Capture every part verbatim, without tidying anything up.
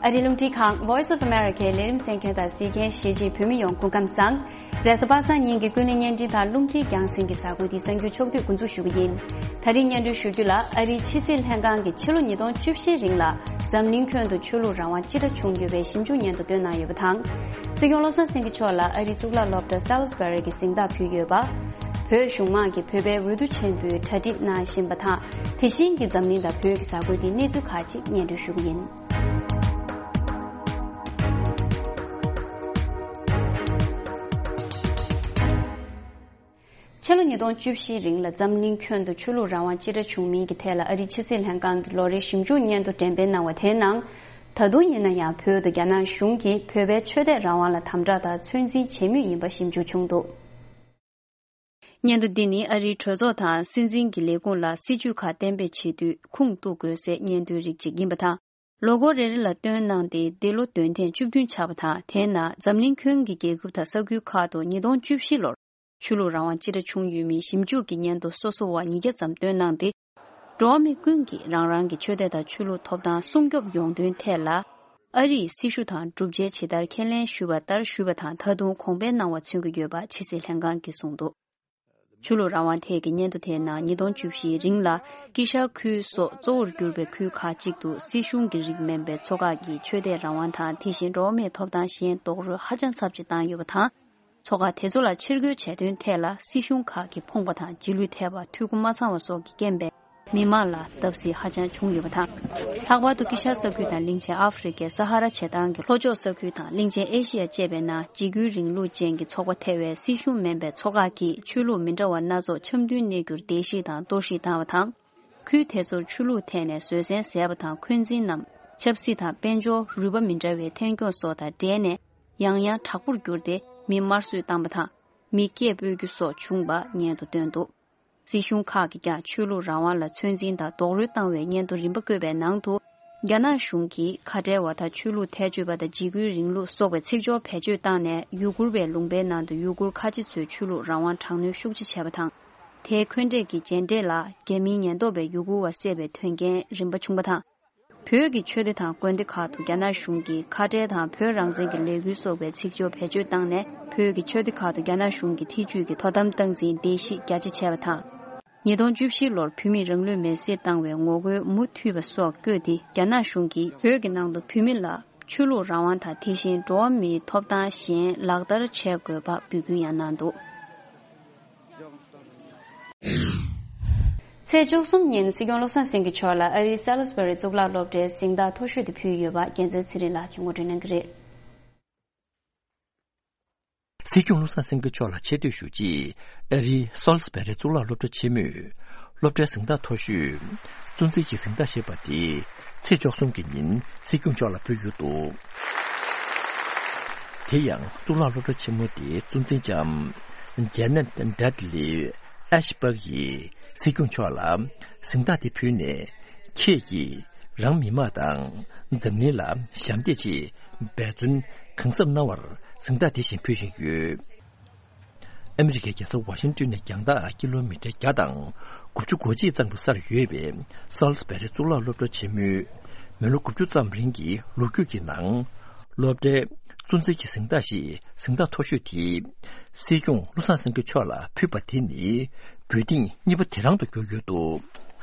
ཨ་རིའི་རླུང་འཕྲིན་ཁང་Voice of America ལས་རིམ་གསན་མཁན་དང་གཟིགས་མཁན་གཞིས་བྱེས་བོད་མི་ཡོངས་སྐུ་ཁམས་བཟང་། རེས་གཟའ་པ་སངས་ཉིན་གྱི་ཀུན་གླེང་བརྙན་འཕྲིན་དང་རླུང་འཕྲིན་རྒྱང་སྲིང་གི་གཟའ་འཁོར་འདི་གསར་འགྱུར་ཕྱོགས་བསྡུས་འགོ་འཛུགས་ཞུ་གི་ཡིན། ད་རིང་སྙན་སྒྲོན་ཞུ་རྒྱུ་ལ། ཨ་རིའི་ཕྱི་སྲིད་ལྷན་ཁང་གིས་ཕྱི་ལོ་ཉིས་སྟོང་བཅུ་བཞིའི་རིང་ལ་འཛམ་གླིང་ཁྱོན་དུ་ཆོས་ལུགས་རང་དབང་ཅི་འདྲ་བྱུང་ཡོད་པའི་ཞིབ་འཇུག་སྙན་ཐོ་བཏོན་གནང་ཡོད་པ་དང་། སྲིད་སྐྱོང་བློ་བཟང་སེང་གེ་མཆོག་ལ་ཨ་རིའི་གཙུག་ལག་སློབ་གྲྭ་སཱལ་སི་བྷ་རི་གི་གཟེངས་རྟགས་ཕུལ་ཡོད་པ། བོད་གཞུང་མང་གིས་བོད་པའི་འོས་བསྡུ་ཆེན་པོའི་གྲ་སྒྲིག་གནང་བཞིན་པ་དང་། དེ་བཞིན་གྱི་འཛམ་གླིང་དང་བོད་ཀྱི་གཟའ་འཁོར་འདིའི་གནས་ཚུལ་ཁག་ཅིག་སྙན་སྒྲོན་ཞུ་གི་ཡིན། ཕྱི་ལོ་ཉིས་སྟོང་བཅུ་བཞིའི་རིང་ལ་འཛམ་གླིང་ཁྱོན་དུ་ཆོས་ལུགས་རང་དབང་ཅི་འདྲ་བྱུང་མིན་གྱི་ཐད་ལ་ཨ་རིའི་ཕྱི་སྲིད་ལྷན་ཁང་གི་ལོ་རེའི་ཞིབ་འཇུག་སྙན་ཐོ་འགྲེམས་སྤེལ་གནང་བ་དེའི་ནང་། ད་དུང་ཡིན་ན་ཡང་བོད་དུ་རྒྱ་ནག་གཞུང་གིས་བོད་པའི་ཆོས་དད་རང་དབང་ལ་དམ་དྲག་དང་ཚོད་འཛིན་བྱེད་མུས་ཡིན་པ་ཞིབ་འཇུག་བྱུང་འདུག། སྙན་ཐོ་འདི་ནི་ཨ་རིའི་གྲོས་ཚོགས་དང་སྲིད་འཛིན་གྱི་ལས་ཁུངས་ལ་སྲིད་ཇུས་ཁག་གཏན་འབེབས་བྱེད་དུས་ཁུངས་གཏུག་དགོས་སའི་སྙན་ཐོའི་རིགས་ཅིག་ཡིན་པ་དང་། ལོ་འཁོར་རེ་རེ་ལ་བཏོན་གནང་སྟེ་འདི་ལོ་འདོན་ཐེངས་བཅུ་བདུན་ཆགས་པ་དང་། དེའི་ནང་འཛམ་གླིང་ཁྱོན་གྱི་རྒྱལ་ཁབ་དང་ས་ཁུལ་ཁག་ཏུ་ཉིས་སྟོང་བཅུ་བཞི་ལོར་ཆོས་ལུགས་རང་དབང་ཅི་འདྲ་བྱུང་ཡོད་མེད་ཞིབ་འཇུག་གི་སྙན་ཐོ་སོ་སོ་བ་ཉིས་བརྒྱ་ཙམ་བཏོན་གནང་སྟེ། འགྲོ་བ་མི་ཀུན་གྱིས་རང་རང་གི་ཆོས་དད་དང་ཆོས་ལུགས་ཐོབ་ཐང་སྲུང་སྐྱོབ་ཡོང་དོན་ཐད་ལ། ཨ་རིའི་སྲི་ཞུ་དང་སྒྲུབ་འཇལ་ཇི་ལྟར་ཁས་ལེན་ཞུས་པ་ལྟར་ཞུས་པ་དང་། ད་དུང་གོང་འཕེལ་གནང་བ་མཚོན་གྱི་ཡོད་པ་ཕྱི་སྲིད་ལྷན་ཁང་གིས་གསུངས་འདུག། ཆོས་ལུགས་རང་དབང་ཐད་ཀྱི་སྙན་ཐོ་དེའི་ནང་ཉིས་སྟོང་བཅུ་བཞིའི་རིང་ལ་དཀྱིལ་ཤར་ཁུལ་སོགས་གཙོ་བོར་གྱུར་པའི་ཁུལ་ཁག་ཅིག་ཏུ་སྲིད་གཞུང་གི་རིགས་མིན་པའི་ཚོགས་ཁག་གིས་ཆོས་དད་རང་དབང་དང་། དེ་བཞིན་འགྲོ་བ་མིའི་ཐོབ་ཐང་གཞན་རྡོག་རོལ་ཧ་ཅང་ཚབས་ཆེ་བཏང་ཡོད་པ་དང་། ཚོགས་ཁག་དེ་ཚོ་ལ་ཕྱིར་རྒོལ་བྱས་དོན་ཐད་ལ་སྲིད་གཞུང་ཁག་གིས་ཕོངས་པ་དང་རྗེས་ལུས་ཐེབས་པ། འཐུས་སྒོ་མ་ཚང་བ་སོགས་ཀྱི་རྐྱེན་པས། མི་མང་ལ་བརྡབ་གསིག་ཧ་ཅང་བྱུང་ཡོད་པ་དང་། ལྷག་པར་དུ་དཀྱིལ་ཤར་ས་ཁུལ་དང་གླིང་ཆེན་ཨ་ཧྥེ་རི་ཁའི་ས་ཧ་ར་བྱེ་ཐང་གི་ལྷོ་ཕྱོགས་ས་ཁུལ་དང་གླིང་ཆེན་ཨེ་ཤི་ཡ་བཅས་པའི་ནང་འཇིགས་སྐུལ་རིང་ལུགས་ཅན་གྱི་ཚོགས་པ་ཐེ་བའི་སྲིད་གཞུང་མིན་པའི་ཚོགས་ཁག་གིས་ཆོས་ལུགས་མི་འདྲ་བ་སྣ་ཚོགས་འཆམ་མཐུན་གནས་རྒྱུར་བརྡལ་བཤིག་དང་གཏོར་བཤིག་བཏང་བ་དང་། ཁུལ་དེ་ཚོར་ཆོས་ལུགས་ཐད་ནས་བཟོད་བསྲན་ཟད་པ་དང་། འཁོན་འཛིན་ནམ་ཆབ་སྲིད་དང་དཔལ་འབྱོར་རུས་པ་མི་འདྲ་བའི་འཐེན་འཁྱོངས་སོགས་དང་འབྲེལ་ནས་ཡང་ཡང་དྲག་པོར་གྱུར་ཏེ་མི་དམར་གསོད་བཏང་བ་དང་། མི་སྐད་སྤོ་རྒྱུ་སོགས་བྱུང་བ་སྙན་ཐོ་བཏོན་འདུག། སྲིད་གཞུང་ཁག་གིས་ཀྱང་ཆོས་ལུགས་རང་དབང་ལ་ཚོད་འཛིན་དང་རྡོག་རོལ་བཏང་བའི་སྙན་ཐོ་རིམ་པ་བཀོད་པའི་ནང་དུ། རྒྱ་ནག་གཞུང་གིས་ཁ་བྲལ་བ་དང་ཆོས་ལུགས་ཐལ་ཆོད་པ་དང་འཇིགས་སྐུལ་རིང་ལུགས་སོགས་པའི་ཚིག་སྦྱོར་བེད་སྤྱོད་བཏང་ནས་ཡུ་གུར་བའི་ལུང་པའི་ནང་དུ་ཡུ་གུར་ཁ་ཆེ་ཚོའི་ཆོས་ལུགས་རང་དབང་དྲག་གནོན་ཤུགས་ཆེ་བྱས་པ་དང་། དེའི་འཁོན་འགྲས་ཀྱི་རྗེས་འབྲས་ལ་རྒྱ་མིའི་ཉེན་རྟོག་པས་ཡུ་གུར་བ་བསད་པའི་དོན་རྐྱེན་རིམ་པ་བྱུང་བ་དང་། བོད་ཀྱི་ཆོས་སྡེ་དང་དགོན་སྡེ་ཁག་ཏུ་རྒྱ་ནག་གཞུང་གིས་ཁ་བྲལ་དང་བོད་རང་བཙན་གྱི་ལས་འགུལ་སོགས་པའི་ཚིག་སྦྱོར་བེད་སྤྱོད་བཏང་ནས། བོད་ཀྱི་ཆོས་སྡེ་ཁག་ཏུ་རྒྱ་ནག་གཞུང་གི་ཐེ་ཇུས་ཀྱི་དོ་དམ་སྟངས་འཛིན་བརྡལ་བཤིག་རྒྱ་ཆེ་བྱས་པ་དང་། ཉིས་སྟོང་བཅུ་བཞི་ལོར་བོད་མིས་རང་ལུས་མེར་སྲེག་བཏང་བའི་ངོ་རྒོལ་མུ་མཐུད་པ་སོགས་བཀོད་དེ། རྒྱ་ནག་གཞུང་གིས་བོད་ཀྱི་ནང་དུ་བོད་མི་ལ་ཆོས་ལུགས་རང་དབང་དང་། དེ་བཞིན་འགྲོ་བ་མིའི་ཐོབ་ཐང་གཞན་ལག་བསྟར་བྱེད་དགོས་པ་འབོད་སྐུལ་ཡང་གནང་འདུག། ཚེས་བཅུ་གསུམ་ཉིན་སྲིད་སྐྱོང་བློ་བཟང་སེང་གེ་མཆོག་ལ་ཨ་རིའི་སཱལ་སི་བྷ་རི་གཙུག་ལག་སློབ་གྲྭའི་གཟེངས་རྟགས་མཐོ་ཤོས་དེ་ཕུལ་ཡོད་པ་རྒྱལ་མཚན་ཚེ་རིང་ལགས་ཀྱིས་ངོ་སྤྲོད་གནང་གི་རེད། སྲིད་སྐྱོང་བློ་བཟང་སེང་གེ་མཆོག་ལ་ཆེ་བསྟོད་ཞུ་ཆེད་ཨ་རིའི་སཱལ་སི་བྷ་རི་གཙུག་ལག་སློབ་གྲྭ་ཆེན་མོས་སློབ་གྲྭའི་གཟེངས་རྟགས་མཐོ་ཤོས་གཙོ་འཛིན་གྱི་གཟེངས་རྟགས་ཞེས་པ་དེ་ཚེས་བཅུ་གསུམ་གྱི་ཉིན་སྲིད་སྐྱོང་མཆོག་ལ་ཕུལ་ཡོད་འདུག། དེ་ཡང་གཙུག་ལག་སློབ་གྲྭ་ཆེན་མོ་དེའི་གཙོ་འཛིན་ལྕམ་ཇེ་ནེ་ཊི་ཌེ་ཌི་ལི་ཨེ་ཤི་པག་ཡིས་སྲིད་སྐྱོང་མཆོག་ལ་གཟེངས་རྟགས་དེ་ཕུལ་ནས། ཁྱེད་ཀྱིས་རང་མི་དམངས་དང་འཛམ་གླིང་ལ་ཞབས་འདེགས་ཆེད་འབད་བརྩོན་གང་ཟབ་གནང་བར་གཟེངས་རྟགས་དེ་བཞིན་ཕུལ་བཞིན་ཡོད། ཨ་མི་རི་ཀའི་རྒྱལ་ས་ཝ་ཤིང་ཏོན་ནས་རྒྱང་ཐག་ཀི་ལོ་མི་ཊར་བརྒྱ་དང་དགུ་བཅུ་གོ་གཅིག་གཙང་པོའི་སར་ཡོད་པའི་སཱལ་སི་བྷ་རི་གཙུག་ལག་སློབ་གྲྭ་ཆེན་མོའི་མི་ལོ་དགུ་བཅུ་ཙམ་རིང་གི་ལོ་རྒྱུས་ཀྱི་ནང་། སློབ་གྲྭའི་གཙོ་འཛིན་གྱི་གཟེངས་རྟགས་ཞེས་གཟེངས་རྟགས་མཐོ་ཤོས་དེ་སྲིད་སྐྱོང་བློ་བཟང་སེང་གེ་མཆོག་ལ་ཕུལ་བ་དེ་ནི་འབོད་ཐེངས་གཉིས་པ་དེ་རང་དུ་གྱུར་ཡོད་འདུག།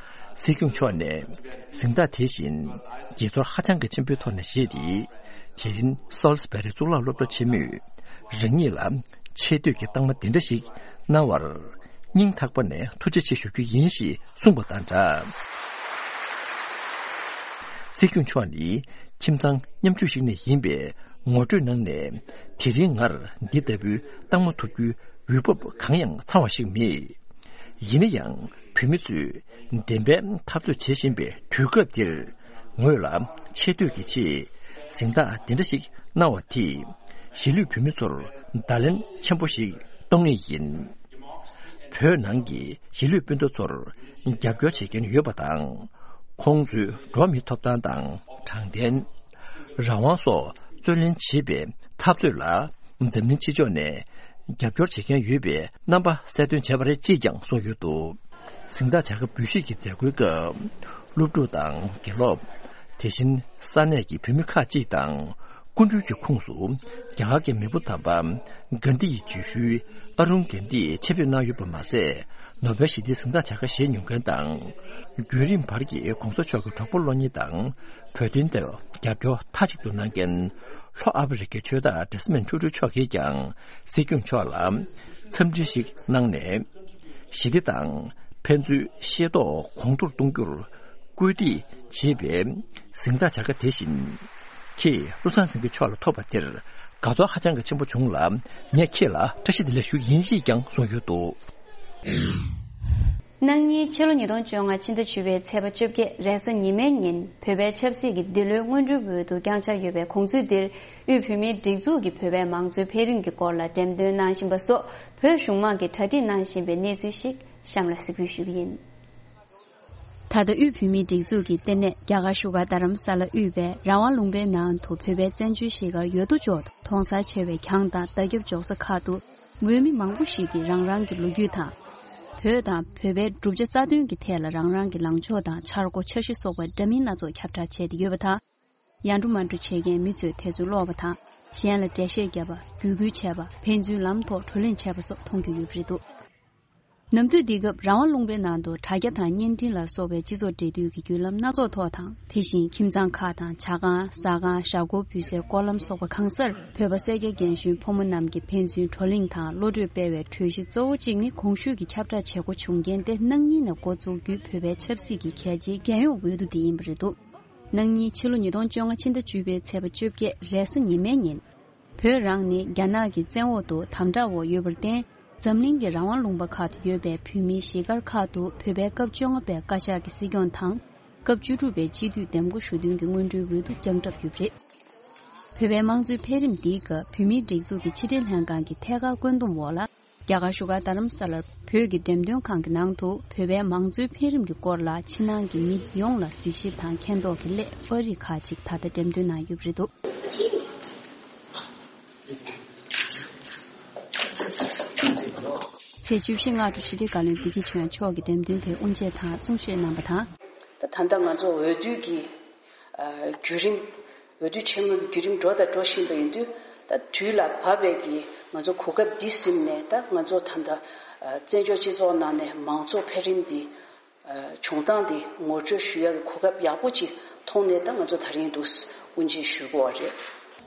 སྲིད་སྐྱོང་མཆོག་ནས་གཟེངས་རྟགས་དེ་བཞིན་དགྱེས་ཚོར་ཧ་ཅང་གི་ཆེན་པོའི་ཐོག་ནས་བཞེས་ཏེ། དེ་རིང་སཱལ་སི་བྷ་རི་གཙུག་ལག་སློབ་གྲྭ་ཆེན་མོས་རང་ཉིད་ལ་ཆེ་བསྟོད་ཀྱི་རྟགས་མ་འདི་འདྲ་ཞིག་གནང་བར་སྙིང་ཐག་པ་ནས་ཐུགས་རྗེ་ཆེ་ཞུ་རྒྱུ་ཡིན་ཞེས་གསུངས་པ་དང་སྦྲགས། སྲིད་སྐྱོང་མཆོག་ནི་ཁྱིམ་ཚང་མཉམ་ཆུང་ཞིག་ནས་ཡིན་པས་ངོ་སྤྲོད་གནང་ནས། དེ་རིང་ངར་འདི་ལྟ་བུའི་རྟགས་མ་ཐོབ་རྒྱུའི་འོས་བབ་གང་ཡང་ཚང་བ་ཞིག་མེད། ཡིན་ན་ཡང་བོད་མི་ཚོས་བདེན་པའི་འཐབ་རྩོད་བྱེད་བཞིན་པའི་དུས་སྐབས་འདིར། ངོས་ལ་ཆེ་བསྟོད་ཀྱི་ཆེད་གཟེངས་རྟགས་འདི་འདྲ་ཞིག་གནང་བ་དེས་གཞིས་ལུས་བོད་མི་ཚོར་བརྡ་ལན་ཆེན་པོ་ཞིག་གཏོང་ངེས་ཡིན། བོད་ནང་གི་གཞིས་ལུས་སྤུན་ཟླ་ཚོར་རྒྱབ་སྐྱོར་བྱེད་མཁན་ཡོད་པ་དང་། ཁོང་ཚོའི་འགྲོ་བ་མིའི་ཐོབ་ཐང་དང་། དྲང་བདེན། རང་དབང་སོགས་རྩོད་ལེན་བྱེད་པའི་འཐབ་རྩོད་ལ་འཛམ་གླིང་ཕྱི་ཕྱོགས་ནས་རྒྱབ་སྐྱོར་བྱེད་མཁན་ཡོད་པའི་རྣམ་པ་གསལ་སྟོན་བྱས་པ་རེད་ཅེས་ཀྱང་གསུངས་ཡོད་འདུག། གཟེངས་རྟགས་བྱ་དགའ་འབུལ་བཞེས་ཀྱི་མཛད་སྒོའི་སྐབས། སློབ་ཕྲུག་དང་དགེ་སློབ། དེ་བཞིན་ས་གནས་ཀྱི་བོད་མི་ཁག་ཅིག་དང་སྐུ་མགྲོན་གྱི་ཁོངས་སུ་རྒྱ་གར་གྱི་མེས་པོ་དམ་པ་གྷན་དྷི་ཡི་རྗེས་ཤུལ་ཨ་རུན་གྷན་དྷི་ཆེད་ཕེབས་གནང་ཡོད་པ་མ་ཟད། ནོ་བེལ་ཞི་བདེའི་གཟེངས་རྟགས་བྱ་དགའ་བཞེས་མྱོང་མཁན་དང་། བརྒྱུད་རིམ་བར་གྱི་གོང་ས་མཆོག་གི་གྲོགས་པོ་བློ་གཉེར་དང་བོད་དོན་ཐད་རྒྱབ་སྐྱོར་མཐའ་གཅིག་ཏུ་གནང་མཁན་ལྷོ་ཨ་ཕི་རི་ཀའི་ཆོས་བདག་ཌེ་སི་མོན་ཊུ་ཊུ་མཆོག་གིས་ཀྱང་སྲིད་སྐྱོང་མཆོག་ལ་འཚམས་འདྲི་ཞིག་གནང་ནས། ཞི་བདེ་དང་ཕན་ཚུན་ཤེས་རྟོགས་གོང་མཐོར་གཏོང་རྒྱུར་སྐུལ་འདེད་བྱེད་པའི་གཟེངས་རྟགས་བྱ་དགའ་དེ་བཞིན། ཁྱེད་བློ་བཟང་སེང་གེ་མཆོག་ལ་ཐོབ་པ་དེར་དགའ་ཚོར་ཧ་ཅང་གི་ཆེན་པོ་བྱུང་ལ། ངས་ཁྱེད་ལ་བཀྲ་ཤིས་བདེ་ལེགས་ཞུ་གི་ཡིན་ཞེས་ཀྱང་གསུངས་ཡོད་འདུག། གནངས་ཉིན་ཕྱི་ལོ་ཉིས་སྟོང་བཅོ་ལྔ་ཕྱི་ཟླ་བཅུ་པའི་ཚེས་པ་བཅོ་བརྒྱད་རེས་གཟའ་ཉི་མའི་ཉིན་བོད་པའི་ཆབ་སྲིད་ཀྱི་འདི་ལོའི་སྔོན་འགྲོའི་འོས་བསྡུ་བསྐྱངས་འཆར་ཡོད་པའི་གོང་ཚུལ་འདིར། དབུས་བོད་མིའི་སྒྲིག་འཛུགས་ཀྱི་བོད་པའི་མང་གཙོའི་འཕེལ་རིམ་གྱི་སྐོར་ལ་འགྲེམས་སྟོན་གནང་བཞིན་པ་སོགས་བོད་གཞུང་མང་གིས་གྲ་སྒྲིག་གནང་བཞིན་པའི་གནས་ཚུལ་ཞིག་གཤམ་ལ་གཟིགས་འབུལ་ཞུ་གི་ཡིན། ད་ལྟ་དབུས་བོད་མིའི་སྒྲིག་འཛུགས་ཀྱི་ལྟེ་གནས་རྒྱ་གར་བཞུགས་སྒར་རྡ་རམ་ས་ལ་དབུས་པའི་རང་དབང་ལུང་པའི་ནང་དུ་བོད་པའི་བཙན་བྱོལ་གཞིས་སྒར་ཡོད་དོ་ཅོག་ཏུ་མཐོང་སར་ཕྱེ་བའི་གྱང་དང་རྟ་རྒྱབ་འཇོག་ས་ཁག་ཏུ་འོས་མི་མང་པོ་ཞིག་གིས་རང་རང་གི་ལོ་རྒྱུས་དང་། བོད་དང་བོད་པའི་གྲུབ་ཆ་རྩ་དོན་གྱི་ཐད་ལ་རང་རང་གི་ལངས་ཕྱོགས་དང་འཆར་སྒོ་འཆར་གཞི་སོགས་པ་འདྲ་མིན་སྣ་ཚོགས་ཁྱབ་བསྒྲགས་བྱས་ཏེ་ཡོད་པ་དང་། ཡར་འགྲོ་མར་འགྲོ་བྱེད་མཁན་མི་ཚོས་དེ་ཚོ་ཀློག་པ་དང་གཞན་ལ་འགྲེལ་བཤད་བརྒྱབ་པ། བརྒྱུད་སྐུལ་བྱས་པ། ཕན་ཚུན་ལམ་ཐོག་བགྲོ་གླེང་བྱས་པ་སོགས་མཐོང་རྒྱུ་ཡོད་པ་རེད་འདུག། ནམ་དུས་འདི་སྐབས་རང་དབང་ལུང་པའི་ནང་དུ་དྲ་རྒྱ་དང་བརྙན་འཕྲིན་ལ་སོགས་པའི་སྤྱི་ཚོགས་འབྲེལ་མཐུད་ཀྱི་བརྒྱུད་ལམ་སྣ་ཚོགས་ཐོག་དང་། དེ་བཞིན་ཁྱིམ་ཚང་ཁག་དང་ཇ་ཁང་། ཟ་ཁང་། ཞྭ་སྒོར་འབུལ་སའི་སྐོར་ལམ་སོགས་པ་གང་སར་བོད་པ་སེར་སྐྱ་རྒན་གཞོན་ཕོ་མོ་རྣམས་ཀྱིས་ཕན་ཚུན་བགྲོ་གླེང་དང་བློ་གྲོས་སྤེལ་བའི་གྲོས་གཞི་གཙོ་བོ་གཅིག་ནི། གོང་ཞུས་ཀྱི་ཁྱབ་བསྒྲགས་བྱེད་སྒོ་བྱུང་རྐྱེན་ཏེ། གནངས་ཉིན་ནས་འགོ་བཙུགས་རྒྱུའི་བོད་པའི་ཆབ་སྲིད་ཀྱི་གལ་ཆེའི་རྒྱལ་ཡོངས་འོས་བསྡུ་འདི་ཡིན་པ་རེད་འདུག། གནངས་ཉིན་ཕྱི་ལོ་ཉིས་སྟོང་བཅོ་ལྔ་ཕྱི་ཟླ་བཅུ་པའི་ཚེས་པ་བཅོ་བརྒྱད་རེས་གཟའ་ཉི་མའི་ཉིན། བོད་རང་ནི་རྒྱ་ནག་གི་བཙན་འོག་ཏུ་དམ་དྲག་འོག་ཡོད་པར་བརྟེན། འཛམ་གླིང་གི་རང་དབང་ལུང་པ་ཁག་ཏུ་ཡོད་པའི་བོད་མིའི་གཞིས་སྒར་ཁག་ཏུ་བོད་པའི་སྐབས་བཅོ་ལྔ་པའི་བཀའ་ཤག་གི་སྲིད་སྐྱོང་དང་། སྐབས་བཅུ་དྲུག་པའི་སྤྱི་འཐུས་འདེམས་བསྐོ་ཞུ་འདུན་གྱི་སྔོན་འགྲོའི་འོས་བསྡུ་བསྐྱངས་གྲབས་ཡོད་པ་རེད། བོད་པའི་དམངས་གཙོའི་འཕེལ་རིམ་འདིའི་སྐབས་བོད་མིའི་སྒྲིག་འཛུགས་ཀྱི་ཕྱི་དྲིལ་ལྷན་ཁང་གི་ཐད་ཀར་བཀོད་འདོམས་འོག་ལ། རྒྱ་གར་བཞུགས་སྒར་རྡ་རམ་ས་ལར་བོད་ཀྱི་འགྲེམས་སྟོན་ཁང་གི་ནང་དུ་བོད་པའི་མང་གཙོའི་འཕེལ་རིམ་གྱི་སྐོར་ལ་ཕྱི་ནང་གི་མི་ཡོངས་ལ་གཟིགས་ཞིབ་དང་མཁྱེན་རྟོགས་ཀྱི་སླད་པར་རིས་ཁག་ཅིག་ད་ལྟ་འགྲེམས་སྟོན་གནང་ཡོད་པ་རེད་འདུག། ཚེས་བཅུ་བཞི་སྔ་དྲོ་ཕྱི་དྲིལ་བཀའ་བློན་བདེ་སྐྱིད་ཆོས་དབྱངས་མཆོག་གིས་འགྲེམས་སྟོན་དེ་དབུ་འབྱེད་དང་གསུང་བཤད་གནང་པ་དང་། ད་ད་ལྟ་ང་ཚོ་འོས་བསྡུ་གི་ཨ་བརྒྱུད་རིམ། འོས་བསྡུ་ཆེན་མོའི་བརྒྱུད་རིམ་འགྲོ་དང་འགྲོ་བཞིན་པ་ཡིན་དུས། ད་དུས་ལ་བབ་པའི་གི་ང་ཚོ་གོ་སྐབས་འདི་ཟིན་ནས། ད་ང་ཚོ་ད་ལྟ་ཨ་བཙན་བྱོལ་སྤྱི་ཚོགས་ནང་ནས་མང་གཙོ་འཕེལ་རིམ་འདི་ཨ་བྱུང་སྟངས་འདི་ངོ་སྤྲོད་ཞུ་ཡག་གི་གོ་སྐབས་ཡག་པོ་ཅིག་མཐོང་ནས། ད་ང་ཚོ་ད་རིང་འདུག་དབུ་འབྱེད་ཞུ་དགོས་པ་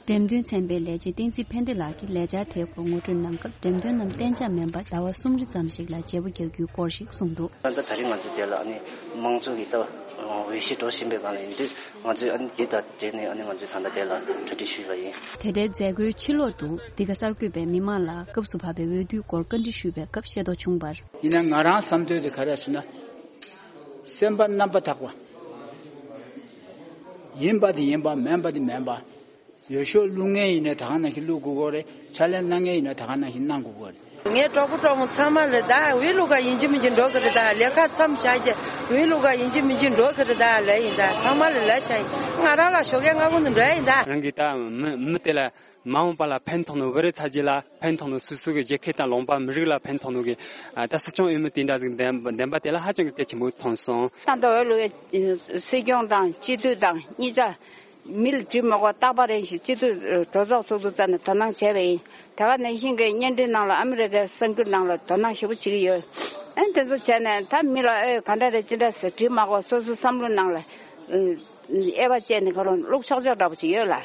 རེད། འགྲེམས་སྟོན་ཚན་པའི་ལས་བྱེད་བསྟན་འཛིན་ཕན་བདེ་ལགས་ཀྱིས་ལས་འཆར་དེའི་སྐོར་ངོ་སྤྲོད་གནང་སྐབས། འགྲེམས་སྟོན་རྣམས་གཏན་འཇགས་མིན་པར་ཟླ་བ་གསུམ་རེ་ཙམ་ཞིག་ལ་བརྗེ་པོ་རྒྱག་རྒྱུའི་སྐོར་ཞིག་གསུངས་འདུག། ད་ལྟ་ད་རིང་ང་ཚོ་དེ་ལ་ཨ་ནི་དམངས་གཙོ་གི་ལྟ་བ་འོས་གཞི་འགྲོ་བཞིན་པའི་སྒང་ལ་ཡིན་དུས། ང་ཚོས་ཨ་ནི་དེ་དང་འབྲེལ་ནས་ཨ་ནི་ང་ཚོས་ད་ལྟ་དེ་ལ་གྲ་སྒྲིག་ཞུས་པ་ཡིན། དེ་འབྲེལ་མཛད་སྒོའི་ཕྱི་ལོག་ཏུ་འདི་ག་གསར་འགོད་པས་མི་མང་ལ་སྐབས་སུ་བབས་པའི་འོས་བསྡུའི་སྐོར་བཀའ་འདྲི་ཞུས་པའི་སྐབས་ཤེས་རྟོགས་བྱུང་བར། ཡིན་ན་ང་རང་བསམ་ཚུལ་དེ་ག་རེ་ཟེར་ན། སེམས་པ་རྣམ་པ་དག་པ། ཡིན་པ་དེ་ཡིན་པ། མིན་པ་དེ་མིན་པ། འོས་ཤོག་བླུག་མཁན་ཡིན་ན་ད་ག་ནང་བཞིན་བླུག་དགོས་ཀྱི་རེད། ཕྱག་ལས་གནང་མཁན་ཡིན་ན་ད་ག་ནང་བཞིན་གནང་དགོས་ཀྱི་རེད། ངའི་གྲོགས་པོ་གྲོགས་མོ་ཚང་མ་ལ་ད་འོས་བླུག་ག་ཡིན་གཅིག་མིན་གཅིག་འགྲོ་གི་རེད། ད་ལས་ཀ་མཚམས་བཞག་རྗེས་འོས་བླུག་ག་ཡིན་གཅིག་མིན་གཅིག་འགྲོ་གི་རེད། ད་ལབ་ཡིན། ད་ཚང་མ་ལ་ལབ་བཞག་ཡིན། ང་རང་ལ་ཞོགས་ཀས་སྔ་པོ་ནས་འགྲོ་ཡ་ཡིན་ད། རང་གིས་ད་མི་མི་དེ་ལ་མ་འོངས་པ་ལ་ཕན་ཐོགས་ནོ། བོད་རིགས་ཚ་རྒྱུད་ལ་ཕན་ཐོགས་ནོ། སོ་སོ་གི་རྒྱལ་ཁབ་དང་ལུང་པ་མི་རིགས་ལ་ཕན་ཐོགས་ནོ་གི། ཨ་ད་སྲིད་སྐྱོང་འོས་མི་དེ་འདྲ་ཟིག་འདེམས་འདེམས་པ་དེ་ལ་ཧ་ཅང་གི་གལ་ཆེན་པོ་མཐོང་སོང་། ད་ལྟ་འོས་བླུག་ཡ་སྲིད་སྐྱོང་དང་སྤྱི་འཐུས་དང་གཉིས་ཆ། མི་ལ་འདྲི་མ་དགོས་རྟག་པར་རན་ཞིང་སྤྱི་འཐུས་གྲོས་ཚོགས་ཚོགས་འདུ་རྩ་ནས་དོ་སྣང་བྱས་པ་ཡིན། དེ་ག་ནང་བཞིན་གྱི་བརྙན་འཕྲིན་ནང་ལ་ཨ་མི་རི་ཀའི་གསར་འགྱུར་ནང་ལ་དོ་སྣང་ཞེ་པོ་བྱེད་ཀྱི་ཡོད། ཨ་དེ་ཚོ་བྱས་ནས་ད་མི་ལ་ཨེ་ག་འདྲ་རེད་ཅི་འདྲ་ཟེར་འདྲི་མ་དགོས། སོ་སོའི་བསམ་བློ་ནང་ལ་དབྱེ་བ་བྱས་ནས་ཁོ་རང་བླུག་ཆོག་ཆོག་འདྲ་པོ་ཅིག་ཡོད་ལ།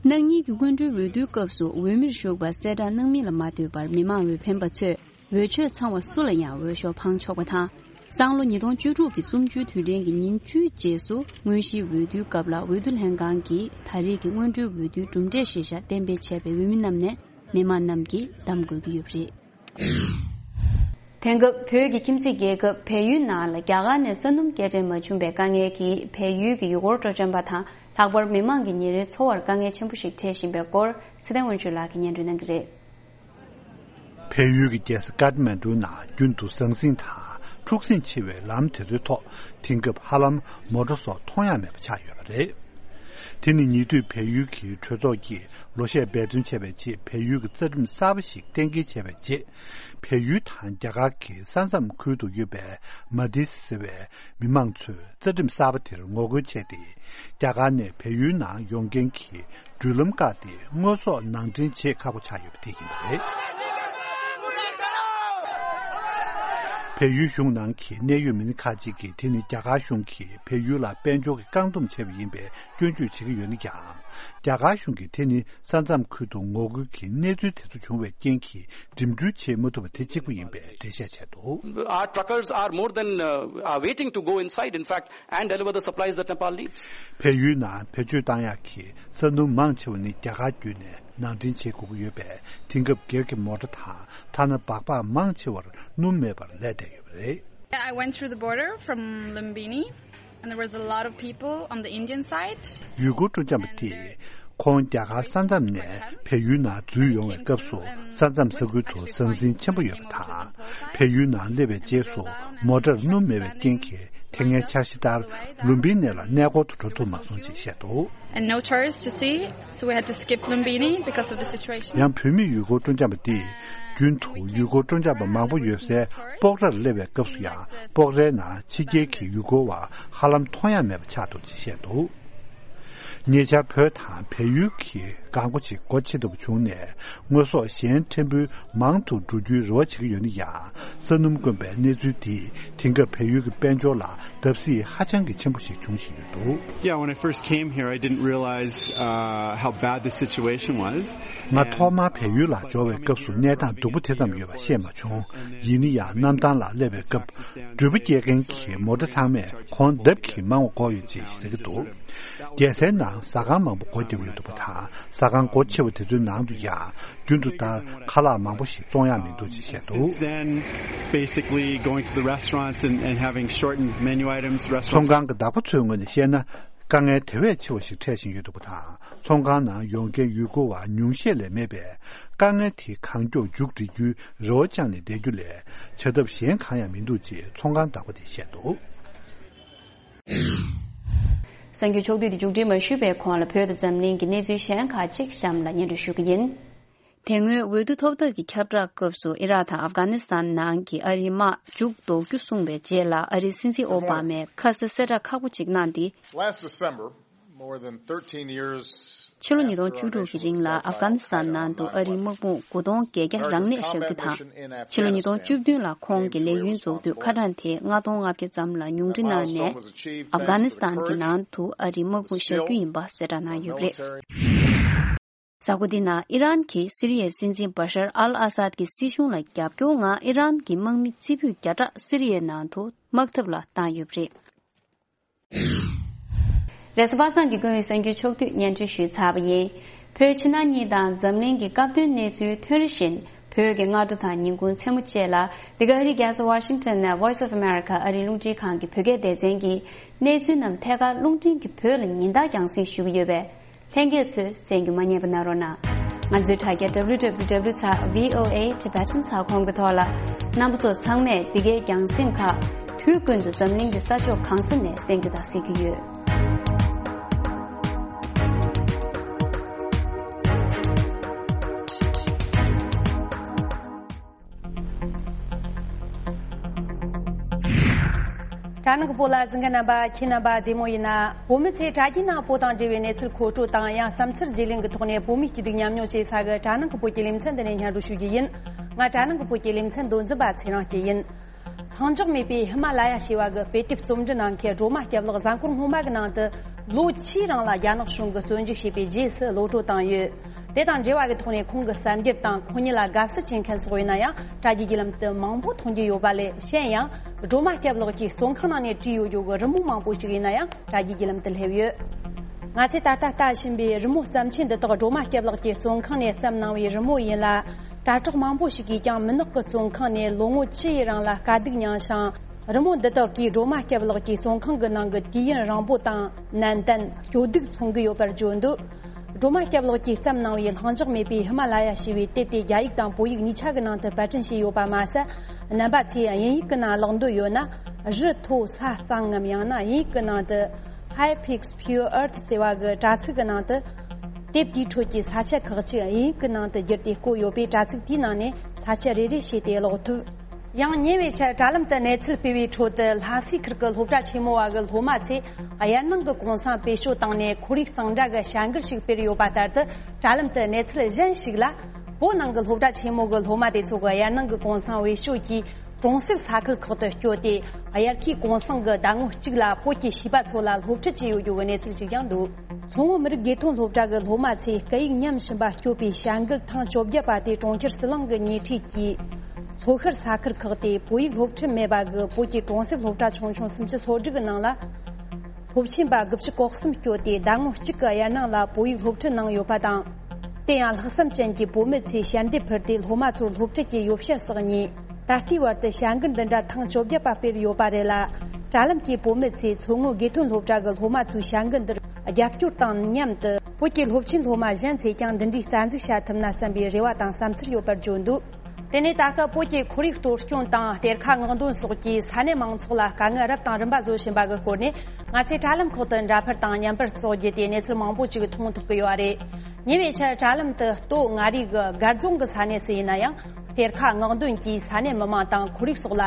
གནངས་ཉིན་གྱི་སྔོན་འགྲོའི་འོས་བསྡུའི་སྐབས་སུ་འོས་མིར་ཞུགས་པར་གསལ་བསྒྲགས་གནང་མིན་ལ་མ་ལྟོས་པར་མི་མང་འོས་འཕེན་པ་ཚོས། འོས་ཆོས་ཚང་བ་སུ་ལ་ཡང་འོས་ཤོག་འཕང་ཆོག་པ་དང་། སང་ལོ་ཉིས་སྟོང་བཅུ་དྲུག་གི་གསུམ་བཅུའི་དུས་དྲན་གྱི་ཉིན་བཅུའི་རྗེས་སུ་དངོས་གཞིའི་འོས་བསྡུའི་སྐབས་ལ་འོས་བསྡུ་ལྷན་ཁང་གིས་ད་རེས་ཀྱི་སྔོན་འགྲོའི་འོས་བསྡུའི་གྲུབ་འབྲས་ཤེས་བྱ་གཏན་འབེབས་བྱས་པའི་འོས་མི་རྣམས་ནས་མི་མང་རྣམས་ཀྱིས་བདམས་དགོས་ཀྱི་ཡོད་པ་རེད། དེང་སྐབས་བོད་ཀྱི་ཁྱིམ་མཚེས་རྒྱལ་ཁབ་བལ་ཡུལ་ནང་ལ་རྒྱ་གར་ནས་ས་སྣུམ་སྐྱེལ་འདྲེན་མ་བྱུང་བའི་དཀའ་ངལ་གྱིས་བལ་ཡུལ་གྱི་ཡུལ་སྐོར་སྤྲོ་འཆམ་པ་དང་ལྷག་པར་མི་མང་གི་ཉིན་རེའི་འཚོ་བར་དཀའ་ངལ་ཆེན་པོ་ཞིག་འཕྲད་བཞིན་པའི་སྐོར་ཚེ་བརྟན་དབང་ཕྱུག་ལགས་ཀྱིས་སྙན་སྒྲོན་གནང་གི་རེད། བལ་ཡུལ་གྱི་རྒྱལ་ས་ཀཏ་མན་ཌུ་ནང་རྒྱུན་དུ་ཟང་ཟིང་དང་འཁྲུག་ཟིང་ཆེ་བའི་ལམ་དེ་ཚོའི་ཐོག་དེང་སྐབས་ཧ་ལམ་མོ་ཊ་སོགས་མཐོང་ཡ་མེད་པ་ཆགས་ཡོད་པ་རེད། དེ་ནི་ཉེ་དུས་བལ་ཡུལ་གྱི་གྲོས་ཚོགས་ཀྱིས་ལོ་ཤས་འབད་བརྩོན་བྱས་པའི་རྗེས་བལ་ཡུལ་གྱི་རྩ་ཁྲིམས་གསར་པ་ཞིག་གཏན་འཁེལ་བྱས་པའི་རྗེས། བལ་ཡུལ་དང་རྒྱ་གར་གྱི་ས་མཚམས་ཁུལ་དུ་ཡོད་པའི་མ་ཏི་ཟེར་བའི་མི་མང་ཚོས་རྩ་ཁྲིམས་གསར་པ་དེར་ངོ་རྒོལ་བྱས་ཏེ། རྒྱ་གར་ནས་བལ་ཡུལ་ནང་ཡོང་མཁན་གྱི་འགྲུལ་ལམ་བཀག་སྟེ་དངོས་ཟོག་ནང་འདྲེན་བྱེད་ཁག་པོ་ཆགས་ཡོད་པ་དེ་ཡིན་པ་རེད། བལ་ཡུལ་གཞུང་ནང་གི་གནད་ཡོད་མི་སྣ་ཁག་ཅིག་གིས་དེ་ནི་རྒྱ་གར་གཞུང་གིས་བལ་ཡུལ་ལ་དཔལ་འབྱོར་གྱི་བཀག་སྡོམ་བྱས་པ་ཡིན་པའི་སྐྱོན་བརྗོད་བྱེད་ཀྱི་ཡོད་ན་ཀྱང་། རྒྱ་གར་གཞུང་གིས་དེ་ནི་ས་མཚམས་ཁུལ་དུ་ངོ་རྒོལ་གྱི་གནས་ཚུལ་དེ་ཚོ་བྱུང་བའི་རྐྱེན་གྱིས་འགྲིམ་འགྲུལ་བྱེད་མ་ཐུབ་པ་དེ་གཅིག་པུ་ཡིན་པའི་འགྲེལ་བཤད་བྱས་འདུག། Our truckers are more than uh, are waiting to go inside, in fact, and deliver the supplies that Nepal needs. བལ་ཡུལ་ནང་བེད་སྤྱོད་བཏང་ཡག་གི་ས་སྣུམ་མང་ཆེ་བ་ནི་རྒྱ་གར་བརྒྱུད་ནས་ནང་འདྲེན་བྱེད་དགོས་ཀྱི་ཡོད་པས། དེང་སྐབས་སྒེར་གྱི་མོ་ཊ་དང་ཐ་ན་སྦག་སྦག་མང་ཆེ་བར་སྣུམ་མེད་པར་ལས་བསྡད་ཡོད་པ་རེད། Yeah, I went through the border from Lumbini, and there was a lot of people on the Indian side. ཡུལ་སྐོར་སྤྲོ་འཆམ་པ་དེས་ཁོང་རྒྱ་གར་ས་མཚམས་ནས་བལ་ཡུལ་ནང་འཛུལ་ཡོང་བའི་སྐབས་སུ། ས་མཚམས་ས་ཁུལ་དུ་ཟང་ཟིང་ཆེན་པོ་ཡོད་པ་དང་། བལ་ཡུལ་ནང་སླེབས་པའི་རྗེས་སུ་མོ་ཊར་སྣུམ་མེད་པའི་རྐྱེན་གྱིས། དེ་སྔའི་འཆར་གཞི་ལྟར་ལུམ་བི་ནི་ལ་གནས་སྐོར་དུ་འགྲོ་ཐུབ་མ་སོང་ཅེས་བཤད་འདུག། And no tourists to see, so we had to skip Lumbini because of the situation. ཡང་བོད་མི་ཡུལ་སྐོར་སྤྲོ་འཆམ་པ་འདིས། རྒྱུན་དུ་ཡུལ་སྐོར་སྤྲོ་འཆམ་པ་མང་པོ་ཡོད་སའི་སྤོག་རར་སླེབས་པའི་སྐབས་སུ་ཡང་། སྤོག་རའི་ནང་ཕྱི་རྒྱལ་གྱི་ཡུལ་སྐོར་བ་ཧ་ལམ་མཐོང་ཡ་མེད་པ་ཆགས་འདུག་ཅེས་བཤད་འདུག། ཉེ་ཆར་བོད་དང་བལ་ཡུལ་གྱི་གང་སྒོ་ཅིག་སྒོ་ཕྱེ་ཐུབ་པ་བྱུང་ནས། དངོས་ཟོག་གཞན་ཕྲན་བུ་མང་དུ་འགྲོ་རྒྱུའི་རེ་བ་བྱེད་ཀྱི་ཡོད་ན་ཡང་། ས་སྣུམ་དཀོན་པའི་གནས་ཚུལ་འདིས་དེང་སྐབས་བལ་ཡུལ་གྱི་དཔལ་འབྱོར་ལ་བརྡབ་གསིག་ཧ་ཅང་གི་ཆེན་པོ་ཞིག་འབྱུང་བཞིན་ཡོད་འདུག། Yeah, when I first came here, I didn't realize uh, how bad the situation was. ང་ཐོག་མར་བལ་ཡུལ་ལ་འབྱོར་བའི་སྐབས་སུ་གནས་སྟངས་སྡུག་པོ་དེ་ཙམ་ཡོད་པ་ཤེས་མ་བྱུང་། ཡིན་ན་ཡང་གནམ་ཐང་ལ་སླེབས་པའི་སྐབས། འགྲུལ་པ་སྐྱེལ་མཁན་གྱི་མོ་ཊ་ཚང་མས་གོང་ལྡབ་ཀྱིས་མང་བ་བསྐོར་ཡོད་ཅེས་ཟེར་གྱི་འདུག། རྒྱལ་སའི་ནང་ཟ་ཁང་མང་པོ་སྒོ་བརྒྱབ་ཡོད་འདུག་པ་དང་། ཟ་ཁང་སྒོ་ཕྱེ་བ་དེ་ཚོའི་ནང་དུ་ཡང་རྒྱུན་དུ་ལྟར་ཁ་ལག་མང་པོ་ཞིག་བཙོང་ཡག་མི་འདུག་ཅེས་བཤད་འདུག། Since then, basically going to the restaurants and, and having shortened menu items, restaurants. ཚོང་ཁང་གི་བདག་པོ་ཚོའི་ངོས་ནས་བཤད་ན། དཀའ་ངལ་དེ་བས་ཆེ་བ་ཞིག་འཕྲད་བཞིན་ཡོད་འདུག་པ་དང་། ཚོང་ཁང་ནང་ཡོང་མཁན་ཡུལ་སྐོར་བ་ཉུང་ཤས་ལས་མེད་པས། དཀའ་ངལ་དེ་གང་མགྱོགས་མཇུག་སྒྲིལ་རྒྱུའི་རེ་བ་བཅངས་ནས་བསྡད་རྒྱུ་ལས། བྱ་ཐབས་གཞན་གང་ཡང་མི་འདུག་ཅེས་ཚོང་ཁང་བདག་པོ་དེས་བཤད་འདུག། གསར་འགྱུར་ཕྱོགས་བསྡུས་དེ་མཇུག་སྒྲིལ་མ་ཞུས་པའི་གོང་ལ། བོད་དང་འཛམ་གླིང་གི་གནས་ཚུལ་གཞན་ཁག་ཅིག་གཤམ་ལ་སྙན་སྒྲོན་ཞུ་གི་ཡིན། དེ་སྔོན་འོས་བསྡུ་ཐོབ་ཐང་གི་ཁྱབ་བསྒྲགས་སྐབས་སུ། ཨི་རག་དང་ཨབ་གྷ་ནི་སི་ཐན་ནང་གི་ཨ་རིའི་དམག་མཇུག་ལྡོག་རྒྱུ་གསུངས་པའི་རྗེས་ལ། ཨ་རིའི་སྲིད་འཛིན་ཨོ་བྷ་མས་ཁ་ས་གསལ་བསྒྲགས་ཁག་པོ་ཅིག་གནང་སྟེ། Last December, more than thirteen years ཕྱི་ལོ་ཉིས་སྟོང་བཅུ་དྲུག་གི་རིང་ལ་ཨབ་གྷ་ནི་སི་ཐན་ནང་དུ་ཨ་རིའི་དམག་དཔུང་དགུ་སྟོང་བརྒྱད་བརྒྱ་རང་གནས་བཞག་རྒྱུ་དང་། ཕྱི་ལོ་ཉིས་སྟོང་བཅུ་བདུན་ལ་ཁོང་གི་ལས་ཡུན་རྫོགས་དུས་ཁ་གྲངས་དེ་ལྔ་སྟོང་ལྔ་བརྒྱ་ཙམ་ལ་ཉུང་འཕྲི་གནང་ནས། ཨབ་གྷ་ནི་སི་ཐན་གྱི་ནང་དུ་ཨ་རིའི་དམག་དཔུང་བཞག་རྒྱུ་ཡིན་པ་གསལ་བསྒྲགས་གནང་ཡོད་པ་རེད། གཟའ་འཁོར་འདི་ནང་ཨི་རན་གྱིས་སི་རི་ཡའི་སྲིད་འཛིན་བ་ཤར་ཨལ་ཨ་སཱད་ཀྱི་སྲིད་གཞུང་ལ་རྒྱབ་སྐྱོར་ངང་ཨི་རན་གྱི་དམག་མི་རྩེ་ཕུད་བརྒྱ་ཕྲག་སི་རི་ཡའི་ནང་དུ་དམག་འཐབ་ལ་བཏང་ཡོད་པ་རེད། རེས་གཟའ་པ་སངས་ཀྱི་ཀུན་གླེང་གསར་འགྱུར་ཕྱོགས་བསྡུས་སྙན་སྒྲོན་ཞུས་ཚར་བ་ཡིན། བོད་ཕྱི་ནང་གཉིས་དང་འཛམ་གླིང་གི་སྐབས་དོན་གནས་ཚུལ་ཐོན་རེ་བཞིན། བོད་ཀྱི་སྔ་དྲོ་དང་ཉིན་གུང་མཚན་མོ་བཅས་ལ། འདི་ག་ཨ་རིའི་རྒྱལ་ས་ཝ་ཤིང་ཊོན་ནས་Voice of America ཨ་རིའི་རླུང་འཕྲིན་ཁང་གི་བོད་སྐད་སྡེ་ཚན་གྱིས་གནས་ཚུལ་རྣམས་ཐད་ཀར་རླུང་འཕྲིན་གྱི་བོད་ལ་ཉིན་ལྟར་རྒྱང་སྲིང་ཞུ་གི་ཡོད་པས། ལྷན་རྒྱས་ཚོས་གསན་རྒྱུ་མ་བསྙེལ་བ་གནང་རོགས་གནང་། ང་ཚོའི་དྲ་རྒྱ་W W W dot V O A Tibetan dot com གི་ཐོག་ལ། རྣམ་པ་ཚོ་ཚང་མས་འདི་གའི་རྒྱང་སྲིང་ཁག་དུས་ཀུན་ཏུ་འཛམ་གླིང་གི་ས་ཕྱོགས་གང་ས་ནས་གསན་རྒྱུ་དང་གཟིགས་ཀྱི་ཡོད། དྲ་ནང་གི་བོད་ལ་གཟིགས་མཁན་རྣམ་པ། ཁྱེད་རྣམ་པ་བདེ་མོ་ཡིན་ན། བོད་མི་ཚོས་དྲ་རྒྱའི་ནང་བོད་དང་འབྲེལ་བའི་གནས་ཚུལ་མཁོ་སྤྲོད་དང་། ཡང་བསམ་འཆར་བརྗེ་ལེན་གྱི་ཐོག་ནས་བོད་མིའི་སྐྱིད་སྡུག་མཉམ་མྱོང་བྱེད་ས་གི་དྲ་ནང་གི་བོད་ཀྱི་ལེ་ཚན་འདི་ནས་སྙན་སྒྲོན་ཞུ་རྒྱུ་ཡིན། ང་དྲ་ནང་གི་བོད་ཀྱི་ལེ་ཚན་མདོ་འཛིན་པ་ཚེ་རིང་སྐྱིད་ཡིན། ལྷིང་འཇགས་མེད་པའི་ཧི་མ་ལ་ཡ་ཞེས་པ་གི་དཔེ་དེབ་རྩོམ་འབྲི་གནང་མཁན་སྒྲོལ་མ་སྐྱབས་ལགས་གཟའ་འཁོར་སྔོན་མ་གི་ནང་དུ་ལོ་བཅུའི་རིང་ལ་རྒྱ་ནག་གཞུང་གིས་བཙོན་འཇུག་བྱས་པའི་རྗེས་སུ་གློད་གྲོལ་བཏང་ཡོད། དེ་དང་འབྲེལ་བ་གི་ཐོག་ནས་ཁོང་གི་གསར་འགྱུར་དང་ཁོང་ཉིད་ལ་དགའ་བསུ་བྱེད་མཁན་སོགས་ཡིན་ན་ཡང་། དྲ་རྒྱའི་བརྒྱུད་ལམ་དུ་མང་པོ་མཐོང་རྒྱུ་ཡོད་པ་ལས། གཞན་ཡང་སྒྲོལ་མ་སྐྱབས་ལགས་ཀྱིས་བཙོན་ཁང་ནང་ནས་བྲིས་ཡོད་རྒྱུ་གི་རི་མོ་མང་པོ་ཞིག་ཡིན་ན་ཡང་དྲ་རྒྱའི་བརྒྱུད་ལམ་དུ་སླེབས་ཡོད། ང་ཚོས་ད་ལྟ་ལྟ་བཞིན་པའི་རི་མོ་བརྩམས་ཆོས་འདི་དག་སྒྲོལ་མ་སྐྱབས་ལགས་ཀྱིས་བཙོན་ཁང་ནས་བརྩམས་གནང་བའི་རི་མོ་ཡིན་ལ། དྲ་གྲོགས་མང་པོ་ཞིག་གིས་ཀྱང་མུན་ནག་གི་བཙོན་ཁང་ནས་ལོ་ངོ་བཅུ་ཡི་རིང་ལ་དཀའ་སྡུག་མྱངས་ཤིང་། རི་མོ་འདི་དག་གིས་སྒྲོལ་མ་སྐྱབས་ལགས་ཀྱི་བཙོན་ཁང་གི་ནང་གི་དུས་ཡུན་རིང་པོ་དང་ནན་ཏན། སྐྱོ་སྡུག་མཚོན་གྱི་ཡོད་པར་བརྗོད་འདུག། སྒྲོལ་མ་སྐྱབས་ལགས་ཀྱིས་བརྩམས་གནང་བའི་ལྷིང་འཇགས་མེད་པའི་ཧི་མ་ལ་ཡ་ཞེས་པའི་དེབ་དེ་རྒྱ་ཡིག་དང་བོད་ཡིག་གཉིས་ཆ་གི་ནང་དུ་པར་སྐྲུན་བྱས་ཡོད་པ་མ་ཟད། རྣམ་པ་ཚོས་དབྱིན་ཡིག་གི་ནང་ཀློག་འདོད་ཡོད་ན། རི་མཐོ་ས་གཙང་ངམ། ཡང་ན་དབྱིན་ཡིག་གི་ནང་དུ། High Peaks Pure Earth ཟེར་བ་གི་དྲ་ཚིགས་ཀྱི་ནང་དུ། དེབ་དེའི་ཁྲོད་ཀྱི་ས་ཆ་ཁག་ཅིག་དབྱིན་ཡིག་གི་ནང་དུ་བསྒྱུར་ཏེ་བཀོད་ཡོད་པས། དྲ་ཚིགས་དེའི་ནང་ནས་ས་ཆ་རེ་རེ་བྱས་ཏེ་ཀློག་ཐུབ། ཡང་ཉེ་བའི་ཆར་དྲ་ལམ་དུ་གནས་ཚུལ་སྤེལ་བའི་ཁྲོད་དུ། ལྷ་སའི་ཁུལ་གྱི་སློབ་གྲྭ་ཆེན་མོ་བ་གི་སློབ་མ་ཚོས་དབྱར་གནང་གི་གུང་སེང་སྤེལ་སྤྱོད་བཏང་ནས་ཁོར་ཡུག་གཙང་སྦྲ་གི་བྱ་འགུལ་ཞིག་སྤེལ་ཡོད་པ་ལྟར་དུ། དྲ་ལམ་དུ་གནས་ཚུལ་གཞན་ཞིག་ལ། བོད་ནང་གི་སློབ་གྲྭ་ཆེན་མོ་གི་སློབ་མ་དེ་ཚོ་གིས་དབྱར་གནང་གི་གུང་སེང་བེད་སྤྱོད་ཀྱིས་གྲོང་གསེབ་ས་ཁུལ་ཁག་ཏུ་བསྐྱོད་དེ། དབྱར་ཁའི་གུང་སེང་གི་ཟླ་ངོ་གཅིག་ལ་བོད་ཀྱི་བྱིས་པ་ཚོ་ལ་སློབ་ཁྲིད་བྱས་ཡོད་རྒྱུ་གི་གནས་ཚུལ་ཞིག་ཀྱང་འདུག་མཚོ་སྔོན་མི་རིགས་དགེ་ཐོན་སློབ་གྲྭ་གི་སློབ་མ་ཚོས་སྐད་ཡིག་ཉམས་ཞིམ་པ་སྐྱོད་པའི་བྱ་འགུལ་ཐེངས་བཅོ་བརྒྱད་པ་དེ་གྲོང་ཁྱེར་ཟི་ལིང་གི་ཉེ་འཁྲིས་ཀྱི་མཚོ་ཤར་ས་ཁུལ་ཁག་སྟེ། བོད་ཡིག་སློབ་ཁྲིད་མེད་པ་གི་བོད་ཀྱི་གྲོང་གསེབ་སློབ་གྲྭ་ཆུང་ཆུང་སུམ་ཅུ་སོ་དྲུག་གི་ནང་ལ། སློབ་ཆེན་པ་དགུ་བཅུ་གོ་གསུམ་བསྐྱོད་དེ། ཟླ་ངོ་གཅིག་གི་དབྱར་གནང་ལ་བོད་ཡིག་སློབ་ཁྲིད་གནང་ཡོད་པ་དང་། དེ་ཡང་ལྷག་བསམ་ཅན་གྱི་བུད་མེད་ཚོས་ཞལ་འདེབས་ཕུལ་ཏེ། སློབ་མ་ཚོར་སློབ་ཁྲིད་ཀྱི་ཡོ་བྱད་སོགས་གཉིས། ད་ལྟའི་བར་དུ་བྱ་འགུལ་འདི་འདྲ་ཐེངས་བཅོ་བརྒྱད་པ་སྤེལ་ཡོད་པ་རེད་ལ། དྲ་ལམ་གྱི་བུད་མེད་ཚོས་མཚོ་སྔོན་དགེ་ཐོན་སློབ་གྲྭ་གི་སློབ་མ་ཚོའི་བྱ་འགུལ་འདིར་རྒྱབ་སྐྱོར་དང་མཉམ་དུ། བོད་ཀྱི་སློབ་ཆེན་སློབ་མ་གཞན་ཚོས་ཀྱང་འདི་འདྲའི་རྩ་འཛུགས་བྱ་ཐུབ་ན་བསམ་པའི་རེ་བ་དང་བསམ་ཚུལ་ཡོད་པར་བརྗོད་འདུག་དེ་ནས་ད་སྐབས་བོད་ཀྱི་ཁོར་ཡུག་གཏོར་སྐྱོན་དང་གཏེར་ཁ་མངགས་འདོན་སོགས་ཀྱིས་ས་གནས་མང་ཚོགས་ལ་དཀའ་ངལ་རབ་དང་རིམ་པ་བཟོ་བཞིན་པ་གི་སྐོར་ནས། ང་ཚོས་དྲ་ལམ་ཁག་ཏུ་འདྲ་པར་དང་བརྙན་པར་སོགས་བརྒྱུད་དེ་གནས་ཚུལ་མང་པོ་ཅིག་མཐོང་ཐུབ་ཀྱི་ཡོད་རེད། ཉེ་བའི་ཆར་དྲ་ལམ་དུ་སྟོད་མངའ་རིས་ཀྱི་སྒར་རྫོང་གི་ས་གནས་སུ་ཡིན་ན་ཡང་། གཏེར་ཁ་མངགས་འདོན་གྱིས་ས་གནས་མི་མང་དང་ཁོར་ཡུག་སོགས་ལ་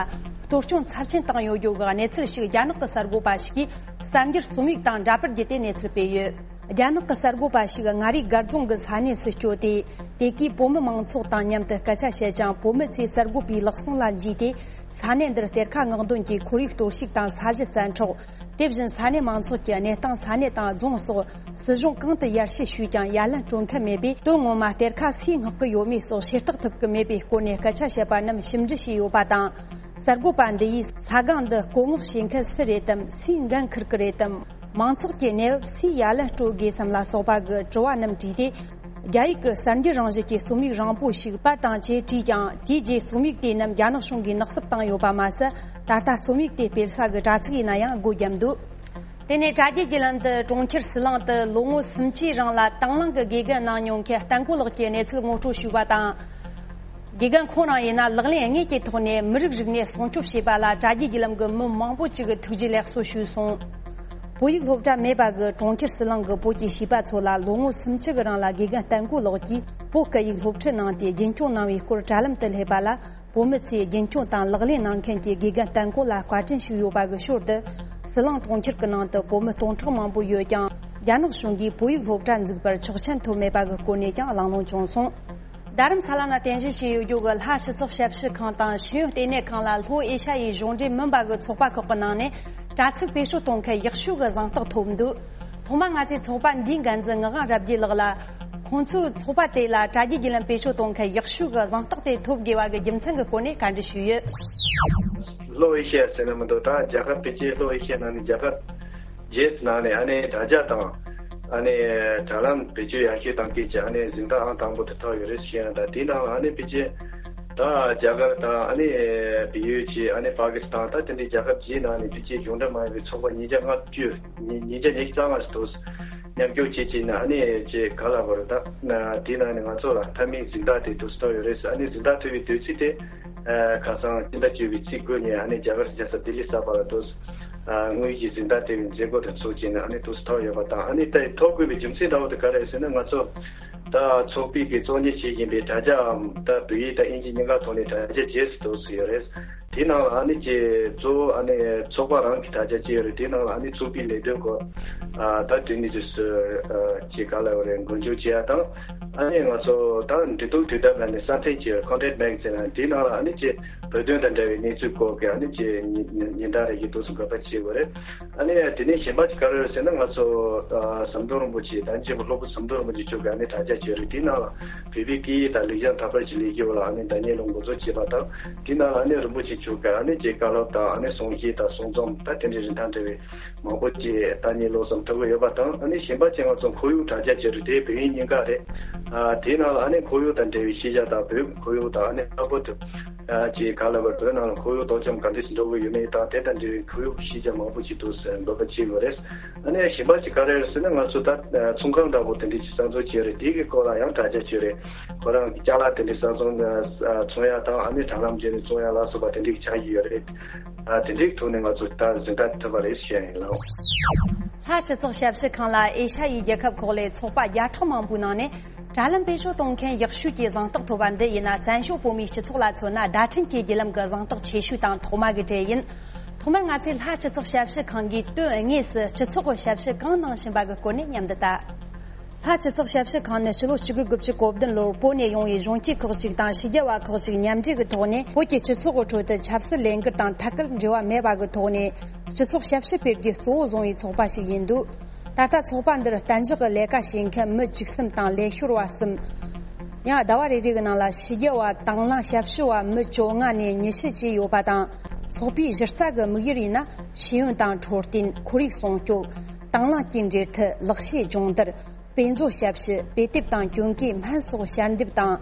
གཏོར་སྐྱོན་ཚབས་ཆེན་བཏང་ཡོད་རྒྱུ་གི་གནས་ཚུལ་ཞིག་རྒྱ་ནག་གི་གསར་འགོད་པ་ཞིག་གིས་གསར་འགྱུར་རྩོམ་ཡིག་དང་འདྲ་པར་བརྒྱུད་དེ་གནས་ཚུལ་སྤེལ་ཡོད། རྒྱ་ནག་གི་གསར་འགོད་པ་ཞིག་མངའ་རིས་སྒར་རྫོང་གི་ས་གནས་སུ་བསྐྱོད་དེ། དེ་གའི་བོད་མི་མང་ཚོགས་དང་མཉམ་དུ་སྐད་ཆ་བཤད་ཅིང་། བོད་མི་ཚོས་གསར་འགོད་པའི་ལག་ཟུང་ལ་འཇུས་ཏེ། ས་གནས་འདིར་གཏེར་ཁ་མངགས་འདོན་གྱིས་ཁོར་ཡུག་གཏོར་བཤིག་དང་ས་གཞི་བཙན་འཕྲོག་དེ་བཞིན་ས་གནས་མང་ཚོགས་ཀྱི་གནས་སྟངས། ས་གནས་དང་རྫོང་སོགས་སྲིད་གཞུང་གང་དུ་ཡར་ཞུ་ཞུས་ཀྱང་ཡ་ལན་སྤྲོད་མཁན་མེད་པས། དོན་ངོ་མ་གཏེར་ཁ་སུས་མངགས་ཀྱི་ཡོད་མེད་སོགས་ཤེས་རྟོགས་ཐུབ་ཀྱི་མེད་པའི་སྐོར་ནས་སྐད་ཆ་བཤད་པ་རྣམས་ཞིབ་འབྲི་བྱས་ཡོད་པ་དང་། གསར་འགོད་པ་འདི་ཡིས་ས་སྒང་འདི་བསྐོ་མངགས་བྱེད་མཁན་སུ་རེད་དམ། སུས་འགན་འཁུར་གྱི་རེད་དམ། མང་ཚོགས་ཀྱི་གནས་བབ་སུས་ཡ་ལན་སྤྲོད་དགོས་སམ་ལ་སོགས་པ་གི་དྲི་བ་རྣམས་དྲིས་ཏེ། རྒྱ་ཡིག་གི་གསར་འགྱུར་རང་བཞིན་གྱི་རྩོམ་ཡིག་རིང་པོ་ཞིག་པར་དང་བཅས་བྲིས་ཀྱང་། དེའི་རྗེས་རྩོམ་ཡིག་དེ་རྣམས་རྒྱ་ནག་གཞུང་གིས་ནག་གསུབ་བཏང་ཡོད་པ་མ་ཟད། ད་ལྟ་རྩོམ་ཡིག་དེ་སྤེལ་ས་གི་དྲ་ཚིགས་ཡིན་ན་ཡང་སྒོ་བརྒྱབ་འདུག་དེ་ནས་དྲ་རྒྱའི་བརྒྱུད་ལམ་དུ་གྲོང་ཁྱེར་ཟི་ལིང་དུ་ལོ་ངོ་སུམ་ཅུའི་རིང་ལ་དང་བླངས་ཀྱི་དགེ་རྒན་གནང་མྱོང་མཁན་བསྟན་ཀོ་ལགས་ཀྱི་གནས་ཚུལ་ངོ་སྤྲོད་ཞུས་པ་དང་། དགེ་རྒན་ཁོང་རང་ཡིན་ན་ལག་ལེན་དངོས་ཀྱི་ཐོག་ནས་མི་རིགས་རིག་གནས་སྲུང་སྐྱོབ་བྱས་པ་ལ་དྲ་རྒྱའི་བརྒྱུད་ལམ་གྱི་མི་མང་པོ་ཅིག་གིས་ཐུགས་རྗེ་ལེགས་གསོ་ཞུས་སོང་། བོད་ཡིག་སློབ་གྲྭ་མེད་པ་གི་གྲོང་ཁྱེར་ཟི་ལིང་གི་བོད་ཀྱི་བྱིས་པ་ཚོ་ལ་ལོ་ངོ་སུམ་ཅུ་གི་རིང་ལ་དགེ་རྒན་བསྟན་ཀོ་ལགས་ཀྱིས་བོད་སྐད་ཡིག་སློབ་ཁྲིད་གནང་སྟེ་རྒྱུན་སྐྱོང་གནང་བའི་སྐོར་དྲ་ལམ་དུ་སླེབས་པ་ལ། བོད་མི་ཚོས་རྒྱུན་སྐྱོང་དང་ལག་ལེན་གནང་མཁན་གྱི་དགེ་རྒན་བསྟན་ཀོ་ལ་བཀའ་དྲིན་ཞུས་ཡོད་པ་གི་ཞོར་དུ། ཟི་ལིང་གྲོང་ཁྱེར་གྱི་ནང་དུ་བོད་མི་སྟོང་ཕྲག་མང་པོ་ཡོད་ཀྱང་། རྒྱ་ནག་གཞུང་གིས་བོད་ཡིག་སློབ་གྲྭ་འཛུགས་པར་ཆོག་མཆན་ཐོབ་མེད་པ་གི་སྐོར་ནས་ཀྱང་གླེང་སློང་བྱུང་སོང་། རྡ་རམ་ས་ལ་ན་རྟེན་གཞི་བྱས་ཡོད་རྒྱུ་གི་ལྷ་སྤྱི་ཚོགས་ཞབས་ཞུ་ཁང་དང་ཤེས་ཡོན་ལྟེ་གནས་ཁང་ལ་ལྷོ་ཨེ་ཤ་ཡའི་གཞུང་འབྲེལ་མིན་པ་གི་ཚོགས་པ་ཁག་གི་ནང་ནས་དྲ་ཚིགས་བེད་སྤྱོད་གཏོང་མཁན་ཡག་ཤོས་ཀྱི་གཟེངས་རྟགས་ཐོབ་འདུག་ཐོག་མར་ང་ཚོས་ཚོགས་པ་འདིའི་འགན་འཛིན་ངག་དབང་རབ་རྒྱས་ལགས་ལ། ཁོང་ཚོའི་ཚོགས་པ་དེ་ལ་དྲ་རྒྱའི་བརྒྱུད་ལམ་བེད་སྤྱོད་གཏོང་མཁན་ཡག་ཤོས་ཀྱི་གཟེངས་རྟགས་དེ་ཐོབ་དགོས་པ་གི་རྒྱུ་མཚན་གྱི་སྐོར་ནས་བཀའ་འདྲི་ཞུས་ཡོད། ལྷོ་ཨེ་ཤི་ཡ་ཟེར་ན་མི་འདུག་ད་རྒྱ་གར་ཕལ་ཆེར་ལྷོ་ཨེ་ཤི་ཡ་ནང་ནས་རྒྱ་གར་རྗེས་སུ་ནང་ནས་ཨ་ནེ་དྲ་རྒྱ་དང་ཨ་ནེ་དྲ་ལམ་བེད་སྤྱོད་ཡག་ཤོས་གཏོང་མཁན་གྱི་ཨ་ནེ་གཟེངས་རྟགས་ཨང་དང་པོ་དེ་ཐོབ་ཡོད་རེད་ཞུ་ཡ། ད་དེའི་ནང་ལ་ཨ་ནེ་ཕལ་ཆེར་ད་རྒྱ་གར་དང་ཨ་ནེ་བལ་ཡུལ་གྱི་ཨ་ནེ་པ་ཀི་སི་ཐན། ད་དེ་འདྲའི་རྒྱལ་ཁབ་བརྒྱད་ནང་ནས་ཕལ་ཆེར་གཞུང་འབྲེལ་མ་ཡིན་པའི་ཚོགས་པ་ཉིས་བརྒྱ་ལྔ་བཅུ། ཉིས་ཉིས་བརྒྱ་ཉི་ཤུ་རྩ་ལྔ་ཞིག་འདུག་མཉམ་ཞུགས་བྱེད་ཀྱིན་ཨ་ནི་ཅེས་ག་ལ་བར་ད་དེའི་ནང་ནས་ང་ཚོ་ལ་མཐའ་མའི་གཟེངས་རྟགས་དེ་འདུག་སེ་ཐོབ་ཡོད་རེད་ཟེར། ཨ་ནི་གཟེངས་རྟགས་ཐོབ་པའི་དུས་ཚིགས་དེ་ཁ་སང་སྤྱི་ཟླ་བཅུ་པའི་ཚེས་དགུ་ཉིན་ཨ་ནི་རྒྱ་གར་རྒྱལ་ས་ལྡི་ལི་གསར་པ་ལ་འདུག་དངོས་ཡོད་ཀྱི་གཟེངས་རྟགས་སྤྲད་པའི་མཛད་སྒོ་དེ་ཚོགས་བྱས་ནས་ཨ་ནི་འདུག་སེ་ཐོབ་ཡོད་པ་དང་། ཨ་ནི་ད་ཐོབ་དགོས་པའི་རྒྱུ་མཚན་འདྲ་བོ་དེ་ག་རེ་རེད་ཟེར་ན། ང་ཚོ་ད་ཚོགས་པའི་གི་གཙོ་གཉེར་བྱེད་བཞིན་པའི་དྲ་རྒྱའམ་ད་བོད་ཡིག་དང་དབྱིན་ཇི་གཉིས་ཀ་ཐོག་ནས་དྲ་རྒྱ་རྗེས་སུ་འདུག་སེ་ཡོད་རེད། དེའི་ནང་ལ་ཨ་ནི་ཅེ་གཙོ་བོ་ཨ་ནི་ཚོགས་པ་རང་གི་དྲ་རྒྱ་ཅིག་ཡོད་རེད། དེའི་ནང་ལ་ཨ་ནི་ཚོགས་པའི་ལས་དོན་སྐོར་ཨ་ད་དེ་ནི་ཅེས་སུ་ཅེ་ག་ལ་ཡོད་རེད། མགོ་མཇུག་བྱེད་ཡ་དང་། ཨ་ནི་ང་ཚོ་ད་འབྲེལ་གཏུག་དུས་དེབ་ལ་ནི་གསར་འཐེན་ཅིག་ཡོད་རེད། Content Magazine། ཨ་ནི་དེའི་ནང་ལ་ཨ་ནི་ཅེ་བོད་དོན་དང་འབྲེལ་བའི་གནས་ཚུལ་སྐོར་གྱི་ཨ་ནི་ཅེ་ཉིན་ཉིན་བརྡ་རེ་ཡིན་འདུག་སེ་འགོད་པ་བྱེད་དགོས་རེད། ཨ་ནི་དེ་ནས་གཞན་པ་ཅིག་ག་རེ་རེད་ཟེར་ན། ང་ཚོ་ཨ་ཟམ་གདོང་རིན་པོ་ཆེ་དང་རྗེ་བོ་སློབ་དཔོན་ཟམ་གདོང་རིན་པོ་ཆེ་མཆོག་གི་ཨ་ནི་དྲ་རྒྱ་ཅིག་ཡོད་རེད། དེའི་ནང་ལ་བོད་པའི་སྐད་ཡིག་དང་ལེགས་བྱང་དར་སྤེལ་གྱི་ལས་འགུལ་ལ་ཨ་ནི་ཟླ་ཉིན་ལོ་འགོ་འཛུགས་བྱས་པ་དང་། དེའི་ནང་ལ་ཨ་ནི་རིན་པོ་ཆེ་མཆོག་གི་ཨ་ནི་ཅེ་བཀའ་སློབ་དང་ཨ་ནི་གསུང་བཤད་དང་གསུང་རྩོམ་ད་དེ་འདྲའི་རིན་ཐང་བྲལ་བའི་མང་པོ་ཅིག་ཟླ་ཉིན་ལོ་གསུམ་ཐོབ་ཀྱི་ཡོད་པ་དང་། ཨ་ནི་གཞན་པ་ཅིག་ང་ཚོ་ཁོར་ཡུག་དྲ་རྒྱ་ཅིག་རེད། དེ་བོད་དབྱིན་གཉིས་ཀ་རེད། ཨ་དེའི་ནང་ལ་ཨ་ནི་ཁོར་ཡུག་དང་འབྲེལ་བའི་ཤེས་བྱ་དང་བོད་ཁོར་ཡུག་དང་ཨ་ནི་ལྷག་པར་དུ་ཨ་ཅེ་ག་ལ་བར་བོད་ནང་ལ་ཁོར་ཡུག་དོ་དམ་ག་འདྲ་ཞིག་འགྲོ་གི་ཡོད་མེད་དང་། དེ་དང་འབྲེལ་བའི་ཁོར་ཡུག་ཤེས་བྱ་མང་པོ་ཅིག་འདུག་སེ་འགོད་པ་བྱེད་དགོས་རེད། ཨ་ནི་གཞན་པ་ཅིག་ག་རེ་རེད་ཟེར་ན། ང་ཚོ་ད་ཨ་ཚོང་ཁང་འདྲ་པོ་དེ་འདྲ་ཅིག་གསར་འཛུགས་བྱས་རེད། དེ་གི་སྐོར་ལ་ཡང་དྲ་རྒྱ་བྱས་རེད། ཁོ་རང་གི་ཅ་ལག་དེ་འདྲ་གསར་བཙོང་ཨ་ཚོང་ཡ་དང་། ཨ་ནི་དྲ་ལམ་བརྒྱུད་ནས་བཙོང་ཡ་ལ་སོགས་པ་དེ་འདྲ་ཅིག་ཆགས་ཀྱི་ཡོད་རེད། ཨ་དེ་འདྲའི་ཐོག་ནས་ང་ཚོ་ད་གཟེངས་རྟགས་ཐོབ་པ་རེད་ཞུ་ཡ་ཡིན་ལགས། ལྷ་སྤྱི་ཚོགས་ཞབས་ཞུ་ཁང་ལ་ཨེ་ཤ་ཡའི་རྒྱལ་ཁབ་ཁག་ལས་ཚོགས་པ་བརྒྱ་ཕྲག་མང་པོའི་ནང་ནས་དྲ་ལམ་བེད་སྤྱོད་གཏོང་མཁན་ཡག་ཤོས་ཀྱི་གཟེངས་རྟགས་ཐོབ་པ་འདི་ཡིན་ན། བཙན་བྱོལ་བོད་མིའི་སྤྱི་ཚོགས་ལ་མཚོན་ན་བརྡ་འཕྲིན་གྱི་བརྒྱུད་ལམ་གྱི་གཟེངས་རྟགས་ཆེ་ཤོས་དང་ཐོག་མ་གི་གྲས་ཡིན། ཐོག་མར་ང་ཚོས་ལྷ་སྤྱི་ཚོགས་ཞབས་ཞུ་ཁང་གིས་དོན་དངོས་སུ་སྤྱི་ཚོགས་ཀྱི་ཞབས་ཞུ་གང་གནང་བཞིན་པ་གི་སྐོར་ནས་མཉམ་དུ་ལྟ། ལྷ་སྤྱི་ཚོགས་ཞབས་ཞུ་ཁང་ནི་ཕྱི་ལོ་ཆིག་སྟོང་དགུ་བརྒྱ་དགུ་བཅུ་གོ་བདུན་ལོར་བོད་ནས་ཡོང་བའི་གཞོན་སྐྱེས་ཁག་ཅིག་དང་ཕྱི་རྒྱལ་བ་ཁག་ཅིག་མཉམ་འབྲེལ་གྱི་ཐོག་ནས། བོད་ཀྱི་སྤྱི་ཚོགས་ཀྱི་ཁྲོད་དུ་ཆབ་སྲིད་ལས་འགུལ་དང་ཐད་ཀར་འབྲེལ་བ་མེད་པ་གི་ཐོག་ནས་སྤྱི་ཚོགས་ཞབས་ཞུ་སྤེལ་རྒྱུ་གཙོ་བོ་བཟུང་བའི་ཚོགས་པ་ཞིག་ཡིན་འདུག། ད་ལྟ་ཚོགས་པ་འདིར་གཏན་འཇགས་ཀྱི་ལས་ཀ་བྱེད་མཁན་མི་བཅུ་གསུམ་དང་ལས་ཤོར་བ་གསུམ། ཡང་ཟླ་བ་རེ་རེ་གི་ནང་ལ་ཕྱི་རྒྱལ་བ་དང་བླངས་ཞབས་ཞུ་བ་མི་བཅོ་ལྔ་ནས་ཉི་ཤུ་བཅས་ཡོད་པ་དང་། ཚོགས་པའི་གཞི་རྩ་གི་དམིགས་ཡུལ་ཡིན་ན། ཤེས་ཡོན་དང་འཕྲོད་བསྟེན། ཁོར་ཡུག་སྲུང་སྐྱོབ། དང་བླངས་ཀྱི་འབྲེལ་མཐུད། ལག་ཤེས་སྦྱོང་བརྡར། དཔེ་མཛོད་ཞབས་ཞུ། དཔེ་དེབ་དང་གྱོན་གོས་སྨན་སོགས་ཞལ་འདེབས་དང་།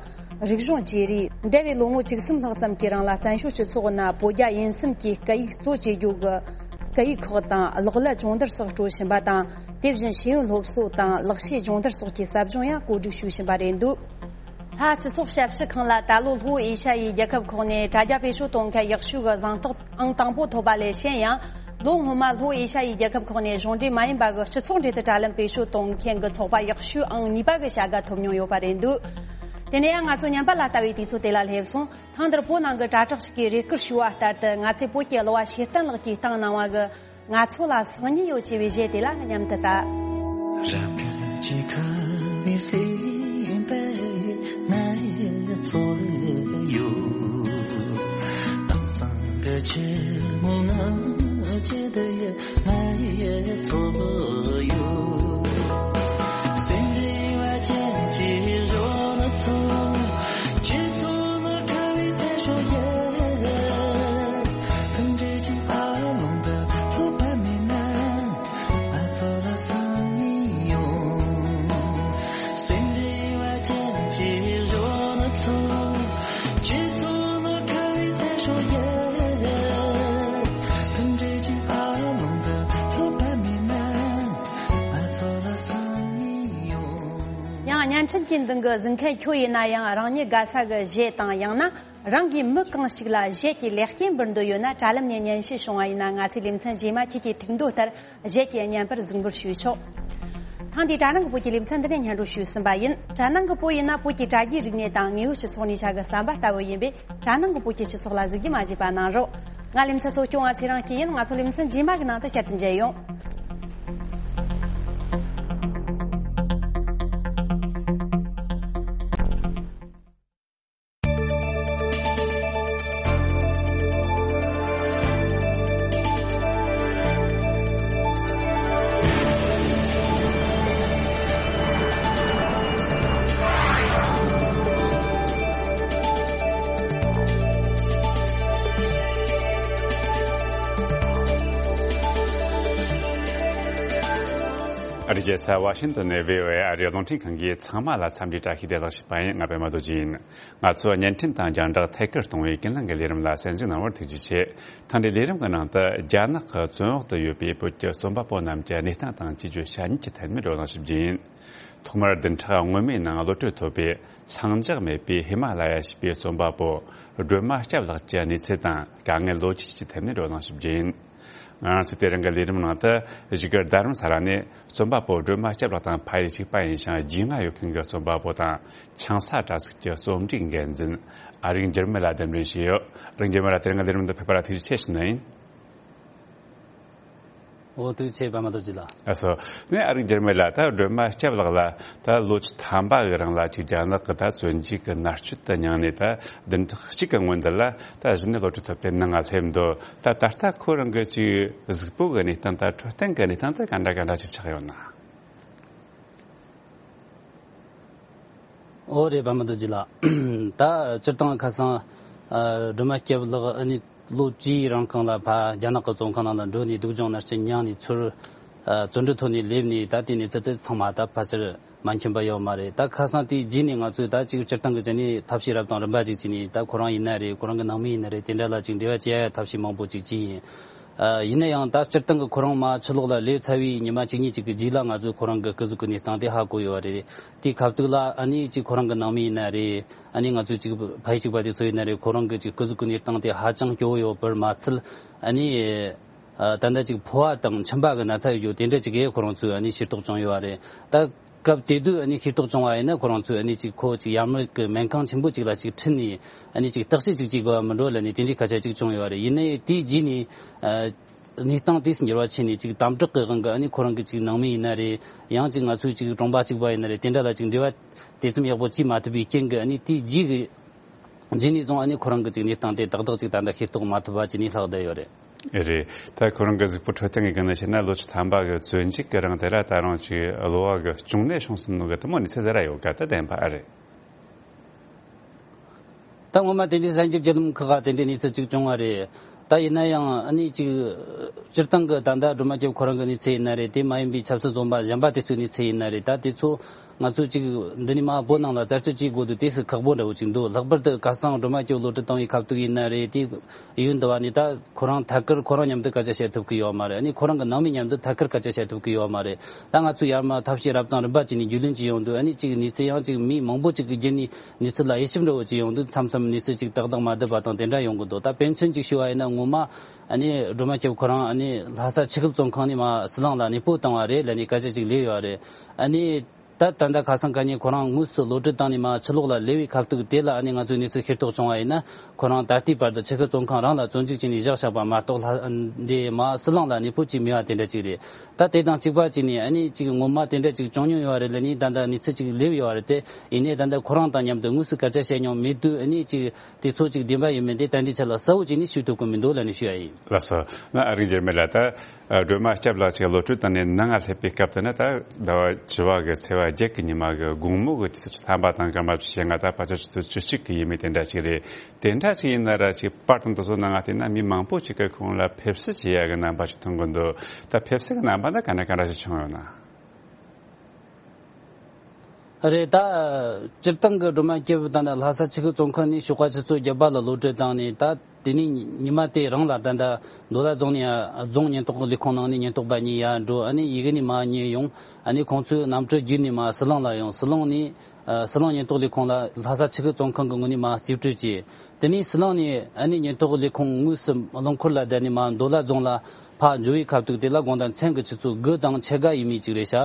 རིག་གཞུང་བརྗེ་རེས། འདས་པའི་ལོ་ངོ་བཅུ་གསུམ་ལྷག་ཙམ་གྱི་རིང་ལ་བཙན་བྱོལ་སྤྱི་ཚོགས་ནང་བོད་རྒྱ་དབྱིན་གསུམ་གྱི་སྐད་ཡིག་གཙོ་བྱེད་རྒྱུ་གི་སྐད་ཡིག་ཁག་དང་གློག་ཀླད་སྦྱོང་བརྡར་སོགས་སྤྲོད་བཞིན་པ་དང་། དེ་བཞིན་ཤེས་ཡོན་སློབ་གསོ་དང་ལག་ཤེས་སྦྱོང་བརྡར་སོགས་ཀྱི་ཟབ་སྦྱོང་ཡང་བཀོད་སྒྲིག་ཞུ་བཞིན་པ་རེད་འདུག། ལྷ་སྤྱི་ཚོགས་ཞབས་ཞུ་ཁང་ལ་ད་ལོ་ལྷོ་ཨེ་ཤ་ཡའི་རྒྱལ་ཁབ་ཁག་ནས་དྲ་རྒྱ་བེད་སྤྱོད་གཏོང་མཁན་ཡག་ཤོས་ཀྱི་གཟེངས་རྟགས་ཨང་དང་པོ་ཐོབ་པ་ལས་གཞན་ཡང་། ལོ་སྔོན་མ་ལྷོ་ཨེ་ཤ་ཡའི་རྒྱལ་ཁབ་ཁག་ནས་གཞུང་འབྲེལ་མ་ཡིན་པ་གི་སྤྱི་ཚོགས་འབྲེལ་མཐུད་དྲ་ལམ་བེད་སྤྱོད་གཏོང་མཁན་གྱི་ཚོགས་པ་ཡག་ཤོས་ཨང་གཉིས་པ་གི་བྱ་དགའ་ཐོབ་མྱོང་ཡོད་པ་རེད་འདུག། དེ་ནས་ཡང་ང་ཚོ་ཉམས་པ་ལ་ལྟ་བའི་དུས་ཚོད་དེ་ལ་སླེབས་སོང་། ཐེངས་འདིར་བོད་ནང་གི་དྲ་གྲགས་ཤིག་གིས་རེ་སྐུལ་ཞུས་པ་ལྟར་དུ། ང་ཚོའི་བོད་ཀྱི་གླུ་བ་ཤེས་ལྡན་ལགས་ཀྱིས་བཏང་གནང་བ་གི། ང་ཚོ་ལ་སང་ཉིན་ཡོད་ཅེས་པའི་གཞས་དེ་ལ་མཉམ་དུ་ལྟ། རབ་དཀར་གྱི་ཁ་བའི་སེམས་པས་ང་ཚོར་ཡོད། དྭངས་གཙང་གི་ཆུ་མོ་ང་བཅད་དེ་ང་ཚོར་ཡོད། སེམས་རེ་བ་ཅན་གྱི་གཞོན་ཚོ། ཁྱེད་ཚོ་ནི་ཁ་བའི་ཚལ་སྲོག་ཡིན། ཕུང་འདྲེས་ཀྱི་ཨ་ལོང་དུ་ལྷོད་པ་མེད་ན། ང་ཚོ་ལ་སང་ཉིན་ཡོང་། སེམས་རེ་བ་ཅན་གྱི་གཞོན་ཚོ། ཁྱེད་ཚོ་ནི་ཁ་བའི་ཚལ་སྲོག་ཡིན། ཕུང་འདྲེས་ཀྱི་ཨ་ལོང་དུ་ལྷོད་པ་མེད་ན། ང་ཚོ་ལ་སང་ཉིན་ཡོང་། ཡང་བརྙན་འཕྲིན་གྱི་མདུན་གྱི་གཟིགས་མཁན་ཁྱོད་ཡིན་ན་ཡང་། རང་ཉིད་དགའ་ས་གི་གཞས་དང་། ཡང་ན། རང་གིས་མི་གང་ཞིག་ལ་གཞས་ཀྱི་ལེགས་སྐྱེས་འབུལ་འདོད་ཡོད་ན། དྲ་ལམ་ནས་སྙན་ཞུ་བྱུང་བ་ཡིན་ན། ང་ཚོའི་ལེ་ཚན་རྗེས་མ་ཁྱེད་ཀྱི་ཐུགས་འདོད་ལྟར་གཞས་ཀྱི་བརྙན་པར་གཟིགས་འབུལ་ཞུས་ཆོག། ཐེངས་འདིའི་དྲ་ནང་གི་བོད་ཀྱི་ལེ་ཚན་འདི་ནས་སྙན་སྒྲོན་ཞུས་ཟིན་པ་ཡིན། དྲ་ནང་གི་བོད་ཡིན་ན། བོད་ཀྱི་དྲ་རྒྱའི་རིག་གནས་དང་དངོས་ཡོད་སྤྱི་ཚོགས་ནས་བྱ་དགའ་བསམ་པ་ལྟ་བུ་ཡིན་པས། དྲ་ནང་གི་བོད་ཀྱི་སྤྱི་ཚོགས་ལ་གཟིགས་རྒྱུ་མ་བརྗེད་པ་གནང་རོགས། ང་ལེ་ཚན་གཙོ་སྐྱོང་བ་ཚེ་རིང་སྐྱིད་ཡིན། ང་ཚོ་ལེ་ཚན་རྗེས་མ་གི་ནང་དུ་བསྐྱར་དུ་མཇལ་ཡོང་། ཨ་རིའི་རྒྱལ་ས་ཝ་ཤིང་ཏོན་ནས་བྷི་ཨོ་ཨེ་ཨ་རིའི་རླུང་འཕྲིན་ཁང་གིས་ཚང་མ་ལ་འཚམས་འདྲིའི་བཀྲ་ཤིས་བདེ་ལེགས་ཞུས་པ་ཡིན། ང་པད་མ་རྡོ་རྗེ་ཡིན། ང་ཚོ་བརྙན་འཕྲིན་དང་རྒྱང་བསྒྲགས་ཐད་ཀར་གཏོང་བའི་ཀུན་གླེང་གི་ལས་རིམ་ལ་གསན་གཟིགས་གནང་བར་ཐུགས་རྗེ་ཆེ། ཐེངས་འདིའི་ལས་རིམ་གྱི་ནང་དུ། རྒྱ་ནག་གི་བཙོན་འོག་ཏུ་ཡོད་པའི་བོད་ཀྱི་རྩོམ་པ་པོ་རྣམས་ཀྱི་གནས་སྟངས་དང་། བཅོས་བསྒྱུར་བྱ་ཉེས་ཀྱི་ཐད་ནས་བགྲོ་གླེང་ཞུ་རྒྱུ་ཡིན། ཐོག་མར་བདུན་ཕྲག་སྔོན་མའི་ནང་གློད་གྲོལ་ཐོབ་པའི་ལྷིང་འཇགས་མེད་པའི་ཧི་མ་ལ་ཡ་ཞེས་པའི་རྩོམ་པ་པོ་སྒྲོལ་མ་སྐྱབས་ལགས་ཀྱི་གནས་ཚུལ་དང་། དཀའ་ངལ་ལོ་རྒྱུས་ཀྱི་ཐད་ནས་བགྲོ་གླེང་ཞུ་རྒྱུ་ཡིན། ང་རང་ཚོས་དེ་རིང་གི་ལས་རིམ་ནང་དུ། བཞུགས་སྒར་རྡ་རམ་ས་ལ་ནས་རྩོམ་པ་པོ་སྒྲོལ་མ་སྐྱབས་ལགས་དང་ཕ་ཡུལ་གཅིག་པ་ཡིན་ཞིང་རྒྱུས་མངའ་ཡོད་མཁན་གྱི་རྩོམ་པ་པོ་དང་། ཆང་ས་དྲ་ཚིགས་ཀྱི་རྩོམ་སྒྲིག་འགན་འཛིན་ཨ་རིག་འགྱུར་མེད་ལགས་གདན་འདྲེན་ཞུས་ཡོད། ཨ་རིག་འགྱུར་མེད་ལགས། དེ་རིང་གི་ལས་རིམ་འདི་ཕེབས་པ་ལ་ཐུགས་རྗེ་ཆེ་ཞུ་ནི་ཡིན། འོ། ཐུགས་རྗེ་ཆེ། པད་མ་རྡོ་རྗེ་ལགས། ལགས་སོ། ནས་ཨ་རིག་འགྱུར་མེད་ལགས། ད་སྒྲོལ་མ་སྐྱབས་ལགས་ལ་ད་ལོ་ཆུ་ཐམ་པ་གི་རིང་ལ་ཅིག་རྒྱ་ནག་གི་ད་བཙོན་འཇུག་གི་མནར་གཅོད་དུ་མྱངས་ནས། ད་བདུན་ཕྲག་གཅིག་གི་སྔོན་འདི་ལ་ད་གཞི་ནས་གློད་གྲོལ་ཐོབ་སྟེ་ནང་ང་སླེབས་འདུག། ད་ད་ལྟ་ཁོ་རང་གི་ཅིག་གཟུགས་པོ་གི་གནས་སྟངས་དང་འཕྲོད་བསྟེན་གི་གནས་སྟངས་དེ་ག་འདྲ་ག་འདྲ་ཅིག་ཆགས་ཡོད་ན། འོ་རེད། པད་མ་རྡོ་རྗེ་ལགས། ད་སྤྱིར་བཏང་ཁ་སང་། ཨ། སྒྲོལ་མ་སྐྱབས་ལགས་ཨ་ནི་ལོ་བཅུའི་རིང་གང་ལ་ཕ་རྒྱ་ནག་གི་བཙོན་ཁང་ནང་ལ་འགྲོ་ནས་སྡུག་སྦྱོང་མནར་གཅོད་མྱངས་ནས་ཚུར། ཨ། བཙོན་གྲོལ་ཐོབ་ནས་སླེབས་ནས་ད་དེ་གནས་ཚུལ་དེ་ཚང་མ་ད་ཕལ་ཆེར་མ་མཁྱེན་པ་ཡོད་མ་རེད། ད་ཁ་སང་དེའི་རྗེས་ནས་ང་ཚོས་ད་ཅིག་སྤྱིར་བཏང་གི་ཆ་ནས་ཐབས་ཤེས་རབ་དང་རིམ་པ་ཅིག་བྱས་ནས། ད་ཁོ་རང་ཡིན་ན་རེད། ཁོ་རང་གི་ནང་མི་ཡིན་ན་རེད། དེ་འདྲ་ལ་ཅིག་འབྲེལ་བ་བྱེད་ཡ་ཐབས་ཤེས་མང་པོ་ཅིག་བྱས་ཡིན། ཨ། ཡིན་ན་ཡང་ད་སྤྱིར་བཏང་གི་ཁོ་རང་མ་ཕྱི་ལོགས་ལ་སླེབས་ཚར་བའི་ཉི་མ་གཅིག་གཉིས་ཅིག་གི་རྗེས་ལ་ང་ཚོས་ཁོ་རང་གི་སྐུ་གཟུགས་ཀྱི་གནས་སྟངས་དེ་ཧ་གོ་ཡོད་པ་རེད། དེའི་སྐབས་དུས་ལ་ཨ་ནི་ཅིག་ཁོ་རང་གི་ནང་མི་ཡིན་ན་རེད། ཨ་ནི་ང་ཚོའི་ཅིག་ཕ་ཡུལ་གཅིག་པ་དེ་ཚོ་ཡིན་ན་རེད། ཁོ་རང་གི་ཅིག་སྐུ་གཟུགས་ཀྱི་གནས་སྟངས་དེ་ཧ་ཅང་སྐྱོ་བོ་ཡོད་པར་མ་ཚད། ཨ་ནི། ཨ་ད་ལྟ་ཅིག་ཕོ་བ་དང་མཆིན་པ་གི་ན་ཚ་ཡོད་རྒྱུ་དེ་འདྲ་ཅིག་གི་ཁོ་རང་ཚོས་ཨ་ནི་ཤེས་རྟོགས་བྱུང་ཡོད་པ་རེད། ད་སྐབས་དེ་དུས་ཨ་ནི་ཤེས་རྟོགས་བྱུང་བ་ཡིན་ན་ཁོ་རང་ཚོས་ཨ་ནི་ཅིག་ཁོ་ཅིག་ཡར་མར་གི་སྨན་ཁང་ཆེན་པོ་ཅིག་ལ་ཅིག་ཁྲིད་ནས་ཨ་ནི་ཅིག་བརྟག་དཔྱད་ཅིག་བྱེད་དགོས་པ་མིན་འགྲོ་ལབ་ནས་དེ་འདྲའི་སྐད་ཆ་ཅིག་བྱུང་ཡོད་པ་རེད། ཡིན་ནའི་དེའི་རྗེས་ནས་ཨ་གནས་སྟངས་དེས་འགྱུར་བ་ཕྱིན་ནས་ཅིག་དམ་དྲག་གི་དབང་གིས་ཨ་ནི་ཁོ་རང་གི་ཅིག་ནང་མི་ཡིན་ན་རེད། ཡང་ཅིག་ང་ཚོའི་ཅིག་གྲོང་པ་གཅིག་པ་ཡིན་ན་རེད། དེ་འདྲ་ལ་ཅིག་འབྲེལ་བ་དེ་ཙམ་ཡག་པོ་བྱེད་མ་ཐུབ་པའི་རྐྱེན་གྱིས་ཨ་ནི་དེའི་རྗེས་ཀྱི་རྗེས་ནས་བཟུང་ཨ་ནི་ཁོ་རང་གི་ཅིག་གནས་སྟངས་དེ་ཏག་ཏག་ཅིག་ད་ལྟ་ཤེས་རྟོགས་མ་ཐུབ་པ་བྱས་ནས་ལྷག་བསྡད་ཡོད་རེད། རེད། ད་ཁོ་རང་གི་གཟུགས་པོ་འཕྲོད་བསྟེན་གྱི་སྒང་ནས་བཤད་ན་ལོ་བཅུ་ཐམ་པ་གི་བཙོན་འཇུག་གི་རིང་དེ་ལ་ད་རུང་ཅིག་གློ་བ་གི་གཅོང་ནད་བྱུང་སོང་ནོ་གི་དེ་མོ་གནས་ཚུལ་ཟེར་ར་ཡོད་ག་ད་བདེན་པ་ཨེ་རེད། ད་ངོ་མ་དེ་འདྲའི་གསར་འགྱུར་བརྒྱུད་ལམ་ཁག་ག་དེ་འདྲའི་གནས་ཚུལ་ཅིག་བྱུང་བ་རེད། ད་ཡིན་ན་ཡང་ཨ་ནི་ཅིག་སྤྱིར་བཏང་གི་ད་ལྟ་སྒྲོལ་མ་སྐྱབས་ཁོ་རང་གི་གནས་ཚུལ་ཡིན་ན་རེད། དེ་མ་ཡིན་པའི་ཆབ་སྲིད་བཙོན་པ་གཞན་པ་དེ་ཚོའི་གནས་ཚུལ་ཡིན་ན་རེད། ད་དེ་ཚོ་ང་ཚོས་ཅིག་འདི་ནས་མར་བོད་ནང་ལ་རྩད་གཅོད་བྱེད་དགོས་དུས་དེ་སུ་ཁག་པོ་འདྲ་བོ་ཅིག་འདུག་ལྷག་པར་དུ་ཁ་སང་སྒྲོལ་མ་སྐྱབས་གློད་གྲོལ་བཏང་བའི་ཁ་ཐུག་ཡིན་ན་རེད། དེ་ཡུན་འདི་བ་ནས་ད་ཁོ་རང་ཐད་ཀར་ཁོ་རང་མཉམ་དུ་སྐད་ཆ་བཤད་ཐུབ་ཀྱི་ཡོད་མ་རེད། ཨ་ནི་ཁོ་རང་གི་ནང་མི་མཉམ་དུ་ཐད་ཀར་སྐད་ཆ་བཤད་ཐུབ་ཀྱི་ཡོད་མ་རེད། ད་ང་ཚོས་ཡར་མར་ཐབས་ཤེས་རབ་དང་རིམ་པ་བྱས་ནས་རྒྱུས་ལོན་བྱས་ཡོང་དུས་ཨ་ནི་ཅིག་གནས་ཚུལ་ཡང་ཅིག་མི་མང་པོ་ཅིག་གི་བརྒྱུད་ནས་གནས་ཚུལ་ལ་དབྱེ་ཞིབ་འདྲ་བོ་བྱས་ཡོང་དུས་མཚམས་མཚམས་གནས་ཚུལ་ཅིག་ཏག་ཏག་མ་བསྡད་པ་དང་དེ་འདྲ་ཡོང་གི་འདུག་ད་དཔེ་མཚོན་ཅིག་ཞུ་བ་ཡིན་ན་ངོ་མ་ཨ་ནི་སྒྲོལ་མ་སྐྱབས་ཁོ་རང་ཨ་ནི་ལྷ་ས་ཆུ་ཤུར་བཙོན་ཁང་ནས་མར་ཟི་ལིང་ལ་གནས་སྤོས་བཏང་བ་རེད་ལབ་ནས་སྐད་ཆ་ཅིག་སླེབས་ཡོད་རེད། ཨ་ནི་ད་ད་ལྟ་ཁ་སང་ཁ་ཉིན་ཁོ་རང་དངོས་སུ་གློད་གྲོལ་བཏང་ནས་མར་ཕྱི་ལོགས་ལ་སླེབས་པའི་ཁ་ཐུག་དེ་ལ་ཨ་ནི་ང་ཚོས་གནས་ཚུལ་ཤེས་རྟོགས་བྱུང་བ་ཡིན་ན་ཁོ་རང་ད་ལྟའི་བར་དུ་ཆུ་ཤུར་བཙོན་ཁང་རང་ལ་བཙོན་འཇུག་བྱས་ནས་བཞག་བཞག་པ་མ་གཏོགས་ལྷ་འདི་མར་ཟི་ལིང་ལ་གནས་སྤོས་བྱས་མེད་པ་དེ་འདྲ་ཅིག་རེད། ད་དེ་དང་གཅིག་པ་བྱས་ནས་ཨ་ནི་ཅིག་ངོ་མ་དེ་འདྲ་ཅིག་བྱུང་མྱོང་ཡོད་རེད་ལབ་ནས་ད་ལྟ་གནས་ཚུལ་ཅིག་སླེབས་ཡོད་རེད་དེ། ཡིན་ནའི་ད་ལྟ་ཁོ་རང་དང་མཉམ་དུ་དངོས་སུ་སྐད་ཆ་བཤད་མྱོང་མེད་དུས་ཨ་ནི་ཅིག་དེ་ཚོ་ཅིག་བདེན་པ་ཡིན་མིན་དེ་ད་ལྟའི་ཆ་ལ་གསལ་བོ་བྱས་ནས་ཞུ་ཐུབ་ཀྱི་མི་འདུག་ལབ་ནས་ཞུ་ཡ་ཡིན། ལགས་སོ། ང་ཨ་རིག་འཇར་མེད་ལ་ད་སྒྲོལ་མ་སྐྱབས་ལགས་ཀྱི་གློད་གྲོལ་བཏང་ནས་ནང་ང་སླེབས་པའི་སྐབས་དེ་ན་ད་ཟླ་བ་བཅུ་པ་གི་ཚེས་པ་བརྒྱད་ཀྱི་ཉི་མ་གི་དགོང་མོ་གི་དུས་ཚོད་བཅུ་ཐམ་པ་དང་སྐར་མ་བཅུ་ཞེ་ལྔ། ད་ཕལ་ཆེར་ཆུ་ཚོད་བཅུ་གཅིག་གི་ཡས་མས་དེ་འདྲ་ཞིག་རེད། དེ་འདྲ་ཞིག་ཡིན་ན་ར་ཅིག་པར་དང་དེ་ཚོ་ནང་ང་བལྟས་ན་མི་མང་པོ་ཞིག་གིས་ཁོང་ལ་ཕེབས་བསུ་བྱེད་ཡ་གི་རྣམ་པ་ཞིག་མཐོང་གི་འདུག་ད་ཕེབས་བསུ་གི་རྣམ་པ་འདི་ག་འདྲ་ག་འདྲ་ཞིག་བྱུང་ཡོད་ན། རེད། ད་སྤྱིར་བཏང་གི་སྒྲོལ་མ་སྐྱབས་ད་ནི་ལྷ་ས་ཆུ་ཤུར་བཙོན་ཁང་ནས་ཞོགས་པ་ཆུ་ཚོད་བརྒྱད་པ་ལ་གློད་གྲོལ་བཏང་ནས་ད་དེ་ནས་ཉི་མ་དེ་རང་ལ་ད་ལྟ་མདོ་ལ་རྫོང་ནས་རྫོང་ཉེན་རྟོག་ལས་ཁུངས་ནང་ནས་ཉེན་རྟོག་པ་གཉིས་ཡར་འགྲོ། ཨ་ནི་ཡི་གེ་ནས་མར་ཉེ་ཡོང་། ཨ་ནི་ཁོང་ཚོས་གནམ་གྲུ་བརྒྱུད་ནས་མར་ཟི་ལིང་ལ་ཡོང་། ཟི་ལིང་ནས་ཨ་ཟི་ལིང་ཉེན་རྟོག་ལས་ཁུངས་ལ་ལྷ་ས་ཆུ་ཤུར་བཙོན་ཁང་གི་ངོས་ནས་མར་རྩིས་སྤྲོད་བྱས། དེ་ནས་ཟི་ལིང་ནས་ཨ་ནི་ཉེན་རྟོག་ལས་ཁུངས་དངོས་སུ་རླངས་འཁོར་ལ་བསྡད་ནས་མར་མདོ་ལ་རྫོང་ལ་ཕར་འབྱོར་བའི་ཁ་ཐུག་དེ་ལ་དགོང་དག་མཚན་གྱི་ཆུ་ཚོད་དགུ་དང་ཕྱེད་ཀ་ཡས་མས་ཅིག་རེད་ཤག་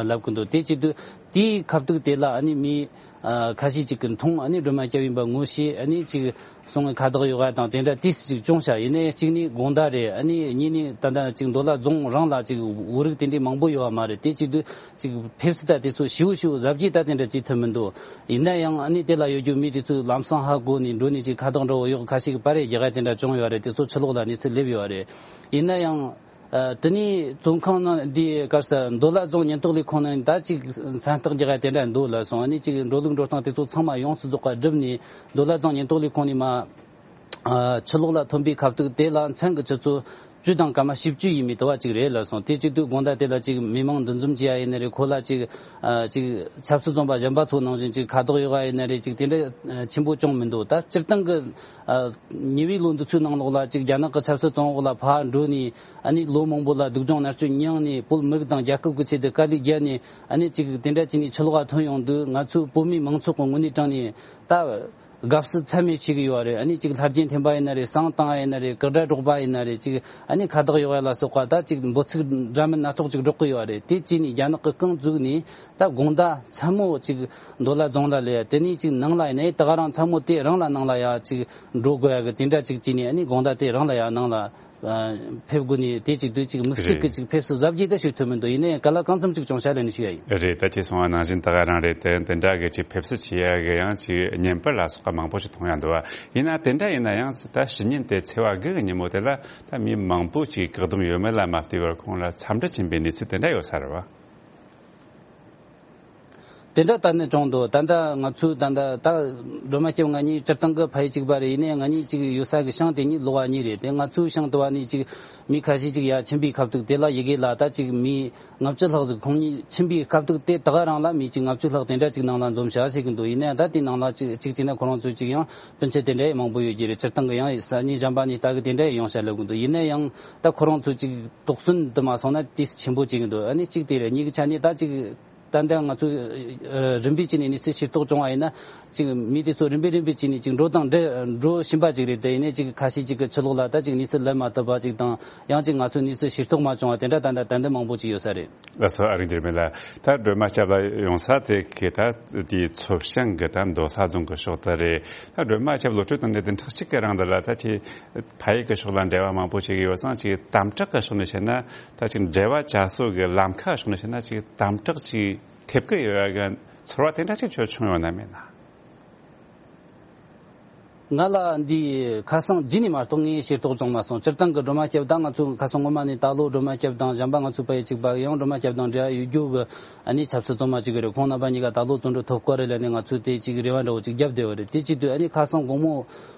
ལབ་ཀྱི་འདུག་དེ་བྱེད་དུས་དེའི་ཁ་ཐུག་དེ་ལ་ཨ་ནི་མི་ཨ་ཁ་ཤས་ཅིག་གིས་མཐོང་། ཨ་ནི་སྒྲོལ་མ་སྐྱབས་ཡིན་པ་ངོ་ཤེས། ཨ་ནི་ཅིག་སོང་བའི་ཁ་བཏགས་ཡོད་པ་དང་དེ་འདྲ་ཏོག་ཙམ་ཅིག་བྱུང་ཤག་ཡིན་ནའི་གཅིག་ནི་དགོང་དག་རེད། ཨ་ནི་གཉིས་ནི་ད་ལྟ་ཅིག་མདོ་ལ་རྫོང་རང་ལ་ཅིག་བོད་རིགས་དེ་འདྲའི་མང་པོ་ཡོད་པ་མ་རེད། དེ་བྱེད་དུས་ཅིག་ཕེབས་བསུ་ད་དེ་ཚོ་ཞེ་པོ་ཞེ་པོ་གཟབ་རྒྱས་ད་དེ་འདྲ་བྱེད་ཐུབ་མི་འདུག་ཡིན་ན་ཡང་ཨ་ནི་དེ་ལ་ཡོད་རྒྱུ་མི་དེ་ཚོས་ལམ་སང་ཧ་གོ་ནས་འགྲོ་ནས་ཅིག་ཁ་བཏགས་འདྲ་བོ་ཡོད། ཁ་ཤས་ཀྱིས་པར་རེ་རྒྱག་ཡ་དེ་འདྲ་བྱུང་ཡོད་རེད། དེ་ཚོ་ཕྱི་ལོགས་ལ་གནས་ཚུལ་སླེབས་ཡོད་རེད། ཡིན་ན་ཡང་ཨ་དེ་ནས་བཙོན་ཁང་ནང་འདི་གར་ས་མདོ་ལ་རྫོང་ཉེན་རྟོག་ལས་ཁུངས་ནང་ད་ཅིག་མཚན་རྟགས་རྒྱག་ཡ་དེ་འདྲ་འདུག་ལབ་སོང་། ཨ་ནི་ཅིག་འགྲོ་ལུགས་འགྲོ་སྟངས་དེ་ཚོ་ཚང་མ་ཡོངས་སུ་རྫོགས་པ་བསྒྲུབས་ནས་མདོ་ལ་རྫོང་ཉེན་རྟོག་ལས་ཁུངས་ནས་མར་ཨ་ཕྱི་ལོགས་ལ་ཐོན་པའི་ཁ་ཐུག་དེ་ལ་མཚན་གྱི་ཆུ་ཚོད་བཅུ་དང་སྐར་མ་བཞི་བཅུ་ཡས་མས་དེ་བ་ཅིག་རེད་ལབ་སོང་། དེ་བྱེད་དུས་དགོང་དག་དེ་ལ་ཅིག་མི་མང་འདུ་འཛོམས་བྱེད་ཡ་ཡིན་ན་རེད། ཁོ་ལ་ཅིག་ཨ་ཅིག་ཆབ་སྲིད་བཙོན་པ་གཞན་པ་ཚོ་ནང་བཞིན་ཅིག་ཁ་དོག་ཡོད་པ་ཡིན་ན་རེད། ཅིག་དེ་འདྲ་ཨ་ཆེན་པོ་བྱུང་མི་འདུག་ད་སྤྱིར་བཏང་གི་ཨ་ཉེ་བའི་ལོ་འདི་ཚོའི་ནང་ལོགས་ལ་ཅིག་རྒྱ་ནག་གི་ཆབ་སྲིད་བཙོན་འོག་ལ་ཕར་འགྲོ་ནས་ཨ་ནི་ལོ་མང་པོ་ལ་སྡུག་སྦྱོང་མནར་གཅོད་མྱངས་ནས་བོད་མི་རིགས་དང་རྒྱལ་ཁབ་ཀྱི་ཆེད་དུ་དཀའ་ལས་བརྒྱབ་ནས་ཨ་ནི་ཅིག་དེ་འདྲ་བྱས་ནས་ཕྱི་ལོགས་ལ་ཐོན་ཡོང་དུས་ང་ཚོའི་བོད་མིའི་མང་ཚོགས་ཀྱི་ངོས་ནས་དྲངས་ནས་ད། དགའ་བསུ་ཚད་མེད་བྱེད་ཀྱི་ཡོད་རེད། ཨ་ནི་ཅིག་ལྷ་རྒྱལ་འཐེན་པ་ཡིན་ན་རེད། བསང་བཏང་བ་ཡིན་ན་རེད། གུར་དྲ་སྒྲོག་པ་ཡིན་ན་རེད། ཅིག་ཨ་ནི་ཁ་བཏགས་གཡོག་ཡ་ལ་སོགས་པ་ད་ཅིག་འབོད་ཚིག་འདྲ་མིན་སྣ་ཚོགས་ཅིག་སྒྲོག་གི་ཡོད་རེད། དེ་བྱས་ནས་རྒྱ་ནག་གི་རྐང་བཙུགས་ནས་ད་དགོང་དག་མཚན་མོ་ཅིག་མདོ་ལ་རྫོང་ལ་སླེབས་ཡ། དེ་ནས་ཅིག་ནང་ལ་ཡིན་ནའི་ད་ག་རང་མཚན་མོ་དེ་རང་ལ་ནང་ལ་ཡ་ཅིག་འགྲོ་དགོས་ཡ་གི་དེ་འདྲ་ཅིག་བྱས་ནས་ཨ་ནི་དགོང་དག་དེ་རང་ལ་ཡ་ནང་ལ། ཨ་ཕེབས་དགོས་ནས་དེ་གཅིག་དུས་གཅིག་དམིགས་བསལ་གྱི་རེད། གཅིག་ཕེབས་བསུ་གཟབ་རྒྱས་ད་ཞུ་ཐུབ་མི་འདུག་ཡིན་ནའི་ག་ལ་གང་འཚམ་གཅིག་བྱུང་ཤག་ལབ་ནས་ཞུ་ཡ་ཡིན། རེད། ད་ཅི་སོང་བ་ནང་བཞིན་ད་ག་རང་རེད། དེ་དེ་འདྲ་གི་ཅིག་ཕེབས་བསུ་བྱེད་ཡ་གི་ཡང་ཅིག་བརྙན་པར་ལ་སོགས་པ་མང་པོ་ཞིག་མཐོང་ཡ་འདུག་བ། ཡིན་ན་དེ་འདྲ་ཡིན་ན་ཡང་ད་ཕྱི་ཉིན་དེ་ཚེས་པ་དགུ་གི་ཉིན་མོ་དེ་ལ་ད་མི་མང་པོ་ཅིག་བཀག་སྡོམ་ཡོད་མེད་ལ་མ་ལྟོས་པར་ཁོང་ལ་འཚམས་འདྲི་བྱིན་པའི་གནས་ཚུལ་དེ་འདྲ་ཡོད་ས་རེད་བ། དེ་འདྲ་ད་ནི་བྱུང་འདུག་ད་ལྟ་ང་ཚོའི་ད་ལྟ་ད་སྒྲོལ་མ་སྐྱབས་ང་གཉིས་སྤྱིར་བཏང་གི་ཕ་ཡུལ་གཅིག་པ་རེད། ཡིན་ནའི་ང་གཉིས་གཅིག་ཡོད་ས་གི་ཤང་དེ་གཉིས་ལོགས་པ་གཉིས་རེད། དེ་ང་ཚོའི་ཤང་དུ་བ་ནི་གཅིག་མི་ཁ་ཤས་གཅིག་ཡར་ཕྱིན་པའི་སྐབས་དུས་དེ་ལ་ཡི་གེ་ལ་ད་གཅིག་མི་ལྔ་བཅུ་ལྷག་ཟིག་ཁོང་གཉིས་ཕྱིན་པའི་སྐབས་དུས་དེ་ད་ག་རང་ལ་མི་གཅིག་ལྔ་བཅུ་ལྷག་དེ་འདྲ་གཅིག་ནང་ལ་འཛོམས་བྱ་ཟེར་གི་འདུག་ཡིན་ནའི་ད་དེ་ནང་ལ་གཅིག་གཅིག་བྱས་ན་ཁོ་རང་ཚོ་གཅིག་ཡང་སྤུན་མཆེད་དེ་འདྲ་ཡང་མང་པོ་ཡོད་ཀྱི་རེད། སྤྱིར་བཏང་གི་ཡང་ས་གནས་གཞན་པ་ནས་ད་གི་དེ་འདྲ་ཡང་ཡོང་བྱ་ལབ་གི་འདུག་ཡིན་ནའི་ཡང་ད་ཁོ་རང་ཚོ་གཅིག་དོགས་ཟོན་དུ་མ་སོང་ན་ཏིས་ཆེན་པོ་བྱེད་ཀྱི་འདུག་ཨ་ནི་གཅིག་དེ་རེད། གཉིས་ཀྱི་ཆ་ནས་ད་གཅིག་ ད་ལྟ་ང་ཚོས་ཨ་རིམ་པས་བྱས་ནས་གནས་ཚུལ་ཤེས་རྟོགས་བྱུང་བ་ཡིན་ན། ཅིག་མི་དེ་ཚོ་རིམ་པས་རིམ་པས་བྱས་ནས་ཅིག་འགྲོ་དང་འགྲོ་འགྲོ་བཞིན་པ་ཅིག་རེད། དེ་ཡིན་ནའི་ཅིག་ཁ་ཤས་ཅིག་གི་ཕྱི་ལོགས་ལ་ད་ཅིག་གནས་ཚུལ་ལབ་མ་ཐུབ་པ་ཅིག་དང་། ཡང་ཅིག་ང་ཚོས་གནས་ཚུལ་ཤེས་རྟོགས་མ་བྱུང་བ་དེ་འདྲ་ད་ལྟ་ཏན་ཏན་མང་པོ་ཅིག་ཡོད་ས་རེད། ལགས་སོ། ཨ་རིག་འགྱུར་མེད་ལགས། ད་སྒྲོལ་མ་སྐྱབས་ལགས་ཡོང་ས་དེ་གི་ད་དེའི་མཚོ་བྱང་གི་ད་མདོ་ལྷ་རྫོང་གི་ཕྱོགས་དེ་རེད། ད་སྒྲོལ་མ་སྐྱབས་ལོ་ཁྲུ་དང་ནས་བདུན་ཕྲག་གཅིག་གི་རིང་འདི་ལ་ད་ཅིག་ཕ་ཡུལ་གྱི་ཕྱོགས་ལ་འབྲེལ་བ་མང་པོ་ཞིག་ཡོད་ཙང་། ཅིག་དམ་དྲག་གི་ཕྱོགས་ནས་བཤད་ན། ད་ཅིག་འབྲེལ་བ་བྱ་སྲོལ་གྱི་ལམ་ཁ་ཕྱོགས་ནས་བཤད་ན། ཅིག་དམ་དྲག་ཅིག་ཐེབས་ཀྱི་ཡོད་ཡ་གི་ཚོར་བ་དེ་འདྲ་ཅིག་ཁྱོད་བྱུང་ཡོད་ན་མེད་ན། ང་ལ་འདི་ཁ་སང་རྗེས་ནས་མ་གཏོགས་ངས་ཤེས་རྟོགས་བྱུང་མ་སོང་། སྤྱིར་བཏང་གི་སྒྲོལ་མ་སྐྱབས་དང་ང་ཚོ་ཁ་སང་སྔོན་མ་ནས་ད་ལོ་སྒྲོལ་མ་སྐྱབས་དང་། གཞན་པ་ང་ཚོ་ཕ་ཡུལ་གཅིག་པ་ཡང་སྒྲོལ་མ་སྐྱབས་དང་འབྲེལ་བ་ཡོད་རྒྱུ་གི་ཨ་ནི་ཆབ་སྲིད་བཙོན་མ་གཅིག་རེད། ཁོང་རྣམ་པ་གཉིས་ཀ་ད་ལོ་བཙོན་གྲོལ་ཐོབ་ཀྱི་རེད་ལབ་ནས་ང་ཚོས་དེ་ཅིག་རེ་བ་འདྲ་བོ་ཅིག་བརྒྱབ་བསྡད་ཡོད་རེད། དེ་བྱེད་དུས་ཨ་ནི་ཁ་སང་དགོང་མོ་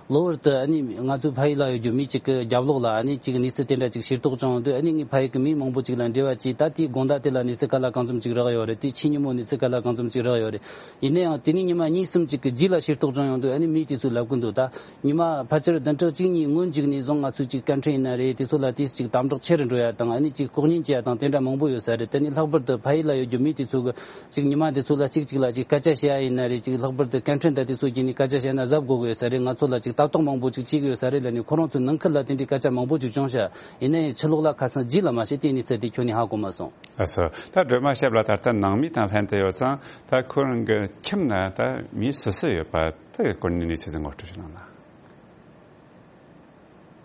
གློ་བུར་དུ་ཨ་ནི་ང་ཚོའི་ཕ་ཡུལ་ལ་ཡོད་རྒྱུ་མི་གཅིག་གི་རྒྱབ་ལོགས་ལ་ཨ་ནི་ཅིག་གནས་ཚུལ་དེ་འདྲ་ཅིག་ཤེས་རྟོགས་བྱུང་དུས། ཨ་ནི་ངའི་ཕ་ཡུལ་གི་མི་མང་པོ་ཅིག་ལ་འབྲེལ་བ་བྱས། ད་དེའི་དགོང་དག་དེ་ལ་གནས་ཚུལ་ག་ལ་གང་འཚམ་ཅིག་རག་ཡོད་རེད། དེ་ཕྱི་ཉིན་མོ་གནས་ཚུལ་ག་ལ་གང་འཚམ་ཅིག་རག་ཡོད་རེད། ཡིན་ན་ཡང་དེ་ནས་ཉི་མ་གཉིས་གསུམ་ཅིག་གི་རྗེས་ལ་ཤེས་རྟོགས་བྱུང་ཡོང་དུས། ཨ་ནི་མི་དེ་ཚོས་ལབ་གི་འདུག་ད་ཉི་མ་ཕལ་ཆེར་བདུན་ཕྲག་གཅིག་གཉིས་སྔོན་ཅིག་ནས་བཟུང་ང་ཚོས་ཅིག་སྐད་འཕྲིན་ཡིན་ན་རེད། དེ་ཚོ་ལ་དེ་ཅིག་དམ་དྲག་ཆེ་རུ་འགྲོ་ཡ་དང་། ཨ་ནི་ཅིག་ལྐོག་ཉན་བྱེད་ཡ་དང་དེ་འདྲ་མང་པོ་ཡོད་ས་རེད། དེ་ནི་ལྷག་པར་དུ་ཕ་ཡུལ་ལ་ཡོད་རྒྱུ་མི་དེ་ཚོ་གི་ཅིག་ཉི་མ་དེ་ཚོ་ལ་གཅིག་གཅིག་ལ་ཅིག་སྐད་ཆ་བཤད་ཡ་ཡིན་ན་རེད། ཅིག་ལྷག་པར་དུ་སྐད་འཕྲིན་དང་དེ་ཚོ་བརྒྱུད་ནས་སྐད་ཆ་བཤད་ན་གཟབ་དགོས་ཀྱི་ཡོད་ས་རེད། ང་ཚོ་ལ་ཅིག་ལྟ་རྟོག་མང་པོ་ཅིག་བྱེད་ཀྱི་ཡོད་ས་རེད་ལབ་ནས་ཁོ་རང་ཚོའི་ནང་ཁུལ་ལ་དེ་འདྲའི་སྐད་ཆ་མང་པོ་ཅིག་བྱུང་ཤག་ཡིན་ན་ཡང་ཕྱི་ལོགས་ལ་ཁ་སང་རྗེས་ལ་མ་ཤེས་དེའི་གནས་ཚུལ་དེ་ཁྱོན་ནས་ཧ་གོ་མ་སོང་། ལགས་སོ། ད་སྒྲོལ་མ་སྐྱབས་ལགས་ད་ལྟ་ནང་མི་དང་ལྷན་དུ་ཡོད་ཙང་། ད་ཁོ་རང་གི་ཁྱིམ་ན་ད་མི་སུ་སུ་ཡོད་པ་དེ་གི་སྐོར་ནས་གནས་ཚུལ་ཟིག་ངོ་སྤྲོད་ཞིག་གནང་ན།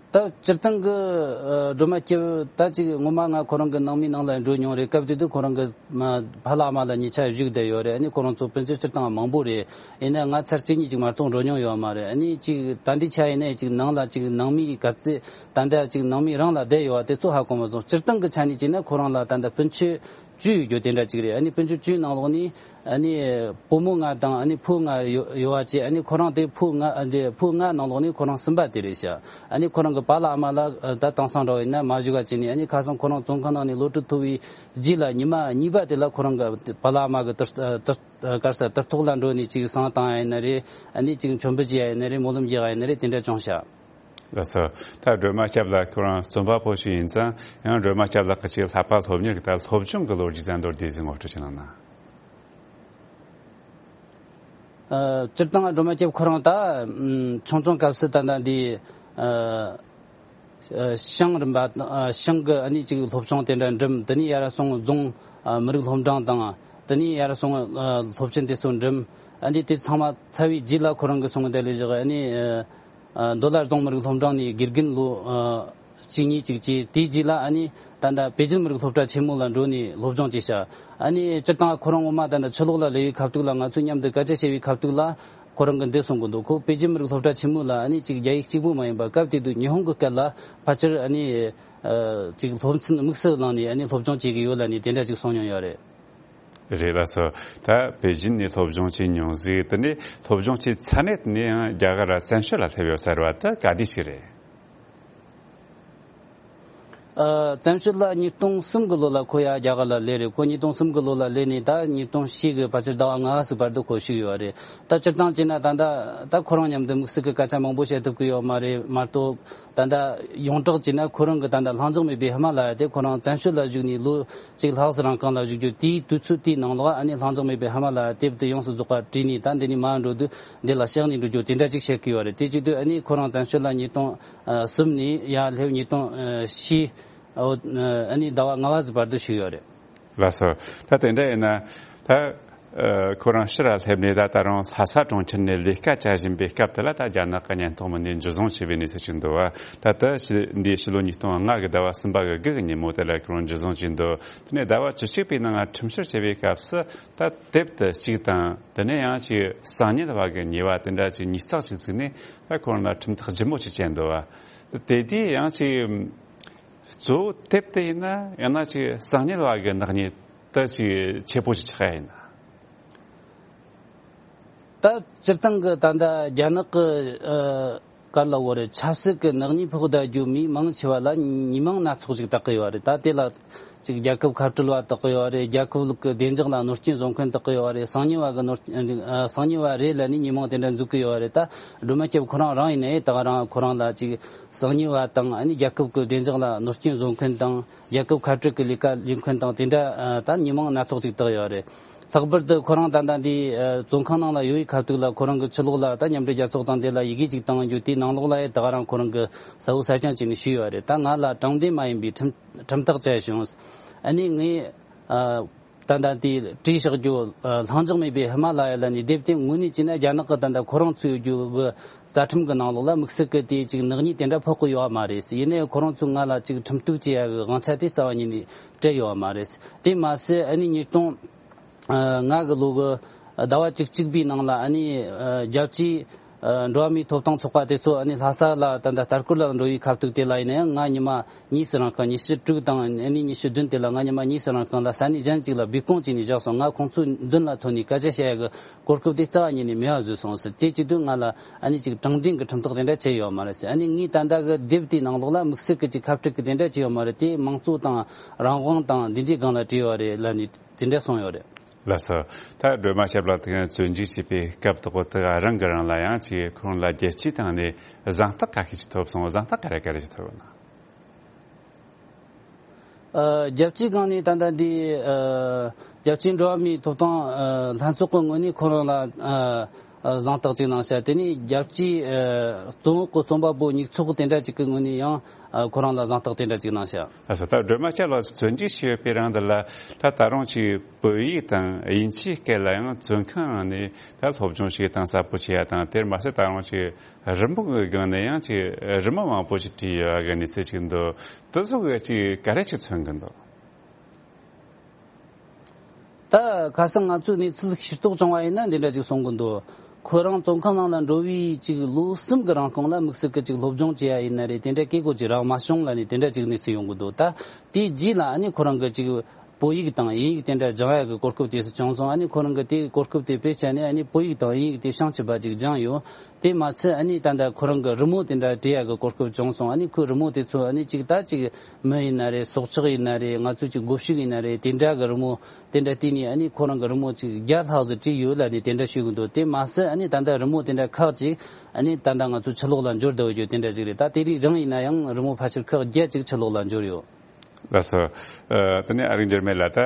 ད་སྤྱིར་བཏང་གི་ཨ་སྒྲོལ་མ་སྐྱབས་ད་ཅིག་སྔོན་མ་ང་ཁོ་རང་གི་ནང་མིའི་ནང་ལ་འགྲོ་མྱོང་རེད། སྐབས་དེ་དུས་ཁོ་རང་གི་མ་ཕ་ལ་ཨ་མ་ལ་གཉིས་ཆ་བཞུགས་བསྡད་ཡོད་རེད། ཨ་ནི་ཁོ་རང་ཚོ་སྤུན་མཆེད་སྤྱིར་བཏང་མང་པོ་རེད། ཡིན་ན་ང་ཚར་གཅིག་གཉིས་ཅིག་མ་གཏོགས་འགྲོ་མྱོང་ཡོད་མ་རེད། ཨ་ནི་ཅིག་ད་འདི་ཆ་ཡིན་ན་ཅིག་ནང་ལ་ཅིག་ནང་མིའི་ག་ཚོད་ད་ལྟ་ཅིག་ནང་མི་རང་ལ་བསྡད་ཡོད་པ་དེ་ཚོ་ཧ་གོ་མ་སོང་། སྤྱིར་བཏང་གི་ཆ་ནས་བྱས་ན་ཁོ་རང་ལ་ད་ལྟ་སྤུན་མཆེད་བཅུ་ཡོད་རྒྱུ་དེ་འདྲ་ཅིག་རེད། ཨ་ནི་སྤུན་མཆེད་བཅུའི་ནང་ལོགས་ནས་ཨ་ནི་བུ་མོ་ལྔ་དང་ཨ་ནི་བུ་ལྔ་ཡོད་ཡོད་པ་བྱས། ཨ་ནི་ཁོ་རང་དེ་བུ་ལྔ་ཨ་འདི་བུ་ལྔ་ནང་ལོགས་ནས་ཁོ་རང་གསུམ་པ་དེ་རེད་ཤག་ཨ་ནི་ཁོ་རང་གི་པཱ་ལགས་ཨ་མ་ལགས་ཨ་ད་དེང་སང་འདྲ་བོ་ཡིན་ན་མ་བཞུགས་པ་བྱས་ནས། ཨ་ནི་ཁ་སང་ཁོ་རང་བཙོན་ཁང་ནང་ནས་གློད་གྲོལ་ཐོབ་པའི་རྗེས་ལ་ཉི་མ་གཉིས་པ་དེ་ལ་ཁོ་རང་གི་པཱ་ལགས་ཨ་མ་གི་དུར་དུར་གར་ས་དུར་ཐོག་ལ་འགྲོ་ནས་ཅིག་བསང་བཏང་ཡ་ཡིན་ན་རེད། ཨ་ནི་ཅིག་མཆོད་འབུལ་བྱེད་ཡ་ཡིན་ན་རེད། སྨོན་ལམ་རྒྱག་ཡ་ཡིན་ན་རེད། དེ་འདྲ་བྱུང་ཤག་ལགས་སོ། ད་སྒྲོལ་མ་སྐྱབས་ལགས་ཁོ་རང་རྩོམ་པ་པོ་ཞིག་ཡིན་ཙང་། ཡང་སྒྲོལ་མ་སྐྱབས་ལགས་ཀྱི་ཅིག་བསླབ་པ་སློབ་གཉེར་གྱི་ད་སློབ་སྦྱོང་གི་ལོ་རྒྱུས་ཙམ་མདོར་བསྡུས་ཟིག་ངོ་སྤྲོད་ཅིག་གནང་ན། ཨ་སྤྱིར་བཏང་སྒྲོལ་མ་སྐྱབས་ཁོ་རང་ད་ཨམ་ཆུང་ཆུང་སྐབས་སུ་ད་ལྟ་འདི་ཨ་ཨ་ཞང་རིམ་པ་ཨ་ཞང་གི་ཨ་ནི་ཅིག་སློབ་སྦྱོང་དེ་འདྲ་འགྲིམ། དེ་ནས་ཡར་སོང་རྫོང་ཨ་མི་རིགས་སློབ་འབྲིང་དང་། དེ་ནས་ཡར་སོང་ཨ་སློབ་ཆེན་དེ་ཚོ་འགྲིམ། ཨ་ནི་དེ་ཚང་མ་ཚར་བའི་རྗེས་ལ་ཁོ་རང་གི་སོང་དེ་ལས་བཞག་ཨ་ནི་ཨ་ཨ་མདོ་ལ་རྫོང་མི་རིགས་སློབ་འབྲིང་ནས་དགེ་རྒན་ལོ་ཨ་གཅིག་གཉིས་ཅིག་བྱས། དེའི་རྗེས་ལ་ཨ་ནི་ད་ལྟ་པེ་ཅིན་མི་རིགས་སློབ་གྲྭ་ཆེན་མོ་ལ་འགྲོ་ནས་སློབ་སྦྱོང་བྱས་ཤག་ཨ་ནི་སྤྱིར་བཏང་ཁོ་རང་ངོ་མ་ད་ལྟ་ཕྱི་ལོགས་ལ་སླེབས་པའི་ཁ་ཐུག་ལ། ང་ཚོ་མཉམ་དུ་སྐད་ཆ་བཤད་པའི་ཁ་ཐུག་ལ་ཁོ་རང་གིས་འདི་གསུང་གི་འདུག་ཁོ་པེ་ཅིན་མི་རིགས་སློབ་གྲྭ་ཆེན་མོ་ལ་ཨ་ནི་ཅིག་རྒྱ་ཡིག་གཅིག་པུ་མ་ཡིན་པ་སྐབས་དེ་དུས་ཉི་ཧོང་གི་སྐད་ལ་ཕལ་ཆེར་ཨ་ནི་ཨ་ཅིག་སློབ་ཚན་དམིགས་སུ་བླངས་ནས་ཨ་ནི་སློབ་སྦྱོང་བྱེད་ཀྱི་ཡོད་ལབ་ནས་དེ་འདྲ་ཅིག་གསུངས་མྱོང་ཡོད་རེད། རེད། ལགས་སོ། ད་པེ་ཅིན་ནས་སློབ་སྦྱོང་བྱས་མྱོང་ཟིག་དེ་ནས་སློབ་སྦྱོང་བྱས་ཚར་ནས་དེ་ནས་ཡང་རྒྱ་གར་བཙན་བྱོལ་ལ་སླེབས་ཡོད་ཟེར་བ་དེ་ག་དུས་ཞིག་རེད། ཨ་བཙན་བྱོལ་ལ་ཉིས་སྟོང་གསུམ་གི་ལོ་ལ་ཁོ་ཡར་རྒྱ་གར་ལ་སླེབས་རེད། ཁོ་ཉིས་སྟོང་གསུམ་གི་ལོ་ལ་སླེབས་ནས་ད་ཉིས་སྟོང་བཞི་གི་ཕལ་ཆེར་ཟླ་བ་ལྔ་པ་ཙམ་བར་དུ་ཁོ་བཞུགས་ཡོད་རེད། ད་སྤྱིར་བཏང་བྱས་ན་ད་ལྟ་ད་ཁོ་རང་མཉམ་དུ་དམིགས་བསལ་གྱི་སྐད་ཆ་མང་པོ་བཤད་ཐུབ་ཀྱི་ཡོད་མ་རེད། མ་གཏོགས་ད་ལྟ་ཡོངས་གྲགས་བྱས་ན་ཁོ་རང་གི་ད་ལྟ་ལྷིང་འཇགས་མེད་པའི་ཧི་མ་ལ་ཡ་དེ་ཁོ་རང་བཙན་བྱོལ་ལ་བཞུགས་ནས་ལོ་གཅིག་ལྷག་ཙམ་རིང་གང་ལ་བཞུགས་རྒྱུ། དེའི་དུས་ཚོད་དེའི་ནང་ལོགས་ཨ་ནི་ལྷིང་འཇགས་མེད་པའི་ཧི་མ་ལ་ཡ་དེབ་དེ་ཡོངས་སུ་རྫོགས་པ་བྲིས་ནས་ད་འདི་ནས་མར་འགྲོ་དུས་འདི་ལ་གཤེགས་ནས་འགྲོ་རྒྱུ་དེ་འདྲ་ཅིག་བཤད་ཀྱི་ཡོད་རེད། དེ་བྱེད་དུས་ཨ་ནི་ཁོ་རང་བཙན་བྱོལ་ལ་ཉིས་སྟོང་གསུམ་ནས་ཡར་སླེབས་ཉིས་སྟོང་བཞི་ཨ་ནི་ཟླ་བ་ལྔ་པ་ཙམ་བར་དུ་བཞུགས་ཡོད་རེད། ལགས་སོ། ད་དེ་འདྲ་ཡིན་ན་ད་ཨ་ཁོ་རང་ཕྱིར་སླེབས་ནས་ད་ད་རུང་ལྷ་ས་གྲོང་ཁྱེར་ནས་ལས་ཀ་བྱ་བཞིན་པའི་སྐབས་དེ་ལ། ད་རྒྱ་ནག་གི་བརྙན་ཐུང་མི་སྣས་འཇུ་བཟུང་བྱས་པའི་གནས་ཚུལ་ཅིག་འདུག་པ། ད་ལྟ་ཕྱི་འདིའི་ཕྱི་ལོ་ཉིས་སྟོང་ལྔ་གི་ཟླ་བ་གསུམ་པ་གི་དགུ་གི་ཉིན་མོ་དེ་ལ་ཁོ་རང་འཇུ་བཟུང་བྱས་འདུག་དེ་ནས་ཟླ་བ་བཅུ་གཅིག་པའི་ནང་ང་ཁྲིམས་བཤེར་བྱས་པའི་སྐབས་སུ། ད་དེབ་དེ་གཅིག་དང་། དེ་ནས་ཡང་ཅིག་གསང་ཉུལ་བ་གི་ཉེས་པ་དེ་འདྲ་ཅིག་ཉིས་བརྩེགས་ཅིག་བཙུགས་ནས། ད་ཁོ་རང་ལ་ཁྲིམས་ཐག་ལྗིད་མོ་ཅིག་བཅད་འདུག་པ། དེ་དུས་ཡང་ཅིག་གཙོ་བོ་དེབ་དེ་ཡིན་ན་ཡང་ན་ཅིག་གསང་ཉུལ་བ་གི་ནག་ཉེས་དེ་ཅིག་ཆེ་པོ་ཅིག་ཆགས་ཡ་ཡིན་ན། ད་སྤྱིར་བཏང་གི་ད་ལྟ་རྒྱ་ནག་གི་ཨ་ག་རེ་ལབ་དགོས་རེད། ཆབ་སྲིད་ཀྱི་ནག་ཉེས་ཕོག་བསྡད་རྒྱུ་མི་མང་ཆེ་བ་ལ་ཉེས་མིང་སྣ་ཚོགས་ཤིག་བཏགས་ཀྱི་ཡོད་རེད། ད་དེ་ལ་ཅིག་རྒྱལ་ཁབ་ཁ་བྲལ་བ་བཏགས་ཀྱི་ཡོད་རེད། རྒྱལ་ཁབ་ཀྱི་བདེ་འཇགས་ལ་གནོད་སྐྱོན་བཟོ་མཁན་བཏགས་ཀྱི་ཡོད་རེད། གསང་ཉུལ་བ་གི་གནོད་ཨ་གསང་ཉུལ་བ་རེད་ལབ་ནས་ཉེས་མིང་དེ་འདྲ་འཛུགས་ཀྱི་ཡོད་རེད། ད་སྒྲོལ་མ་སྐྱབས་ཁོ་རང་རང་ཡིན་ནའི་ད་ག་རང་ཁོ་རང་ལ་ཅིག་གསང་ཉུལ་བ་དང་། ཨ་ནི་རྒྱལ་ཁབ་ཀྱི་བདེ་འཇགས་ལ་གནོད་སྐྱོན་བཟོ་མཁན་དང་། རྒྱལ་ཁབ་ཁ་བྲལ་གྱི་ལས་ཀ་ལས་མཁན་དང་དེ་འདྲ་ཨ་ད་ཉེས་མིང་སྣ་ཚོགས་ཅིག་བཏགས་ཡོད་རེད། ལྷག་པར་དུ་ཁོ་རང་ད་ལྟ་འདི་ཨ་བཙོན་ཁང་ནང་ལ་ཡོད་པའི་ཁ་ཐུག་ལ་ཁོ་རང་གི་ཕྱི་ལོགས་ལ་ད་མཉམ་འབྲེལ་རྒྱལ་ཚོགས་དང་དེ་ལ་ཡི་གེ་ཅིག་བཏང་རྒྱུ་དེའི་ནང་ལོགས་ལ་ཡང་ད་ག་རང་ཁོ་རང་གི་གསལ་བོ་གསལ་རྐྱང་བྱས་ནས་ཞུས་ཡོད་རེད། ད་ང་ལ་དྲང་བདེན་མ་ཡིན་པའི་ཁྲིམས་ཁྲིམས་ཐག་བཅད་བྱུང་། ཨ་ནི་ངས་ཨ་ད་ལྟ་དེ་བྲིས་བཞག་རྒྱུ་ཨ་ལྷིང་འཇགས་མེད་པའི་ཧི་མ་ལ་ཡ་ལ་ནས་དེབ་དེ་དངོས་གནས་བྱས་ན་རྒྱ་ནག་གི་ད་ལྟ་ཁོ་རང་ཚོའི་རྒྱུ་གི་རྩ་ཁྲིམས་གི་ནང་ལོགས་ལ་དམིགས་བསལ་གི་དེ་ཅིག་ནག་ཉེས་དེ་འདྲ་ཕོག་གི་ཡོད་མ་རེད། ཡིན་ནའི་ཁོ་རང་ཚོས་ང་ལ་ཅིག་ཁྲིམས་གཏུག་བྱེད་ཡ་གི་དབང་ཆ་དེ་རྩ་བ་ཉིད་ནས་སྤྲད་ཡོད་མ་རེད། དེ་མ་ཟད་ཨ་ནི་ཉིས་སྟོང་ལྔ་གི་ལོ་གི་ཟླ་བ་བཅུ་གཅིག་པའི་ནང་ལ་ཨ་ནི་རྒྱལ་སྤྱིའི་འགྲོ་བ་མིའི་ཐོབ་ཐང་ཚོགས་པ་དེ་ཚོ་ཨ་ནི་ལྷ་ས་ལ་ད་ལྟ་ལྟ་སྐོར་ལ་འགྲོ་བའི་ཁ་ཐུག་དེ་ལ་ཡིན་ན་ཡང་ང་ཉི་མ་གཉིས་སུ་རིང་ཁང་ཉི་ཤུ་དྲུག་དང་ཨ་ནི་ཉི་ཤུ་བདུན་དེ་ལ་ང་ཉི་མ་གཉིས་སུ་རིང་ཁང་ལ་ས་གནས་གཞན་ཅིག་ལ་སྦས་སྐུང་བྱས་ནས་བཞག་སོང་། ང་ཁོང་ཚོའི་མདུན་ལ་ཐོན་ནས་སྐད་ཆ་བཤད་ཡ་གི་གོ་སྐབས་དེ་རྩ་བ་ཉིད་ནས་མེད་པ་བཟོས་སོང་ཟེར། དེ་བྱེད་དུས་ང་ལ་ཨ་ནི་ཅིག་དྲང་བདེན་གྱི་ཁྲིམས་ཐག་དེ་འདྲ་བཅད་ཡོད་མ་རེད་ཟེར། ཨ་ནི་ངས་ད་ལྟ་གི་དེབ་དེའི་ནང་ལོགས་ལ་དམིགས་བསལ་གྱི་ཅིག་ཁ་བྲལ་གྱི་དེ་འདྲ་བྱས་ཡོད་མ་རེད། དེ་དམངས་གཙོ་དང་རང་དབང་དང་འདི་འདྲའི་སྒང་ལ་བྲིས་ཡོད་རེད་ལབ་ནས་དེ་འདྲ་གསུངས་ཡོད་རེད། ལགས་སོ། ད་སྒྲོལ་མ་སྐྱབས་ལགས་དེ་ག་བཙོན་འཇུག་བྱས་པའི་སྐབས་དག་པོ་དེ་ག་རང་གི་རང་ལ་ཡང་ཅིག་ཁོང་ལ་རྒྱལ་སྤྱིའི་སྟེང་ནས་གཟེངས་རྟགས་ག་ཤེད་ཅིག་ཐོབ་སོང་། གཟེངས་རྟགས་ག་རེ་ག་རེ་ཅིག་ཐོབ་ཡོད་ན། ཨ། རྒྱལ་སྤྱིའི་སྒང་ནས་ད་ལྟ་འདི་ཨ་རྒྱལ་སྤྱིའི་འགྲོ་བ་མིའི་ཐོབ་ཐང་ཨ་ལྷན་ཚོགས་ཀྱི་ངོས་ནས་ཁོ་རང་ལ་ཨ་ཨ་གཟེངས་རྟགས་ཅིག་གནང་ཤག་དེ་ནས་རྒྱལ་སྤྱིའི་ཨ་བཙོན་འོག་གི་རྩོམ་པ་པོ་ཉིག་ཚོགས་དེ་འདྲ་ཅིག་གི་ངོས་ནས་ཡང་ཨ་ཁོ་རང་ལ་གཟེངས་རྟགས་དེ་འདྲ་ཅིག་གནང་ཤག་ལགས་སོ། ད་སྒྲོལ་མ་སྐྱབས་ལགས་བཙོན་འཇུག་བྱས་ཡོད་པའི་རིང་འདི་ལ་ད་ད་རུང་ཅིག་བོད་ཡིག་དང་དབྱིན་ཇིའི་སྐད་ལ་ཡང་བཙོན་ཁང་ནང་ནས་ད་སློབ་སྦྱོང་བྱེད་སྟངས་གསལ་པོ་བྱེད་ཡ་དང་། དེར་མ་ཟད་ད་རུང་ཅིག་རི་མོ་གི་སྒང་ནས་ཡང་ཅིག་རི་མོ་མང་པོ་ཞིག་བྲིས་ཡོད་པ་གི་གནས་ཚུལ་ཅིག་འདུག་དེ་ཚོ་གི་ཅིག་ག་རེ་ཅིག་མཚོན་གི་འདུག་ད་ཁ་སང་ང་ཚོས་གནས་ཚུལ་ཤེས་རྟོགས་བྱུང་བ་ཡིན་ན་འདི་འདྲ་ཅིག་གསུང་གི་འདུག་ཁོ་རང་བཙོན་ཁང་ནང་ལ་འགྲོ་བའི་ཅིག་ལོ་གསུམ་གི་རིང་གང་ལ་དམིགས་བསལ་གི་ཅིག་སློབ་སྦྱོང་བྱེད་ཡ་ཡིན་ན་རེད། དེ་འདྲ་སྐད་གོ་ཅིག་རག་མ་བྱུང་ལབ་ནས་དེ་འདྲ་ཅིག་གནས་ཚུལ་ཡོང་གི་འདུག་ད་དེའི་རྗེས་ལ་ཨ་ནི་ཁོ་རང་གི་ཅིག་བོད་ཡིག་དང་དབྱིན་ཡིག་དེ་འདྲ་སྦྱང་ཡ་གི་གོ་སྐབས་དེ་ཚོ་བྱུང་སོང་། ཨ་ནི་ཁོ་རང་གི་དེའི་གོ་སྐབས་དེ་སྤེལ་བྱས་ནས་ཨ་ནི་བོད་ཡིག་དང་དབྱིན་ཡིག་དེ་བྱང་ཆུབ་པ་ཅིག་སྦྱངས་ཡོད། དེ་མ་ཚད་ཨ་ནི་ད་ལྟ་ཁོ་རང་གི་རི་མོ་དེ་འདྲ་བྲིས་ཡ་གི་གོ་སྐབས་བྱུང་སོང་། ཨ་ནི་ཁོའི་རི་མོ་དེ་ཚོ་ཨ་ནི་ཅིག་ད་ཅིག་མི་ཡིན་ན་རེད། སྲོག་ཆགས་ཡིན་ན་རེད། ང་ཚོ་ཅིག་སྒོ་ཕྱུགས་ཡིན་ན་རེད། དེ་འདྲ་གི་རི་མོ་དེ་འདྲ་བལྟས་ནས་ཨ་ནི་ཁོ་རང་གི་རི་མོ་ཅིག་བརྒྱ་ལྷག་ཙམ་བྲིས་ཡོད་ལབ་ནས་དེ་འདྲ་ཞུ་གི་འདུག་དེ་མ་ཟད་ཨ་ནི་ད་ལྟ་རི་མོ་དེ་འདྲ་ཁག་ཅིག་ཨ་ནི་ད་ལྟ་ང་ཚོ་ཕྱི་ལོགས་ལ་འབྱོར་བསྡད་ཡོད་རྒྱུ་དེ་འདྲ་ཅིག་རེད། ད་དེ་རིང་རང་ཡིན་ན་ཡང་རི་མོ་ཕལ་ཆེར་ཁག་བརྒྱད་ཅིག་ཕྱི་ལོགས་ལ་འབྱོར་ཡོད། ལགས་སོ། ཨ། དེ་ནས་ཨ་རིག་འགྱུར་མེད་ལགས། ད་